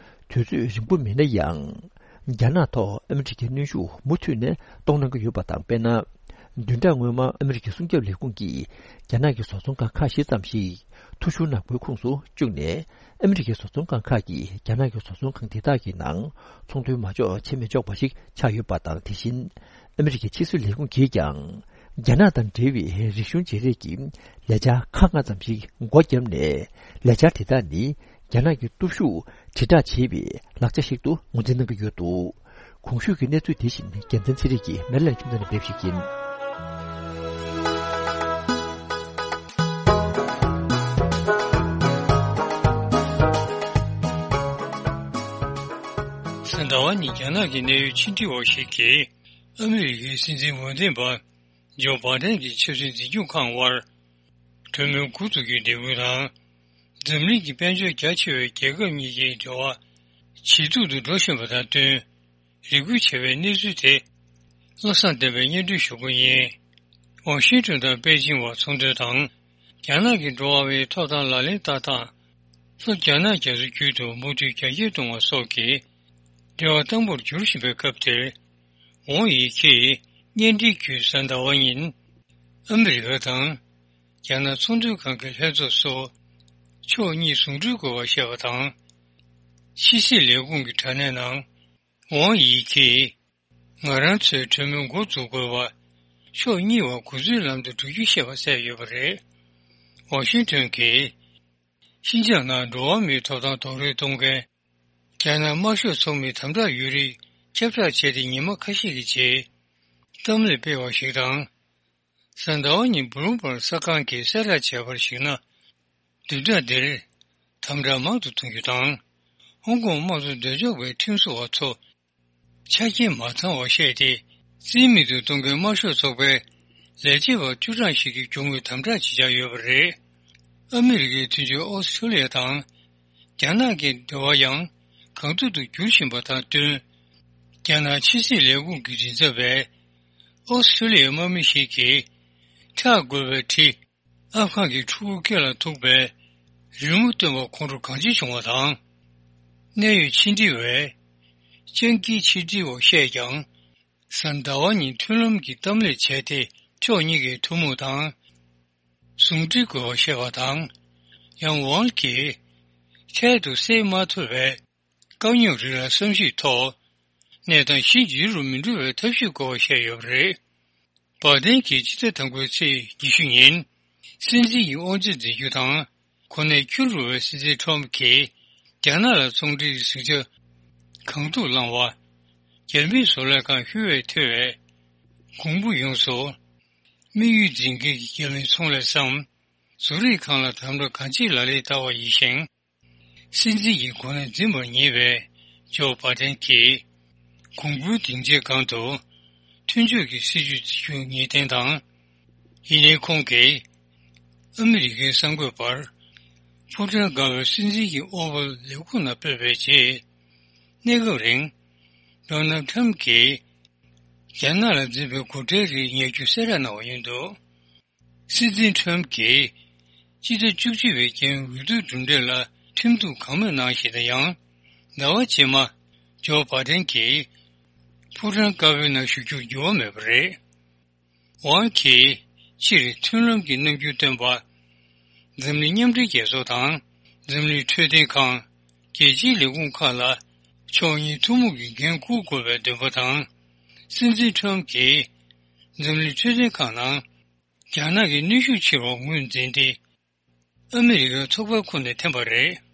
དུས་ཚོད་རིང་པོ་མིན་ན་ཡང་། རྒྱ་ནག་ཐོག་ཨ་མི་རི་ཀའི་གནོན་ཤུགས་མུ་མཐུད་ནས་གཏོང་གནང་གི་ཡོད་པ་དང་། དཔེར་ན། བདུན་ཕྲག་སྔོན་མ་ཨ་མི་རི་ཀའི་སྲུང་སྐྱོབ་ལས་ཁུངས་ཀྱིས་རྒྱ་ནག་གི་བཟོ་ཚོང་ཁང་ཁག་བཞི་ཙམ་ཞིག་ཐོ་གཞུང་ནག་པོའི་ཁོངས་སུ་བཅུག་ནས། ཨ་མི་རི་ཀའི་བཟོ་ཚོང་ཁང་ཁག་གིས་རྒྱ་ནག་གི་བཟོ་ཚོང་ཁང་དེ་དག་གི་ནང་ཚོང་དོན་མ་འཇོག་བྱེད་མི་ཆོག་པ་ཞིག་ཆགས་ཡོད་པ་དང་། དེ་བཞིན་ཨ་མི་རི་ཀའི་ཕྱི་སྲིད་ལས་ཁུངས་ཀྱིས་ཀྱང་རྒྱ་ནག་དང་འབྲེལ་བའི་རིག་གཞུང་བརྗེ་རེས་ཀྱི་ལས་འཆར་ཁག་ལྔ་ཙམ་ཞིག་སྒོ་བརྒྱབ་ནས། ལས་འཆར་དེ་དག་ནི་རྒྱ་ནག་གི་སྟོབས་ཤུགས་དྲིལ་བསྒྲགས་བྱེད་པའི་ལག་ཆ་ཞིག་ཏུ་ངོས་འཛིན་གནང་གི་ཡོད་འདུག་གོང་ཞུས་ཀྱི་གནས་ཚུལ་དེ་བཞིན་རྒྱལ་མཚན་ཚེ་རིང་གིས་མེ་ལན་ཁྱིམ་ཚང་ནས་སྤེལ་བ་ཞིག་ཡིན། གཟའ་ཟླ་བ་ཉིན་རྒྱ་ནག་གི་གནད་ཡོད་ཕྱི་འབྲེལ་བ་ཞིག་གིས་ཨ་མི་རི་ཀའི་སྲིད་འཛིན་འོས་འདེམས་པ་ཇོ་བྷ་དན་གྱི་ཆབ་སྲིད་འཛིན་སྐྱོང་ཁང་དབར་གྲོས་མོལ་འགོ་འཛུགས་རྒྱུའི་འབོད་སྐུལ་དང་། འཛམ་གླིང་གི་དཔལ་འབྱོར་རྒྱ་ཆེ་བའི་རྒྱལ་ཁབ་གཉིས་ཀྱི་འབྲེལ་བ་ཇེ་སྡུག་ཏུ་འགྲོ་བཞིན་པ་དང་བསྟུན། རེ་སྐུལ་བྱས་པའི་གནས་ཚུལ་དེ་བློ་བཟང་བསྟན་པས་སྙན་སྒྲོན་ཞུ་རྒྱུ་ཡིན། ཝ་ཤིང་ཏོན་དང་པེ་ཅིང་བར་ཚོང་དོན་དང་། རྒྱ་ནག་གི་འགྲོ་བ་མིའི་ཐོབ་ཐང་ལག་ལེན་བསྟར་སྟངས། ལྷོ་རྒྱ་ནག་རྒྱ་མཚོ་རྒྱུད་དུ་དམག་འཁྲུག་རྒྱ་སྐྱེད་གཏོང་བ་སོགས་ཀྱི་ འབྲེལ་བ་དམ་པོར་འགྱུར་བཞིན་པའི་སྐབས་དེར། ཝང་ཡི་ཁེས་བརྙན་འཕྲིན་བརྒྱུད་གཟའ་ཟླ་བ་ཉིན། ཨ་མི་རི་ཀ་དང་། རྒྱ་ནག་ཚོང་དོན་ཁང་གི་ལྷན་ཚོགས་སུ། ཕྱོགས་གཉིས་ཟུང་འབྲེལ་དགོས་པར་བཤད་པ་དང་། ཕྱི་སྲིད་ལས་ཁུངས་ཀྱི་དྲ་གནས་ནང་། ཝང་ཡི་ཁེས། ང་རང་ཚོའི་གྲོས་མོལ་འགོ་འཛུགས་དགོས་པ། ཕྱོགས་གཉིས་བར་གོ་མཛོད་ལམ་དུ་འགྲོ་རྒྱུའི་བཤད་པ་གསལ་ཡོད་པ་རེད། ཝ་ཤིང་ཏོན་གྱིས། ཤིན་ཅང་ནང་འགྲོ་བ་མིའི་ཐོབ་ཐང་རྡོག་རོལ་གཏོང་མཁན། རྒྱ་ནག་དམར་ཤོག་ཚོགས་མིའི་དམ་དྲག་ཡོད་རིགས་ཁྱབ་བསྒྲགས་བྱས་ཏེ་ཉི་མ་ཁ་ཤས་ཀྱི་རྗེས། གཏམ་གླེང་སྤེལ་བ་ཞིག་དང་། གཟའ་ཟླ་བ་ཉིན་བྷུ་ལུམ་བྷག་གསར་ཁང་གིས་གསལ་བསྒྲགས་བྱས་པར་གཞིགས་ན། བདུན་ཕྲག་འདིར། དམ་དྲག་མང་དུ་གཏོང་རྒྱུ་དང་། ཧོང་ཀོང་དམངས་གཙོ་འདོད་ཕྱོགས་པའི་ཁྲིམས་བཟོ་བ་ཚོ། ཆ་རྐྱེན་མ་ཚང་བར་བཤད་དེ། རྩིས་མེད་དུ་གཏོང་མཁན་དམར་ཤོག་ཚོགས་པའི་ལས་བྱེད་པ་བཅུ་གྲངས་ཤིག་གིས་གྱོང་གུན་དམ་དྲག་བྱེད་འཆར་ཡོད་པ་རེད། ཨ་མི་རི་ཀའི་མཐུན་ཕྱོགས་ཨོ་སི་ཁྲུ་ལི་ཡ་དང་། རྒྱ་ནག་གི་འབྲེལ་བ་ཡང་གང་ཐུབ་ཏུ་འགྱུར་བཞིན་པ་དང་བསྟུན། རྒྱ་ནག་ཕྱི་སྲིད་ལས་ཁུངས་ཀྱི་མགྲིན་ཚབ་པས། ཨོ་སི་ཁྲུ་ལི་ཡའི་དམག་མི་ཞིག་གིས། འཁྲབ་དགོས་པའི་གྲི། ཨབ་གྷན་གྱི་ཕྲུ་གུ་སྐེ་ལ་ཐུག་པའི་རི་མོ་བཏོན་པ་ཁོང་ཁྲོ་གང་ཆེ་བྱུང་བ་དང་། གནད་ཡོད་ཕྱི་འབྲེལ་བས་སྤྱང་ཀིའི་ཕྱི་འབྲེལ་བ་བཤད་ཀྱང་། གཟའ་ཟླ་བ་ཉིན་མཐུན་ལམ་གྱི་གཏམ་གླེང་བྱས་ཏེ། ཕྱོགས་གཉིས་ཀས་ཐུན་མོང་དང་ཟུང་འབྲེལ་དགོས་པ་བཤད་པ་དང་། ཡང་ཝང་གིས་འཕྲལ་དུ་སེལ་མ་ཐུབ་པའི། དཀའ་རྙོག་རིགས་ལ་བསམ་གཞིག་ཐོག་གནས་སྟངས་གཞི་འགྱུར་རུ་མི་འགྲོ་བའི་ཐབས་ཤེས་དགོས་པ་བཤད་ཡོད་པ་རེད། བྷ་དན་གྱིས་སྤྱི་ཟླ་དང་པོའི་ཚེས་ཉི་ཤུ་ཉིན། སྲིད་འཛིན་གྱི་དབང་ཆ་འཛིན་རྒྱུ་དང་། གོ་གནས་འཁྱོལ་རུ་བའི་སྲིད་འཛིན་ཁྲོམ་གྱིས། རྒྱ་ནག་ལ་ཚོང་འབྲེལ་གྱི་ཟིང་ཆ་གང་ཐུབ་བསླངས་བ། རྒྱ་མིའི་བཟོ་ལས་ཁང་ཤུགས་ཡོད་མཐོ་བའི། གོང་བུ་ཡོངས་སུ། དམིགས་ཡུལ་འཛིན་མཁན་གྱི་རྒྱ་མིའི་ཚོང་ལས་སམ། བཟོ་རིག་ཁང་ལ་དམ་དྲག་གང་ཆེའི་ལག་ལེན་བསྟར་བ་ཡིན་ཞིང་། སྲིད་འཛིན་གྱི་གོ་གནས་འཛིན་པར་ཉེ་བའི་ཇོ་བྷ་དན་གྱིས། གོང་བུའི་སྡིངས་ཆའི་སྒང་དུ། མཐུན་ཕྱོགས་ཀྱི་སྲིད་ཇུས་འཛིན་རྒྱུ་ངེས་གཏན་དང་། ཡིན་ནའི་ཁོང་གིས། ཨ་མི་རི་ཀའི་གསར་འགོད་པར། ཕུ་ཀྲན་དགའ་བོས་སྲིད་འཛིན་གྱི་དབུ་བརྙེས་ལས་ཁུངས་ནང་སྤོས་པའི་རྗེས། གནས་སྐབས་རིང་། ཌོ་ནལ་ཁྲམ་གྱིས། རྒྱ་ནག་ལ་འཛིན་པའི་སྒོ་ཁྲལ་རིགས་ཉར་རྒྱུ་གསལ་བསྒྲགས་གནང་བ་ཡིན་འདུག་སྲིད་འཛིན་ཁྲོམ་གྱིས། སྤྱི་ཟླ་བཅུ་གཅིག་པའི་རྒྱལ་ཡོངས་འོས་བསྡུའི་གྲུབ་འབྲས་ལ་ཁྲིམས་གཏུག་གང་མེད་གནང་བཞིན་དང་། ཡང་། ཟླ་བ་རྗེས་མ། ཇོ་བྷ་དན་གྱིས། ཕུ་ཀྲན་དཀར་པོའི་ནང་ཞུགས་རྒྱུར་འགྱུར་བ་མེད་པ་རེད། ཝང་གིས། སྤྱིར་མཐུན་ལམ་གྱི་རྣམ་འགྱུར་སྟོན་པ། འཛམ་གླིང་མཉམ་འབྲེལ་རྒྱལ་ཚོགས་དང་། འཛམ་གླིང་འཕྲོད་བསྟེན་ཁང་། རྒྱལ་སྤྱིའི་ལས་ཁུངས་ཁག་ལ། ཕྱོགས་གཉིས་ཐུན་མོང་གི་འགན་འཁུར་དགོས་པའི་འདུན་པ་དང་། སྲིད་འཛིན་ཁྲོམ་གྱིས། འཛམ་གླིང་འཕྲོད་བསྟེན་ཁང་ནང་། རྒྱ་ནག་གི་གནོན་ཤུགས་ཆེ་བར་ངོས་འཛིན་ཏེ། ཨ་མི་རི་ཀའི་ཚོགས་པའི་ཁོངས་ནས་འཐེན་པ་རེད།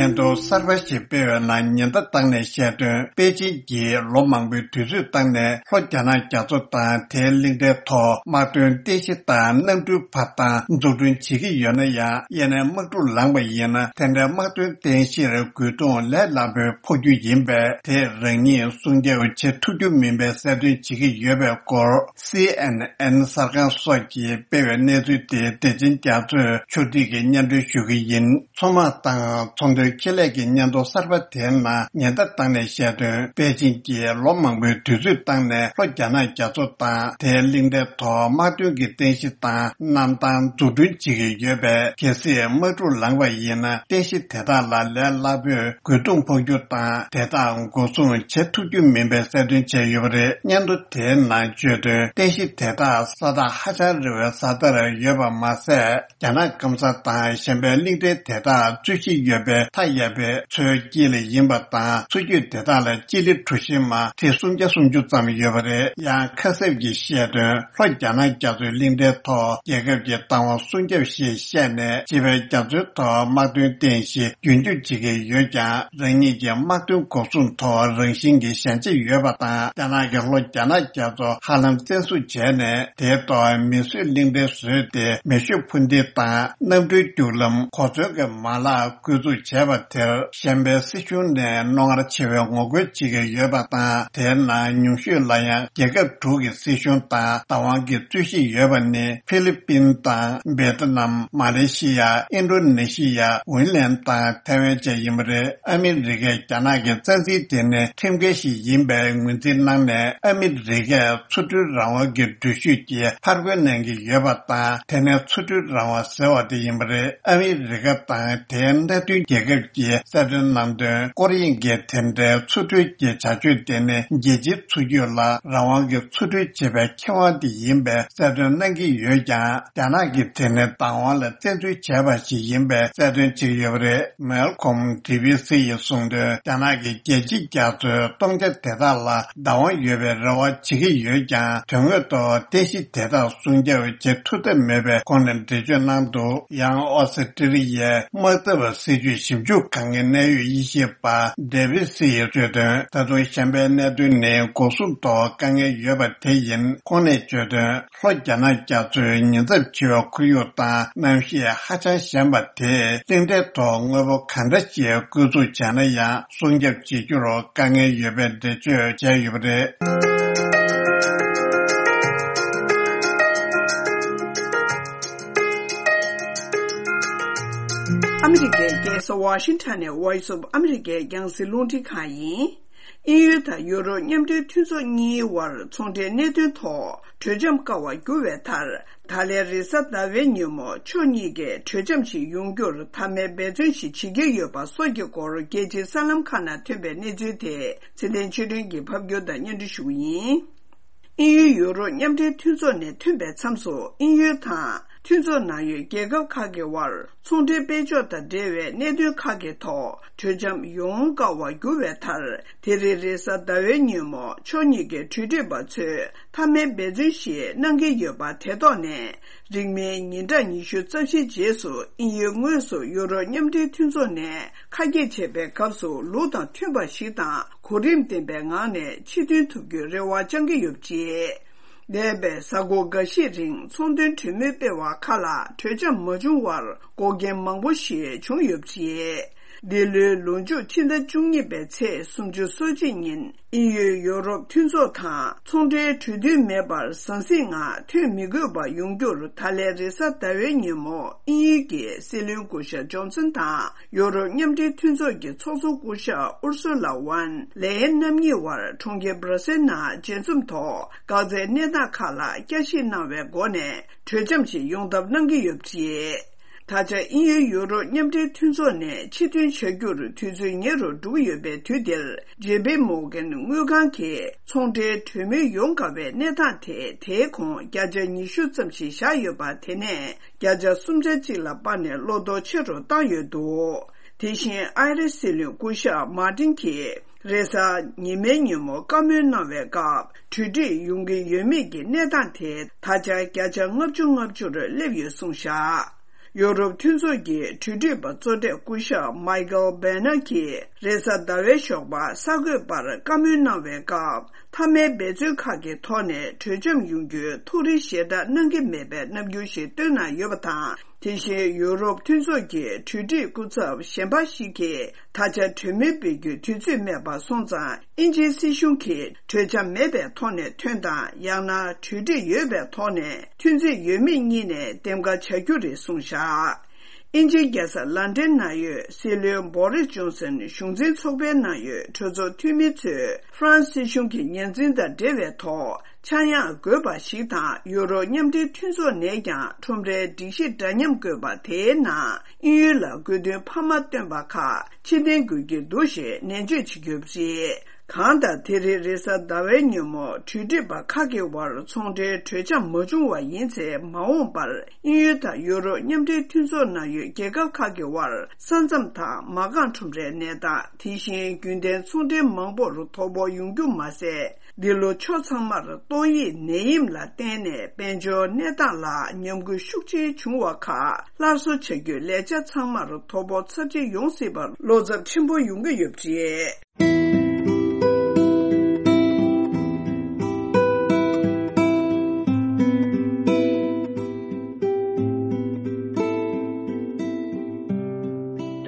སྙན་ཐོ་གསར་པ་ཞིག་སྤེལ་བའི་ནང་ཉེན་བརྡ་བཏང་ནས་བཤད་དོན། པེ་ཅིན་གྱིས་ལོ་མང་པོའི་དུས་ཚོད་བཏང་ནས་ལྷོ་རྒྱ་ནག་རྒྱ་མཚོ་དང་དེའི་གླིང་ཕྲན་ཐོག་དམག་དོན་རྟེན་གཞི་དང་གནམ་གྲུའི་ཕར་བཏང་འཛུགས་སྐྲུན་བྱེད་ཀྱི་ཡོད་ན་ཡང་། དབྱེ་ནས་དམག་འཁྲུག་ལངས་པ་ཡིན་ན། དེ་འདྲའི་དམག་དོན་རྟེན་གཞིར་རྒོལ་རྡུང་ལས་སླ་པོས་ཕོག་རྒྱུ་ཡིན་པས། དེ་རང་ཉིད་སྲུང་སྐྱོབ་བྱེད་ཐུབ་རྒྱུ་མིན་པའི་གསལ་སྟོན་བྱེད་ཀྱི་ཡོད་པའི་སྐོར། སི་ཨེན་ཨེན་གསར་ཁང་སོགས་ཀྱིས་སྤེལ་བའི་གནས་ཚུལ་དེ་བདེ་ཆེན་རྒྱ་མཚོས་ཕྱོགས་སྒྲིག་གིས་སྙན་སྒྲོན་ཞུ་གི་ཡིན། མཚོ་དམག་དང་ཚོང་དོན་ཁེ་ལས་ཀྱི་སྙན་ཐོ་གསར་པ་དེའི་ནང་ཉེན་བརྡ་བཏང་ནས་བཤད་དོན། པེ་ཅིན་གྱིས་ལོ་མང་པོའི་དུས་ཚོད་བཏང་ནས་ལྷོ་རྒྱ་ནག་རྒྱ་མཚོ་དང་དེའི་གླིང་ཕྲན་ཐོག་དམག་དོན་གྱི་རྟེན་གཞི་དང་གནམ་ཐང་འཛུགས་སྐྲུན་བྱེད་ཀྱི་ཡོད་པས། གལ་སྲིད་དམག་འཁྲུག་ལངས་པ་ཡིན་ན། རྟེན་གཞི་དེ་དག་ལ་ལས་སླ་པོས་རྒོལ་རྡུང་ཕོག་རྒྱུ་དང་། དེ་དག་འགོག་སྲུང་བྱེད་ཐུབ་རྒྱུ་མིན་པའི་གསལ་སྟོན་བྱས་ཡོད་པ་རེད། སྙན་ཐོ་དེའི་ནང་བརྗོད་དོན། རྟེན་གཞི་དེ་དག་ས་ཐག་ཧ་ཅང་རིང་བའི་ས་མཐར་ཡོད་པ་མ་ཟད། རྒྱ་ནག་སྐམ་ས་དང་གཞན་པའི་གླིང་ཕྲན་དེ་དག་རྩོད་གཞི་ཡོད་པའི་མཐའ་ཡས་པའི་མཚོའི་དཀྱིལ་ཡིན་པ་དང་། མཚོ་རྒྱུད་དེ་དག་ལ་སྤྱི་ལེ་གྲུ་བཞི་མ་ཁྲི་སུམ་བརྒྱ་སུམ་ཅུ་ཙམ་ཡོད་པ་རེད། ཡང་ཁ་གསབ་ཀྱིས་བཤད་དོན། ལྷོ་རྒྱ་ནག་རྒྱ་མཚོའི་གླིང་ཕྲན་ཐོག་རྒྱལ་ཁབ་ཀྱི་བདག་དབང་སྲུང་སྐྱོབ་ཞེས་བཤད་ནས། བྱིས་པའི་རྒྱ་མཚོའི་ཐོག་དམག་དོན་རྟེན་གཞི་རྒྱུན་སྐྱོང་བྱེད་ཀྱི་ཡོད་ཀྱང་། རང་ཉིད་ཀྱི་དམག་དོན་འགོག་སྲུང་ཐོག་རང་བཞིན་གྱི་ཞན་ཆ་ཡོད་པ་དང་། རྒྱ་ནག་གིས་ལྷོ་རྒྱ་ནག་རྒྱ་མཚོ་ཧ་ལམ་བཙན་བཟུང་བྱས་ནས། དེའི་ཐོག་མིས་བཟོས་གླིང་ཕྲན་བཟོས་ཏེ། མེ་ཤུགས་འཕུར་མདེལ་དང་གནམ་གྲུའི་རྒྱུག་ལམ། གོ་མཚོན་གྱི་མ་ལག་བཀོལ་སྤྱོད་བྱས་པ་དེ། གཞན་པའི་སྲིད་གཞུང་ནས་རྣོ་ངར་ཆེ་བའི་ངོ་རྒོལ་བྱེད་ཀྱི་ཡོད་པ་དང་། དེའི་ནང་ཉུང་ཤོས་ལ་ཡང་རྒྱལ་ཁབ་དྲུག་གི་སྲིད་གཞུང་དང་བདག་དབང་གི་རྩོད་གཞི་ཡོད་པ་ནི་ཧྥི་ལི་པིན་དང་། བེ་ཏི་ནམ། མ་ལེ་ཤི་ཡ། ཨིན་ཌོ་ནེ་ཤི་ཡ། ཝིན་ལན་དང་ཐའེ་ཝན་བཅས་ཡིན་པ་རེད། ཨ་མི་རི་ཀས་རྒྱ་ནག་གི་རྩ་འཛིན་དེ་ནི་ཁྲིམས་འགལ་ཞིག་ཡིན་པའི་ངོས་འཛིན་གནང་ནས། ཨ་མི་རི་ཀས་ཚོགས་སྒྲིལ་རང་དབང་གི་འགྲུལ་བཞུད་ཀྱི་ཕར་རྒོལ་གནང་གི་ཡོད་པ་དང་། དེ་ནི་ཚོགས་སྒྲིལ་རང་དབང་ཟེར་བ་དེ་ཡིན་པ་རེད། ཨ་མི་རི་ཀ་དང་དེའི་མནའ་མཐུན་རྒྱལ་ཁབ་ཀྱིས་གསལ་སྟོན་གནང་དོན། ཀོ་རི་ཡན་གྱི་དེ་འབྲེལ་ཚོགས་སྒྲིལ་གྱི་བྱ་སྤྱོད་དེ་ནི་རྒྱལ་སྤྱིའི་ཚོགས་རྒྱུགས་ལ་རང་དབང་གི་ཚོགས་སྒྲིལ་བྱེད་པའི་ཁེ་དབང་དེ་ཡིན་པའི་གསལ་སྟོན་གནང་གི་ཡོད་ཀྱང་། རྒྱ་ནག་གིས་དེ་ནི་བདག་དབང་ལ་བཙན་འཛུལ་བྱས་པ་ཞིག་ཡིན་པའི་གསལ་སྟོན་བྱས་ཡོད་པ་རེད། མེལ་ཁོམ་བྷི་བྷི་སི་ཡིས་གསུངས་དོན། རྒྱ་ནག་གིས་རྒྱལ་སྤྱིའི་རྒྱ་མཚོའི་སྟོང་ཆ་དེ་དག་ལ་བདག་དབང་ཡོད་པའི་རེ་བ་བྱེད་ཀྱི་ཡོད་ཀྱང་། དོན་དངོས་ཐོག་རྟེན་གཞི་དེ་དག་སྲུང་སྐྱོབ་བྱེད་ཐུབ་ཐབས་མེད་པའི་སྒོ་ནས་འགྲེལ་བརྗོད་གནང་འདུག་ཡང་ཨོ་སི་ཀྲི་ལི་ཡའི་དམག་འཐབ་སྲིད་ཇུས་ཞིབ་འཇུག་ཁང་གི་གནད་ཡོད་དབྱེ་ཞིབ་པ་ཌེ་བིད་སི་ཡིས་བརྗོད་དོན། ད་དུང་གཞན་པའི་གནད་དོན་ནི་འགོག་སྲུང་ཐོག་དཀའ་ངལ་ཡོད་པ་དེ་ཡིན། ཁོང་ནས་བརྗོད་དོན། ལྷོ་རྒྱ་ནག་རྒྱ་མཚོའི་ཉེན་ཚབས་ཆེ་བའི་ཁོར་ཡུག་དང་གནམ་གཤིས་ཧ་ཅང་ཞན་པ་དེས་གླིང་ཕྲན་ཐོག་དངོས་པོ་གང་འདྲ་ཞིག་བཀོལ་སྤྱོད་བྱས་ན་ཡང་སྲུང་སྐྱོབ་བྱེད་རྒྱུར་དཀའ་ངལ་ཡོད་པའི་འགྲེལ་བརྗོད་བྱས་ཡོད་པ་རེད། ཨ་མི་རི་ཀའི་རྒྱལ་ས་ཝ་ཤིང་ཊོན་ནས་Voice of America རྒྱང་སྲིང་རླུང་འཕྲིན་ཁང་ཡིན། དབྱིན་ཡུལ་དང་ཡུ་རོབ་མཉམ་འབྲེལ་མཐུན་ཚོགས་གཉིས་དབར་ཚོང་འབྲེལ་གནད་དོན་ཐོག་གྲོས་འཆམ་བཀག་པ་འགྱུར་བའི་མཐར། ད་ལན་རེས་གཟའ་ཟླ་བའི་ཉིན་མོ་ཕྱོགས་གཉིས་ཀས་གྲོས་འཆམ་ཞིག་ཡོང་རྒྱུར་མཐའ་མའི་འབད་བརྩོན་ཞིག་བྱེད་ཀྱི་ཡོད་པ་སོགས་ཀྱི་སྐོར་རྒྱལ་སྤྱིའི་གསར་ལམ་ཁག་ནང་ཐོན་པའི་གནས་ཚུལ་དེ་ཚེ་བརྟན་ཆོས་སྒྲོན་གྱིས་ཕབ་སྒྱུར་དང་སྙན་སྒྲོན་ཞུ་རྒྱུ་ཡིན། དབྱིན་ཡུལ་ཡུ་རོབ་མཉམ་འབྲེལ་མཐུན་ཚོགས་ནས་ཐོན་པའི་མཚམས་སུ། དབྱིན་ཡུལ་དང་མཐུན་ཚོགས་ནང་ཡོད་རྒྱལ་ཁབ་ཁག་གི་དབར་ཚོང་འབྲེལ་སྤེལ་ཕྱོགས་དང་འབྲེལ་བའི་གནད་དོན་ཁག་གི་ཐོག་གྲོས་འཆམ་ཡོང་བཀག་པ་འགྱུར་བའི་མཐར། དེ་རིང་རེས་གཟའ་ཟླ་བའི་ཉིན་མོ་ཕྱོགས་གཉིས་ཀའི་གྲོས་སྒྲིག་པ་ཚོས་མཐའ་མའི་འབད་བརྩོན་ཞིག་གནང་གི་ཡོད་པ་དེ་ཐོག་ནས། རིང་མིན་ཉིན་གྲངས་ཉི་ཤུ་རྩ་བཞིའི་རྗེས་སུ། དབྱིན་ཡུལ་དངོས་སུ་ཡུ་རོབ་མཉམ་འབྲེལ་མཐུན་ཚོགས་ནས་ཁ་གྱེས་བྱས་པའི་སྐབས་སུ། ལུགས་དང་མཐུན་པ་ཞིག་དང་གོ་རིམ་ལྡན་པའི་ངང་ནས་ཕྱིར་ཐོན་ཐུབ་རྒྱུའི་རེ་བ་བཅང་གི་ཡོད་པ་རེད། འདས་པའི་གཟའ་འཁོར་འགའ་ཤས་རིང་ཚོང་དོན་གྲོས་མོལ་སྤེལ་བ་ཁག་ལ་གྲོས་འཆམ་མ་བྱུང་བར་འགོག་རྐྱེན་མང་པོ་ཞིག་བྱུང་ཡོད་པ་རེད། འདི་ལོའི་ལོ་མཇུག་ཕྱི་ཟླ་བཅུ་གཉིས་པའི་ཚེས་སུམ་ཅུ་སོ་གཅིག་ཉིན། དབྱིན་ཡུལ་ཡོ་རོབ་མཐུན་ཚོགས་དང་ཚོང་འབྲེལ་གྲོས་མཐུན་མེད་པར་ཟང་ཟིང་ངང་ཐོན་མི་དགོས་པ་ཡོང་རྒྱུར། ད་ལན་རེས་གཟའ་ཟླ་བའི་ཉིན་མོ་དབྱིན་ཡུལ་གྱི་སྲིད་བློན་སྐུ་ཞབས་ཇོན་སན་དང་ཡོ་རོབ་མཉམ་འབྲེལ་མཐུན་ཚོགས་ཀྱི་ཚོགས་གཙོ་སྐུ་ཞབས་ཨུར་སུ་ལ་ཝན་ལེ་ཡན་རྣམ་གཉིས་དབར་གྲོང་ཁྱེར་སྦྲ་སེལ་ནང་མཇལ་འཛོམས་ཐོག་འགག་རྩའི་གནས་སྟངས་ཁག་ལ་བསྐྱར་ཞིབ་གནང་བའི་སྒོ་ནས་གྲོས་འཆམ་ཞིག་ཡོང་ཐབས་གནང་གི་ཡོད་པ་རེད། ད་ཆ་དབྱིན་ཡུལ་ཡུ་རོབ་མཉམ་འབྲེལ་མཐུན་ཚོགས་ནས་ཕྱིར་ཐོན་བྱ་རྒྱུར་དུས་ཚོད་ཉེ་རུ་འགྲོ་གི་ཡོད་པའི་དུས་འདིར། ཇེ་པི་མོར་གན་དངུལ་ཁང་གིས་ཚོང་འབྲེལ་གྲོས་མོལ་ཡོང་དཀའ་བའི་གནས་སྟངས་དེ། དེའི་གོང་བརྒྱ་ཆ་ཉི་ཤུ་ཙམ་ཞིག་བཞག་ཡོད་པ་དེ་ནས་བརྒྱ་ཆ་སུམ་ཆ་གཅིག་ལ་སྤར་ནས་བློ་དོགས་ཆེ་རུ་བཏང་ཡོད་འདུག་དེ་བཞིན་ཨའི་རི་སྲིད་བློན་སྐུ་ཞབས་མར་ཏིན་གྱིས། རེས་གཟའ་ཉི་མའི་ཉིན་མོ་བཀའ་མོལ་གནང་བའི་སྐབས། གྲོས་འགྲིག་ཡོང་གི་ཡོད་མེད་ཀྱི་གནས་སྟངས་དེ་ད་ཆ་བརྒྱ་ཆ་ལྔ་བཅུ་ལྔ་བཅུར་སླེབས་ཡོད་གསུངས་བཞག་ཡོ་རོབ་མཐུན་ཚོགས་ཀྱི་གྲོས་སྒྲིག་པ་གཙོ་གྲས་སྐུ་ཞབས་མའི་ཀལ་བེ་ནར་གྱིས་རེས་གཟའ་ཟླ་བའི་ཞོགས་པ་གསར་འགོད་པར་བཀའ་མོལ་གནང་བའི་སྐབས། མཐའ་མའི་འབད་བརྩོན་ཁག་གི་ཐོག་ནས་གྲོས་འཆམ་ཡོང་རྒྱུའི་ཐུགས་རེ་ཞེ་དྲག་གནང་གི་མེད་པའི་རྣམ་འགྱུར་ཞིག་བཏོན་གནང་ཡོད་པ་དང་། དེ་བཞིན་ཡུ་རོབ་མཐུན་ཚོགས་ཀྱི་གྲོས་སྒྲིག་སྐུ་ཚབ་གཞན་པ་ཞིག་གིས། ད་ཆ་གྲོས་མོལ་སྤེལ་རྒྱུའི་དུས་ཚོད་མེད་པ་སོང་ཙང་། དབྱིན་ཇིའི་སྲིད་གཞུང་གིས་གྲོས་འཆམ་མེད་པའི་ཐོག་ནས་ཐོན་དང་། ཡང་ན་གྲོས་འགྲིག་ཡོད་པའི་ཐོག་ནས་ཐོན་རྩིས་ཡོད་མེད་གཉིས་ནས་འདེམས་ཀ་བྱ་རྒྱུ་རེད་གསུངས་བཞག་དབྱིན་ཇིའི་རྒྱལ་ས་ལན་ཀྲན་ནང་ཡོད་སྲིད་བློན་བོ་རིས་ཇོན་སན་གཞུང་འཛིན་ཚོགས་པའི་ནང་ཡོད་གྲོས་ཚོགས་འཐུས་མི་ཚོས་ཧྥ་རན་སི་སྲིད་གཞུང་གི་ཉེས་འཛིན་དང་འབྲེལ་བའི་ཐོག་ཆག་ཡང་དགོས་པ་ཞིག་དང་། ཡུ་རོབ་མཉམ་འབྲེལ་མཐུན་ཚོགས་ནས་ཀྱང་ཁྲོམ་རའི་སྒྲིག་གཞི་འདྲ་མཉམ་དགོས་པ་དེའི་ནང་དབྱིན་ཡུལ་ལ་དགོས་འདུན་འཕར་མ་བཏོན་པ་ཁག་ཕྱིར་འཐེན་དགོས་ཀྱི་འདུག་ཞེས་ནན་བརྗོད་བྱེད་ཀྱི་ཡོད་པ་རེད། གང་ལྟར་དེ་རིང་རེས་གཟའ་ཟླ་བའི་ཉིན་མོ་གྲོས་སྒྲིག་པ་ཁག་གི་དབར་ཚོང་འབྲེལ་གྲོས་འཆམ་མ་བྱུང་བ་ཡིན་ཚེ། མ་འོངས་པར་དབྱིན་ཡུལ་དང་ཡུ་རོབ་མཉམ་འབྲེལ་མཐུན་ཚོགས་ནང་ཡོད་རྒྱལ་ཁབ་ཁག་གི་དབར་ས་མཚམས་དང་མ་རྐང་ཁྲོམ་རའི་གནས་སྟངས། དེ་བཞིན་རྒྱུན་ལྡན་ཚོང་འབྲེལ་མང་པོར་དོ་ཕོག་ཡོང་རྒྱུ་མ་ཟད། འདི་ལོ་ཕྱོགས་ཚང་མར་ཏོག་དབྱིབས་ནད་ཡམས་ལ་བརྟེན་ནས་དཔལ་འབྱོར་གནས་སྟངས་ལ་ཉམས་རྒུད་ཤུགས་ཆེན་བྱུང་བ་ཁག་སླར་གསོ་བྱ་རྒྱུའི་ལས་འཆར་ཚང་མར་དོ་ཕོག་ཚབས་ཆེ་ཡོང་སྲིད་པར་བློ་འཚབ་ཆེན་པོ་ཡོང་གི་ཡོད་པ་རེད།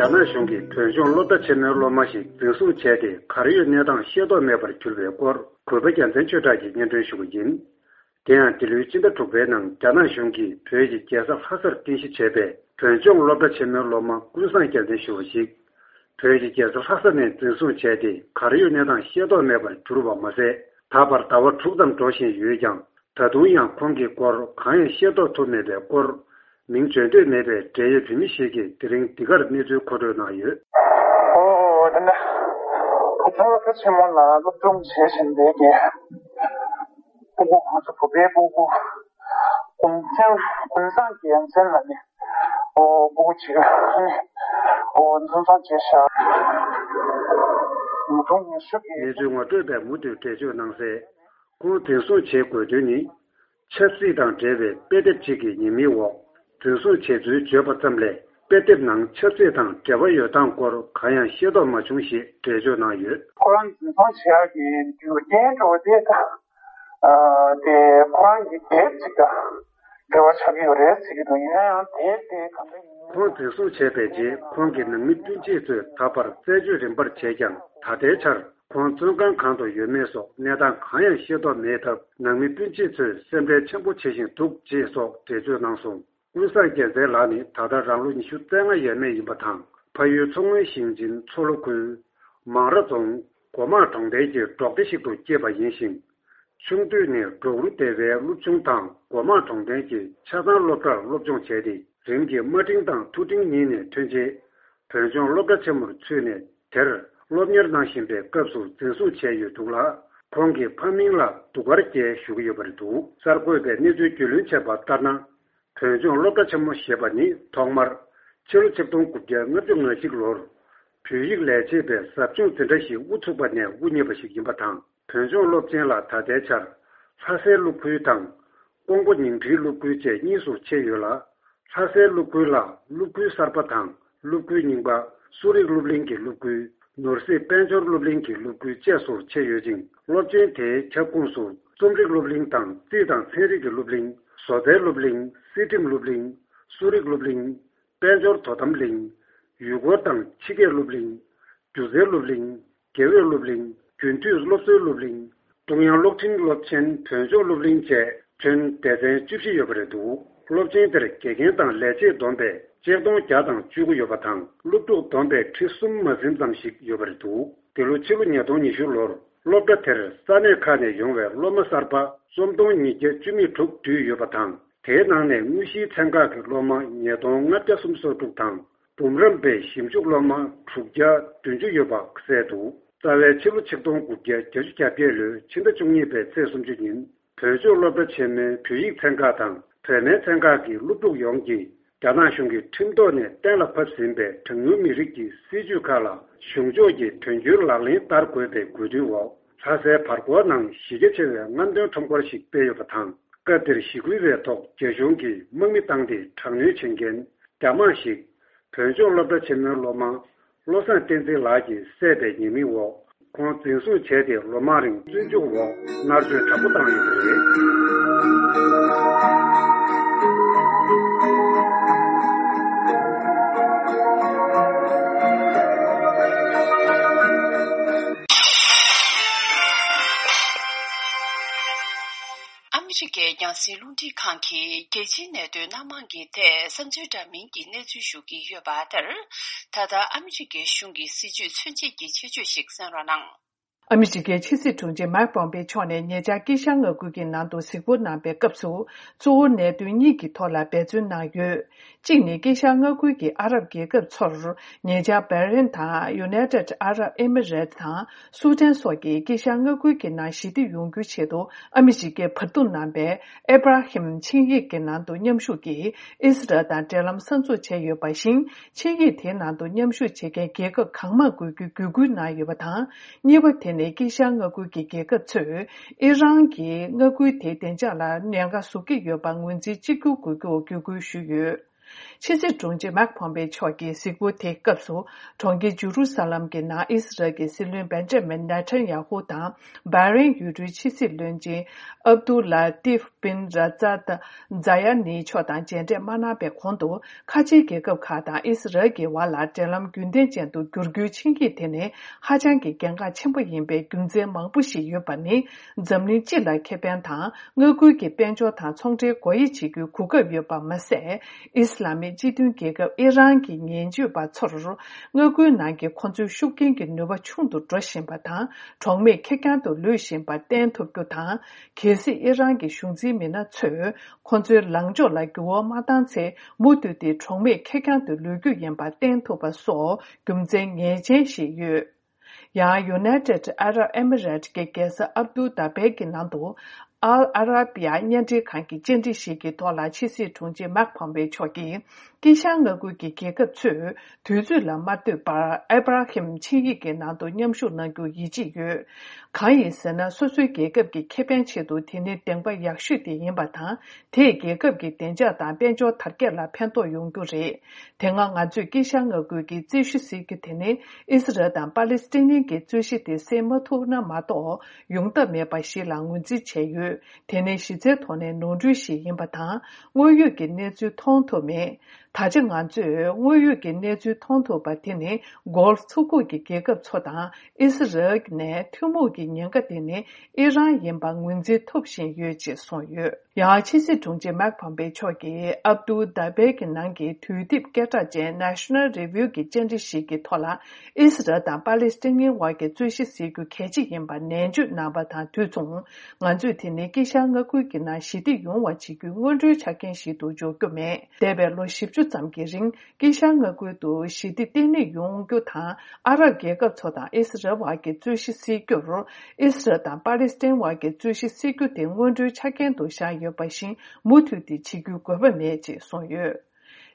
རྒྱ་ རྒྱ་ནག་གཞུང་གིས་བོད་ལྗོངས་སློབ་གྲྭ་ཆེན་མོའི་སློབ་མ་ཞིག་འཛིན་བཟུང་བྱས་ཏེ། གར་ཡོད་གནས་སྟངས་ཤེས་རྟོགས་མེད་པར་གྱུར་བའི་སྐོར། གུས་པ་རྒྱལ་མཚན་ཆོས་གྲགས་ཀྱིས་སྙན་སྒྲོན་ཞུ་བ་ཡིན། དེ་ཡང་། འདི་ལོའི་སྤྱི་ཟླ་དྲུག་པའི་ནང་། རྒྱ་ནག་གཞུང་གིས་བོད་ཀྱི་རྒྱལ་ས་ལྷ་སར་རྟེན་གཞི་བྱས་པའི་བོད་ལྗོངས་སློབ་གྲྭ་ཆེན་མོའི་སློབ་མ་ཀུན་བཟང་རྒྱལ་མཚན་ཞུ་བ་ཞིག་བོད་ཀྱི་རྒྱལ་ས་ལྷ་ས་ནས་འཛིན་བཟུང་བྱས་ཏེ། གར་ཡོད་གནས་སྟངས་ཤེས་རྟོགས་མེད་པར་གྱུར་བ་མ་ཟད། ད་བར་ཟླ་བ་དྲུག་ཙམ་འགྲོ་བཞིན་ཡོད་ཀྱང་། ད་དུང་ཡང་ཁོང་གི་སྐོར་གང་ཡང་ཤེས་རྟོགས་ཐུབ་མེད་པའི་སྐོར། མིང་བརྗོད་འདོད་མེད་པའི་འབྲེལ་ཡོད་བོད་མི་ཞིག་གིས་དེ་རིང་འདི་གར་གནས་ཚུལ་མཁོ་སྤྲོད་གནང་ཡོད། ཨོ། དེ་ནས་བུ་ཆུང་སློབ་གྲྭ་ཆེན་མོ་ལ་སློབ་སྦྱོང་བྱེད་བཞིན་པའི་གི་སྤུ་གུ། ང་ཚོ་བོད་པའི་སྤུ་གུ་ཀུན་མཁྱེན། ཀུན་བཟང་རྒྱལ་མཚན་ལ་ནི། ཨོ། སྤུ་གུ་གཅིག་ནི། ཨོ། འཛིན་བཟུང་བྱས་ཤག་ཉིས་སྟོང་ཉི་ཤུ་གི། གནས་ཚུལ་ངོ་སྤྲོད་པས་མུ་མཐུད་འགྲེལ་བརྗོད་གནང་གསལ། ཁོང་འཛིན་བཟུང་བྱེད་དགོས་དོན་ནི། ཆབ་སྲིད་དང་འབྲེལ་བའི་དཔེ་དེབ་ཅིག་གི་ཉེས་མིང་འོག་འཛིན་བཟུང་བྱས་ཚུལ་བརྗོད་པ་ཙམ་ལས། དཔེ་དེབ་ནང་ཆབ་སྲིད་དང་འབྲེལ་བ་ཡོད་སྟངས་སྐོར་གང་ཡང་ཤེས་རྟོགས་མ་བྱུང་ཞེས་འགྲེལ་བརྗོད་གནང་ཡོད། ཁོ་རང་འཛིན་བཟུང་བྱེད་ཡག་གི་རྒྱུ་རྐྱེན་འདྲ་བོ་དེ་དང་། ཨ། དེ་ཁོ་རང་གི་དེབ་ཅིག་དང་འབྲེལ་བ་ཆགས་ཀྱི་ཡོད་རེད་ཟེར་གྱི་འདུག་ཡིན་ན་ཡང་དེབ་དེ་གང་འདྲ་ཡིན། ཁོང་འཛིན་བཟུང་བྱས་པའི་རྗེས། ཁོང་གི་ནང་མི་སྤུན་མཆེད་ཚོས་ད་བར་རྩད་གཅོད་རིམ་པར་བྱས་ཀྱང་། ད་ལྟའི་ཆར་ཁོང་བཙོན་ཁང་གང་དུ་ཡོད་མེད་སོགས་གནས་སྟངས་གང་ཡང་ཤེས་རྟོགས་མེད་སྟབས། ནང་མི་སྤུན་མཆེད་ཚོས་སེམས་ཁྲལ་ཆེན་པོ་བྱེད་བཞིན་འདུག་ཅེས་སོགས་འགྲེལ་བརྗོད་གནང་སོང་། ཀུན་བཟང་རྒྱལ་མཚན་ལགས་ནི་ད་ལྟ་རང་ལོ་ཉི་ཤུ་རྩ་ལྔ་ཡས་མས་ཡིན་པ་དང་། ཕ་ཡུལ་མཚོ་སྔོན་ཞིང་ཆེན་མཚོ་ལྷོ་ཁུལ་མང་ར་རྫོང་སྒོ་མང་གྲོང་རྡལ་གྱི་འབྲོག་སྡེ་ཞིག་ཏུ་སྐྱེས་པ་ཡིན་ཞིང་། ཆུང་དུས་ནས་འབྲོག་རུ་སྡེ་བའི་སློབ་ཆུང་དང་སྒོ་མང་གྲོང་རྡལ་གྱི་ཆ་ཚང་སློབ་གྲྭར་སློབ་སྦྱོང་བྱས་ཏེ། རིམ་གྱིས་དམའ་འབྲིང་དང་མཐོ་འབྲིང་གཉིས་ནས་ཐོན་རྗེས། བོད་ལྗོངས་སློབ་གྲྭ་ཆེན་མོར་ཚུད་ནས། དེར་སློབ་གཉེར་གནང་བཞིན་པའི་སྐབས་སུ་འཛིན་བཟུང་བྱས་ཡོད་འདུག་ལ། ཁོང་གི་ཕ་མིང་ལ་གདུགས་དཀར་རྒྱལ་ཞུ་གི་ཡོད་པ་རེད་འདུག་གསར་འགོད་པས་གནས་ཚུལ་རྒྱུས་ལོན་བྱས་པ་ལྟར་ན། བོད་ལྗོངས་སློབ་གྲྭ་ཆེན་མོ་ཞེས་པ་ནི་ཐོག་མར་ཕྱི་ལོ་ཆིག་སྟོང་དགུ་བརྒྱ་ལྔ་བཅུ་ང་གཅིག་ལོར་བོད་ཡིག་ལས་བྱེད་པའི་ཟབ་སྦྱོང་འཛིན་གྲྭ་ཞིག་དབུ་ཚུགས་པ་ནས་དབུ་བརྙེས་པ་ཞིག་ཡིན་པ་དང་། བོད་ལྗོངས་སློབ་ཆེན་ལ་ད་ལྟའི་ཆར་ལྷ་སའི་སློབ་ཁུལ་དང་། ཀོང་པོ་ཉིང་ཁྲིའི་སློབ་ཁུལ་བཅས་གཉིས་སུ་ཕྱེ་ཡོད་ལ། ལྷ་སའི་སློབ་ཁུལ་ལ་སློབ་ཁུལ་གསར་པ་དང་སློབ་ཁུལ་རྙིང་པ། གསོ་རིག་སློབ་གླིང་གི་སློབ་ཁུལ། ནོར་སྲིད་དཔལ་འབྱོར་སློབ་གླིང་གི་སློབ་ཁུལ་བཅས་སུ་ཕྱེ་ཡོད་ཅིང་། སློབ་ཆེན་དེའི་ཁྱབ་ཁོངས་སུ་རྩོམ་རིག་སློབ་གླིང་དང་རྩིས་དང་ཚན་རིག་གི་སློབ་གླིང་། བཟོ་རྩལ་སློབ་གླིང་། སྲིད་ཁྲིམས་སློབ་གླིང་། གསོ་རིག་སློབ་གླིང་། དཔལ་འབྱོར་དོ་དམ་གླིང་། ཡུལ་སྐོར་དང་ཕྱི་སྐྱེས་སློབ་གླིང་། སྒྱུ་རྩལ་སློབ་གླིང་། དགེ་འོས་སློབ་གླིང་། རྒྱུན་མཐུད་སློབ་གསོའི་སློབ་གླིང་། ཀྲུང་དབྱང་གློག་འཕྲིན་སློབ་ཆེན། བོད་ལྗོངས་སློབ་གླིང་བཅས་ཁྱོན་སྡེ་ཚན་བཅུ་བཞི་ཡོད་པ་རེད་འདུག་སློབ་ཆེན་དེར་དགེ་རྒན་དང་ལས་བྱེད་བསྡོམས་པས་གཅིག་སྟོང་བརྒྱ་དང་བཅུ་དགུ་ཡོད་པ་དང་། སློབ་ཕྲུག་བསྡོམས་པས་ཁྲི་གསུམ་མ་ཟིན་ཙམ་ཞིག་ཡོད་པ་རེད་འདུག་འདི་ལོ་ཕྱི་ལོ་ཉིས་སྟོང་ཉི་ཤུ་ལོར་སློབ་གྲྭ་དེར་ས་གནས་ཁག་ནས་ཡོང་བའི་སློབ་མ་གསར་པ་རྩོམ་སྟོང་ཉིས་བརྒྱ་བཅུ་མེད་དྲུག་འདུས་ཡོད་པ་དང་། དེའི་ནང་ནས་དངོས་གཞིའི་ཚན་ཁག་གི་སློབ་མ་ཉིས་སྟོང་ལྔ་བརྒྱ་སུམ་ཅུ་སོ་དྲུག་དང་། འབུམ་རམས་པའི་ཞིབ་འཇུག་སློབ་མ་དྲུག་བརྒྱ་བདུན་ཅུ་ཡོད་པ་གསལ་འདུག་རྩ་བའི་ཕྱི་ལོ་ཆིག་སྟོང་དགུ་བརྒྱ་བརྒྱད་ཅུ་གྱ་བརྒྱད་ལོའི་ཕྱི་ཟླ་བཅུ་གཉིས་པའི་ཚེས་སུམ་ཅུ་ཉིན། བོད་ལྗོངས་སློབ་གྲྭ་ཆེན་མོའི་བོད་ཡིག་ཚན་ཁག་དང་བོད་སྨན་ཚན་ཁག་གི་སློབ་ཕྲུག་ཡོངས་ཀྱིས། རྒྱ་ནག་གཞུང་གིས་ཁྲིམས་ཐོག་ནས་གཏན་ལ་ཕབ་ཟིན་པའི་གྲངས་ཉུང་མི་རིགས་ཀྱི་སྲིད་ཇུས་ཁག་ལ་གཞུང་ཕྱོགས་ཀྱིས་དོན་འཁྱོལ་ལག་ལེན་བསྟར་དགོས་པའི་དགོས་འདུན་འོག་ལྷ་སའི་བར་སྐོར་ནང་གཞི་རྒྱ་ཆེ་བའི་རྔམ་སྟོན་ཁྲོམ་སྐོར་ཞིག་སྤེལ་ཡོད་པ་དང་། སྐབས་དེར་གཞིས་ཁུལ་བའི་ཐོག་རྒྱ་གཞུང་གིས་དམག་མི་བཏང་སྟེ་དྲག་གནོན་བྱེད་མཁན་རྒྱ་དམག་ཞིག་བོད་ལྗོངས་སློབ་གྲྭ་ཆེན་མོའི་སློབ་མ་བློ་བཟང་བསྟན་འཛིན་ལགས་ཀྱིས་བསད་པའི་ཉེས་མིང་འོག་ཁོང་འཛིན་བཟུང་བྱས་ཏེ་ལོ་མང་རིང་བཙོན་འཇུག་འོག་མནར་གཅོད་དྲག་པོ་བཏང་ཡོད་པ་རེད། ཨ་མི་རི་ཀའི་རྒྱང་སྲིང་རླུང་འཕྲིན་ཁང་གིས་རྒྱལ་སྤྱིའི་གནད་དོན་སྣ་མང་གི་ཐད་བསམ་ཚུལ་འདྲ་མིན་གྱི་གནས་ཚུལ་ཞུ་གི་ཡོད་པ་ལྟར། ད་ལྟ་ཨ་མི་རི་ཀའི་གཞུང་གི་སྲིད་ཇུས་མཚོན་བྱེད་ཀྱི་ཆེད་བརྗོད་ཞིག་གསན་རོགས་གནང་། ཨ་མི་རི་ཀའི་ཕྱི་སྲིད་དྲུང་ཆེ་མཱིག་པོམ་པེ་མཆོག་ནས་ཉེ་ཆར་དཀྱིལ་ཤར་མངའ་ཁུལ་གྱི་ནང་དུ་གཟིགས་སྐོར་གནང་པའི་སྐབས་སུ། གཙོ་བོ་གནད་དོན་གཉིས་ཀྱི་ཐོག་ལ་འབད་བརྩོན་གནང་ཡོད། གཅིག་ནི་དཀྱིལ་ཤར་མངའ་ཁུལ་གྱི་ཨ་རབ་རྒྱལ་ཁབ་ཚོར། ཉེ་ཆར་བྷ་རེན་དང་United Arab Emirates དང་སུ་ཏན་སོགས་ཀྱིས་དཀྱིལ་ཤར་མངའ་ཁུལ་གྱི་ནང་ཞི་བདེ་ཡོང་རྒྱུའི་ཆེད་དུ་ཨ་མི་རི་ཀས་བར་འདུམ་གནང་པའི་ཨེ་བྷ་ར་ཧིམ་ཆིངས་ཡིག་གི་ནང་དུ་མཉམ་ཞུགས་ཀྱིས་ཨི་སི་རལ་དང་འབྲེལ་ལམ་གསར་འཛུགས་བྱས་ཡོད་པ་བཞིན། ཆིངས་ཡིག་དེའི་ནང་དུ་མཉམ་ཞུགས་བྱེད་མཁན་རྒྱལ་ཁབ་གང་མང་དགོས་རྒྱུའི་བརྒྱུད་སྐུལ་གནང་ཡོད་པ་དང་། གཉིས་པ་དེ་ནི་དཀྱིལ་ཤར་མངའ་ཁུལ་གྱི་རྒྱལ་ཁབ་ཚོས་ཨི་རན་གྱིས་མངའ་ཁུལ་དེའི་བདེ་འཇགས་ལ་ཉེན་ཁ་བཟོ་གི་ཡོད་པར་ངོས་འཛིན་གཅིག་གྱུར་དགོས་རྒྱུར་བརྒྱུད་སྐུལ་ཞུས་ཡོད། ཕྱི་སྲིད་དྲུང་ཆེ་མེག་ཕོམ་པེ་མཆོག་གིས་གཟིགས་སྐོར་དེའི་སྐབས་སུ། གྲོང་ཁྱེར་ཇུ་རུ་ས་ལམ་གྱི་ནང་ཨི་སི་རལ་གྱི་སྲིད་བློན་བེན་ཇ་མིན་ནེ་ཐན་ཡ་ཧུ་དང་། བྷ་རེན་ཡུལ་གྲུའི་ཕྱི་སྲིད་བློན་ཆེན་ཨབ་ཏུ་ལ་ཏིབ་བིན་ར་ཛ་ད་ཛ་ཡ་ནི་མཆོག་དང་མཇལ་འཕྲད་མ་གནང་བའི་གོང་དུ། ཁ་ཆེའི་རྒྱལ་ཁབ་ཁག་དང་ཨི་སི་རལ་གྱི་བར་ལ་འབྲེལ་ལམ་རྒྱུན་ལྡན་ཅན་དུ་འགྱུར་རྒྱུའི་ཆིངས་ཡིག་དེ་ནི་ཧ་ཅང་གི་གལ་འགངས་ཆེན་པོ་ཡིན་པའི་རྒྱུ་མཚན་མང་པོ་ཞིག་ཡོད་པ་ནི། འཛམ་གླིང་སྤྱི་ལ་ཁེ་ཕན་དང་མངའ་ཁུལ་གྱི་དཔལ་འབྱོར་དང་ཚོང་འབྲེལ་སྒོ་དབྱེ་བྱེད་རྒྱུའི་གོ་སྐབས་ཡོད་པ་མ་ཟད། ཨི་སི་ལ་མིག་སྤྱི་མཐུན་རྒྱལ་ཁབ་ཨི་རན་གྱི་ངན་ཇུས་པ་ཚོར། མངའ་ཁུལ་ནང་གི་ཁོ་ཚོའི་ཤུགས་རྐྱེན་གྱི་ནུས་པ་ཆུང་དུ་འགྲོ་བཞིན་པ་དང་། གྲོགས་མེད་ཁེར་རྐྱང་དུ་ལུས་བཞིན་པ་བསྟན་ཐུབ་རྒྱུ་དང་། གལ་སྲིད་ཨི་རན་གྱི་གཞུང་འཛིན་མི་སྣ་ཚོས་ཁོ་ཚོའི་ལངས་ཕྱོགས་ལ་འགྱུར་བ་མ་བཏང་ཚེ། མུ་མཐུད་དེ་གྲོགས་མེད་ཁེར་རྐྱང་དུ་ལུས་རྒྱུ་ཡིན་པ་བསྟན་ཐུབ་པ་སོགས་རྒྱུ་མཚན་ངེས་ཅན་ཞིག་ཡོད། ཡང་། United Arab Emirates གྱི་རྒྱལ་ས་ཨབ་དུ་དཱ་བེ་གི་ནང་དུ། ཨལ་ཨ་ར་བི་ཡ་བརྙན་འཕྲིན་ཁང་གི་བཅར་འདྲི་ཞིག་གི་ཐོག་ལ་ཕྱི་སྲིད་དྲུང་ཆེ་མེག་ཕོམ་པེ་མཆོག་གིས། དཀྱིལ་ཤར་མངའ་ཁུལ་གྱི་རྒྱལ་ཁབ་ཚོས་དུས་ཚོད་ལ་མ་ལྟོས་པར་ཨེ་བྷ་ར་ཧིམ་ཆིངས་ཡིག་གི་ནང་དུ་མཉམ་ཞུགས་གནང་རྒྱུར་ཡིད་ཆེས་ཡོད། གང་ཡིན་ཟེར་ན། སོ་སོའི་རྒྱལ་ཁབ་ཀྱི་ཁེ་ཕན་ཆེད་དུ་དེ་ནི་བདེན་པ་ཡག་ཤོས་དེ་ཡིན་པ་དང་། དེས་རྒྱལ་ཁབ་ཀྱི་བདེ་འཇགས་དང་དཔལ་འབྱོར་དར་རྒྱས་ལ་ཕན་ཐོགས་ཡོང་རྒྱུ་རེད། དེ་སྔ་ང་ཚོས་དཀྱིལ་ཤར་མངའ་ཁུལ་གྱི་རྩོད་གཞི་ཟེར་རྒྱུ་དེ་ནི། ཨི་སི་རལ་དང་པ་ལེ་སི་ཐན་གྱི་རྩོད་གཞི་དེ་སེལ་མ་ཐུབ་ན་མ་གཏོགས་ཡོང་ཐབས་མེད་པ་ཞིག་ལ་ངོས་འཛིན་བྱས་ཡོད། དེ་ནི་གཞི་རྩའི་ཐོག་ནས་ནོར་འཁྲུལ་ཞིག་ཡིན་པ་དང་། དངོས་ཡོད་ཀྱི་གནས་ཚུལ་མཐོང་ཐུབ་མེད། ད་ཆ་ང་ཚོས་དངོས་ཡོད་ཀྱི་གནས་ཚུལ་མཐོང་ཐུབ་པ་དེ་ནི། གོལ་ཕ་མཚོ་ཁུག་གི་རྒྱལ་ཁབ་ཚོ་དང་ཨི་སི་རལ་ནས་ཐུན་མོང་གི་ཉེན་ཁ་དེ་ནི་ཨི་རན་ཡིན་པ་ངོས་འཛིན་ཐུབ་བཞིན་ཡོད་ཅེས་གསུངས་ཡོད། ཡང་། ཕྱི་སྲིད་དྲུང་ཆེ་མེག་ཕོམ་པེ་མཆོག་གིས་ཨབ་ཏུ་དཱ་བེ་གི་ནང་གི་དུས་དེབ་སྐད་གྲགས་ཅན་National Review གི་བཅར་འདྲི་ཞིག་གི་ཐོག་ལ། ཨི་སི་རལ་དང་པ་ལེ་སི་ཐན་བར་གྱི་རྩོད་གཞི་སེལ་རྒྱུ་གལ་ཆེ་ཡིན་པ་ནན་བརྗོད་གནང་བ་དང་དུས་མཚུངས། ང་ཚོས་དེ་ནི་དཀྱིལ་ཤར་མངའ་ཁུལ་གྱི་ནང་ཞི་བདེ་ཡོང་བ་བྱེད་རྒྱུའི་སྔོན་འགྲོའི་ཆ་རྐྱེན་ཞིག་ཏུ་འཇོག་རྒྱུ་མེད། འདས་པའི་ལོ་བཞི་བཅུ་ཙམ་གྱི་རིང་། དཀྱིལ་ཤར་མངའ་ཁུལ་དུ་ཞི་བདེ་བརྟན་ལྷིང་ཡོང་རྒྱུ་དང་། ཨ་རབ་རྒྱལ་ཁབ་ཚོ་དང་ཨི་སི་རལ་བར་གྱི་རྩོད་གཞི་སེལ་རྒྱུར། ཨི་སི་རལ་དང་པ་ལེ་སི་ཐན་བར་གྱི་རྩོད་གཞི་སེལ་རྒྱུ་དེ་སྔོན་འགྲོའི་ཆ་རྐྱེན་དུ་བཞག་ཡོད་པ་བཞིན། མུ་མཐུད་དེ་བྱེད་རྒྱུའི་དགོས་པ་མེད་ཅེས་གསུངས་ཡོད།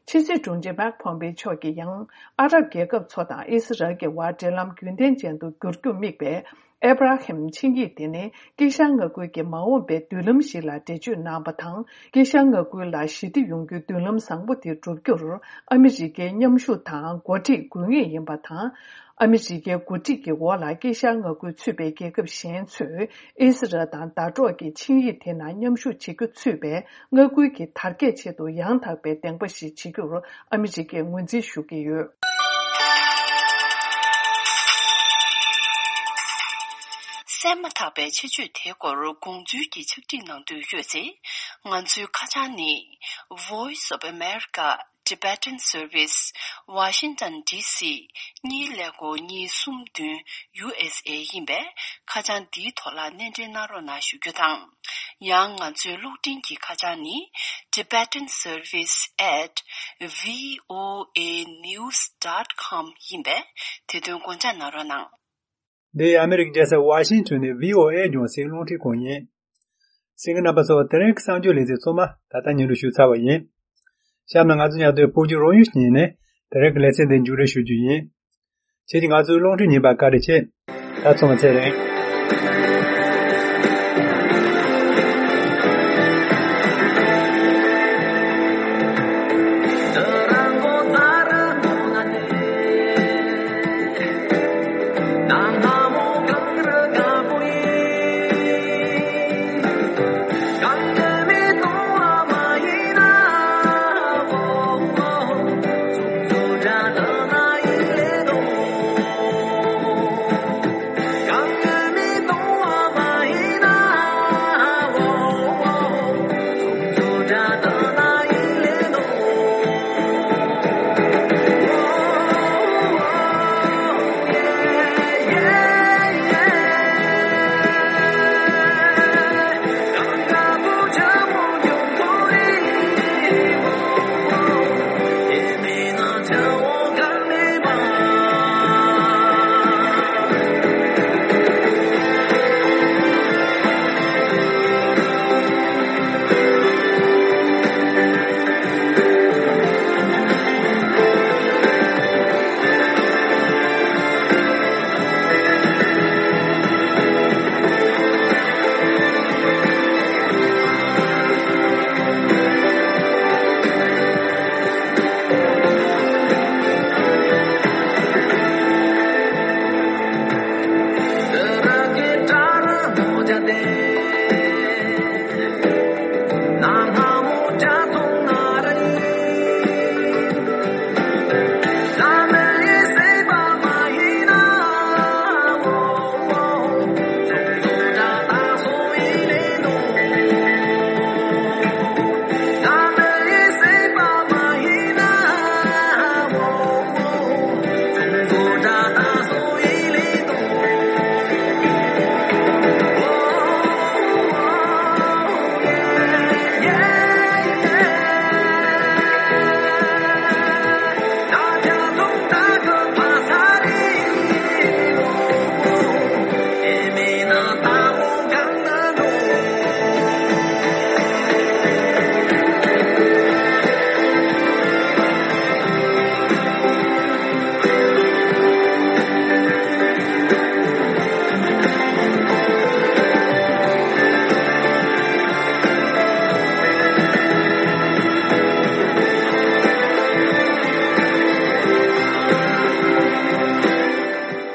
ཕྱི་སྲིད་དྲུང་ཆེ་མེག་ཕོམ་པེ་མཆོག་གིས་ཡང་། ཨ་རབ་རྒྱལ་ཁབ་ཚོ་དང་ཨི་སི་རལ་གྱི་བར་འབྲེལ་ལམ་རྒྱུན་ལྡན་ཅན་དུ་འགྱུར་རྒྱུར་དམིགས་པའི་ཨེ་བྷ་ར་ཧིམ་ཆིངས་ཡིག་དེ་ནི། དཀྱིལ་ཤར་མངའ་ཁུལ་གྱི་མ་འོངས་པའི་མདུན་ལམ་ཞིག་ལ་འགྲེལ་བརྗོད་གནང་བ་དང་། དཀྱིལ་ཤར་མངའ་ཁུལ་ལ་ཞི་བདེ་ཡོང་རྒྱུའི་མདུན་ལམ་བཟང་པོ་དེ་བསྒྲུབ་རྒྱུར། ཨ་མི་རི་ཀའི་མཉམ་ཞུགས་དང་འགོ་ཁྲིད་དགོས་ངེས་ཡིན་པ་དང་། ཨ་མི་རི་ཀའི་འགོ་ཁྲིད་ཀྱི་འོག་ལ་དཀྱིལ་ཤར་མངའ་ཁུལ་ཚུད་པའི་རྒྱལ་ཁབ་གཞན་ཚོས་ཨི་སི་རལ་དང་ཟླ་གྲོགས་ཀྱི་ཆིངས་ཡིག་དེ་ནང་མཉམ་ཞུགས་བྱེད་རྒྱུ་ཚུད་པའི་མངའ་ཁུལ་གྱི་དར་རྒྱས་ཆེད་དུ་ཡང་དག་པའི་བདེན་པ་ཞིག་བྱེད་རྒྱུར་ཨ་མི་རི་ཀས་ངོས་འཛིན་ཞུ་གི་ཡོད། གསན་མ་ཐག་པའི་ཆེད་བརྗོད་དེའི་སྐོར་དགོངས་ཚུལ་གྱི་ཕྱག་བྲིས་གནང་འདོད་ཡོད་ཚེ། ང་ཚོའི་ཁ་བྱང་ནི། Voice of America Tibetan Service, Washington D C གཉིས་ཀླད་ཀོར་གཉིས་གསུམ་བདུན་ཡུ་ཨེས་ཨེ་ཡིན་པས། ཁ་བྱང་འདིའི་ཐོག་ལ་སྣེ་འདྲེན་གནང་རོགས་གནང་ཞུ་རྒྱུ་དང་། ཡང་ང་ཚོའི་གློག་འཕྲིན་གྱི་ཁ་བྱང་ནི། Tibetan Service at V O A news dot com ཡིན་པས། དེ་དོན་དགོངས་འཇགས་གནང་རོགས་གནང་། འདི་ཨ་མི་རི་ཀའི་རྒྱལ་ས་ཝ་ཤིང་ཊོན་ནས་བྷི་ཨོ་ཨེ་རྒྱང་སྲིང་རླུང་འཕྲིན་ཁང་ཡིན། གསན་མཁན་རྣམ་པ་ཚོ། དེ་རིང་གི་གསར་འགྱུར་ལེ་ཚན་ཚང་མ་ད་ལྟ་སྙན་སྒྲོན་ཞུས་ཚར་བ་ཡིན། གཤམ་ལ་ང་ཚོ་མཉམ་དུ་བོད་ཀྱི་རང་ཡུལ་ཉིན་ནས་དེ་རིང་གི་ལེ་ཚན་འདི་མཇུག་སྒྲིལ་ཞུ་རྒྱུ་ཡིན། ཁྱེད་ཀྱིས་ང་ཚོའི་རླུང་འཕྲིན་ཉན་པར་བཀའ་དྲིན་ཆེ། ད་ཚང་མ་ཚེ་རིང་།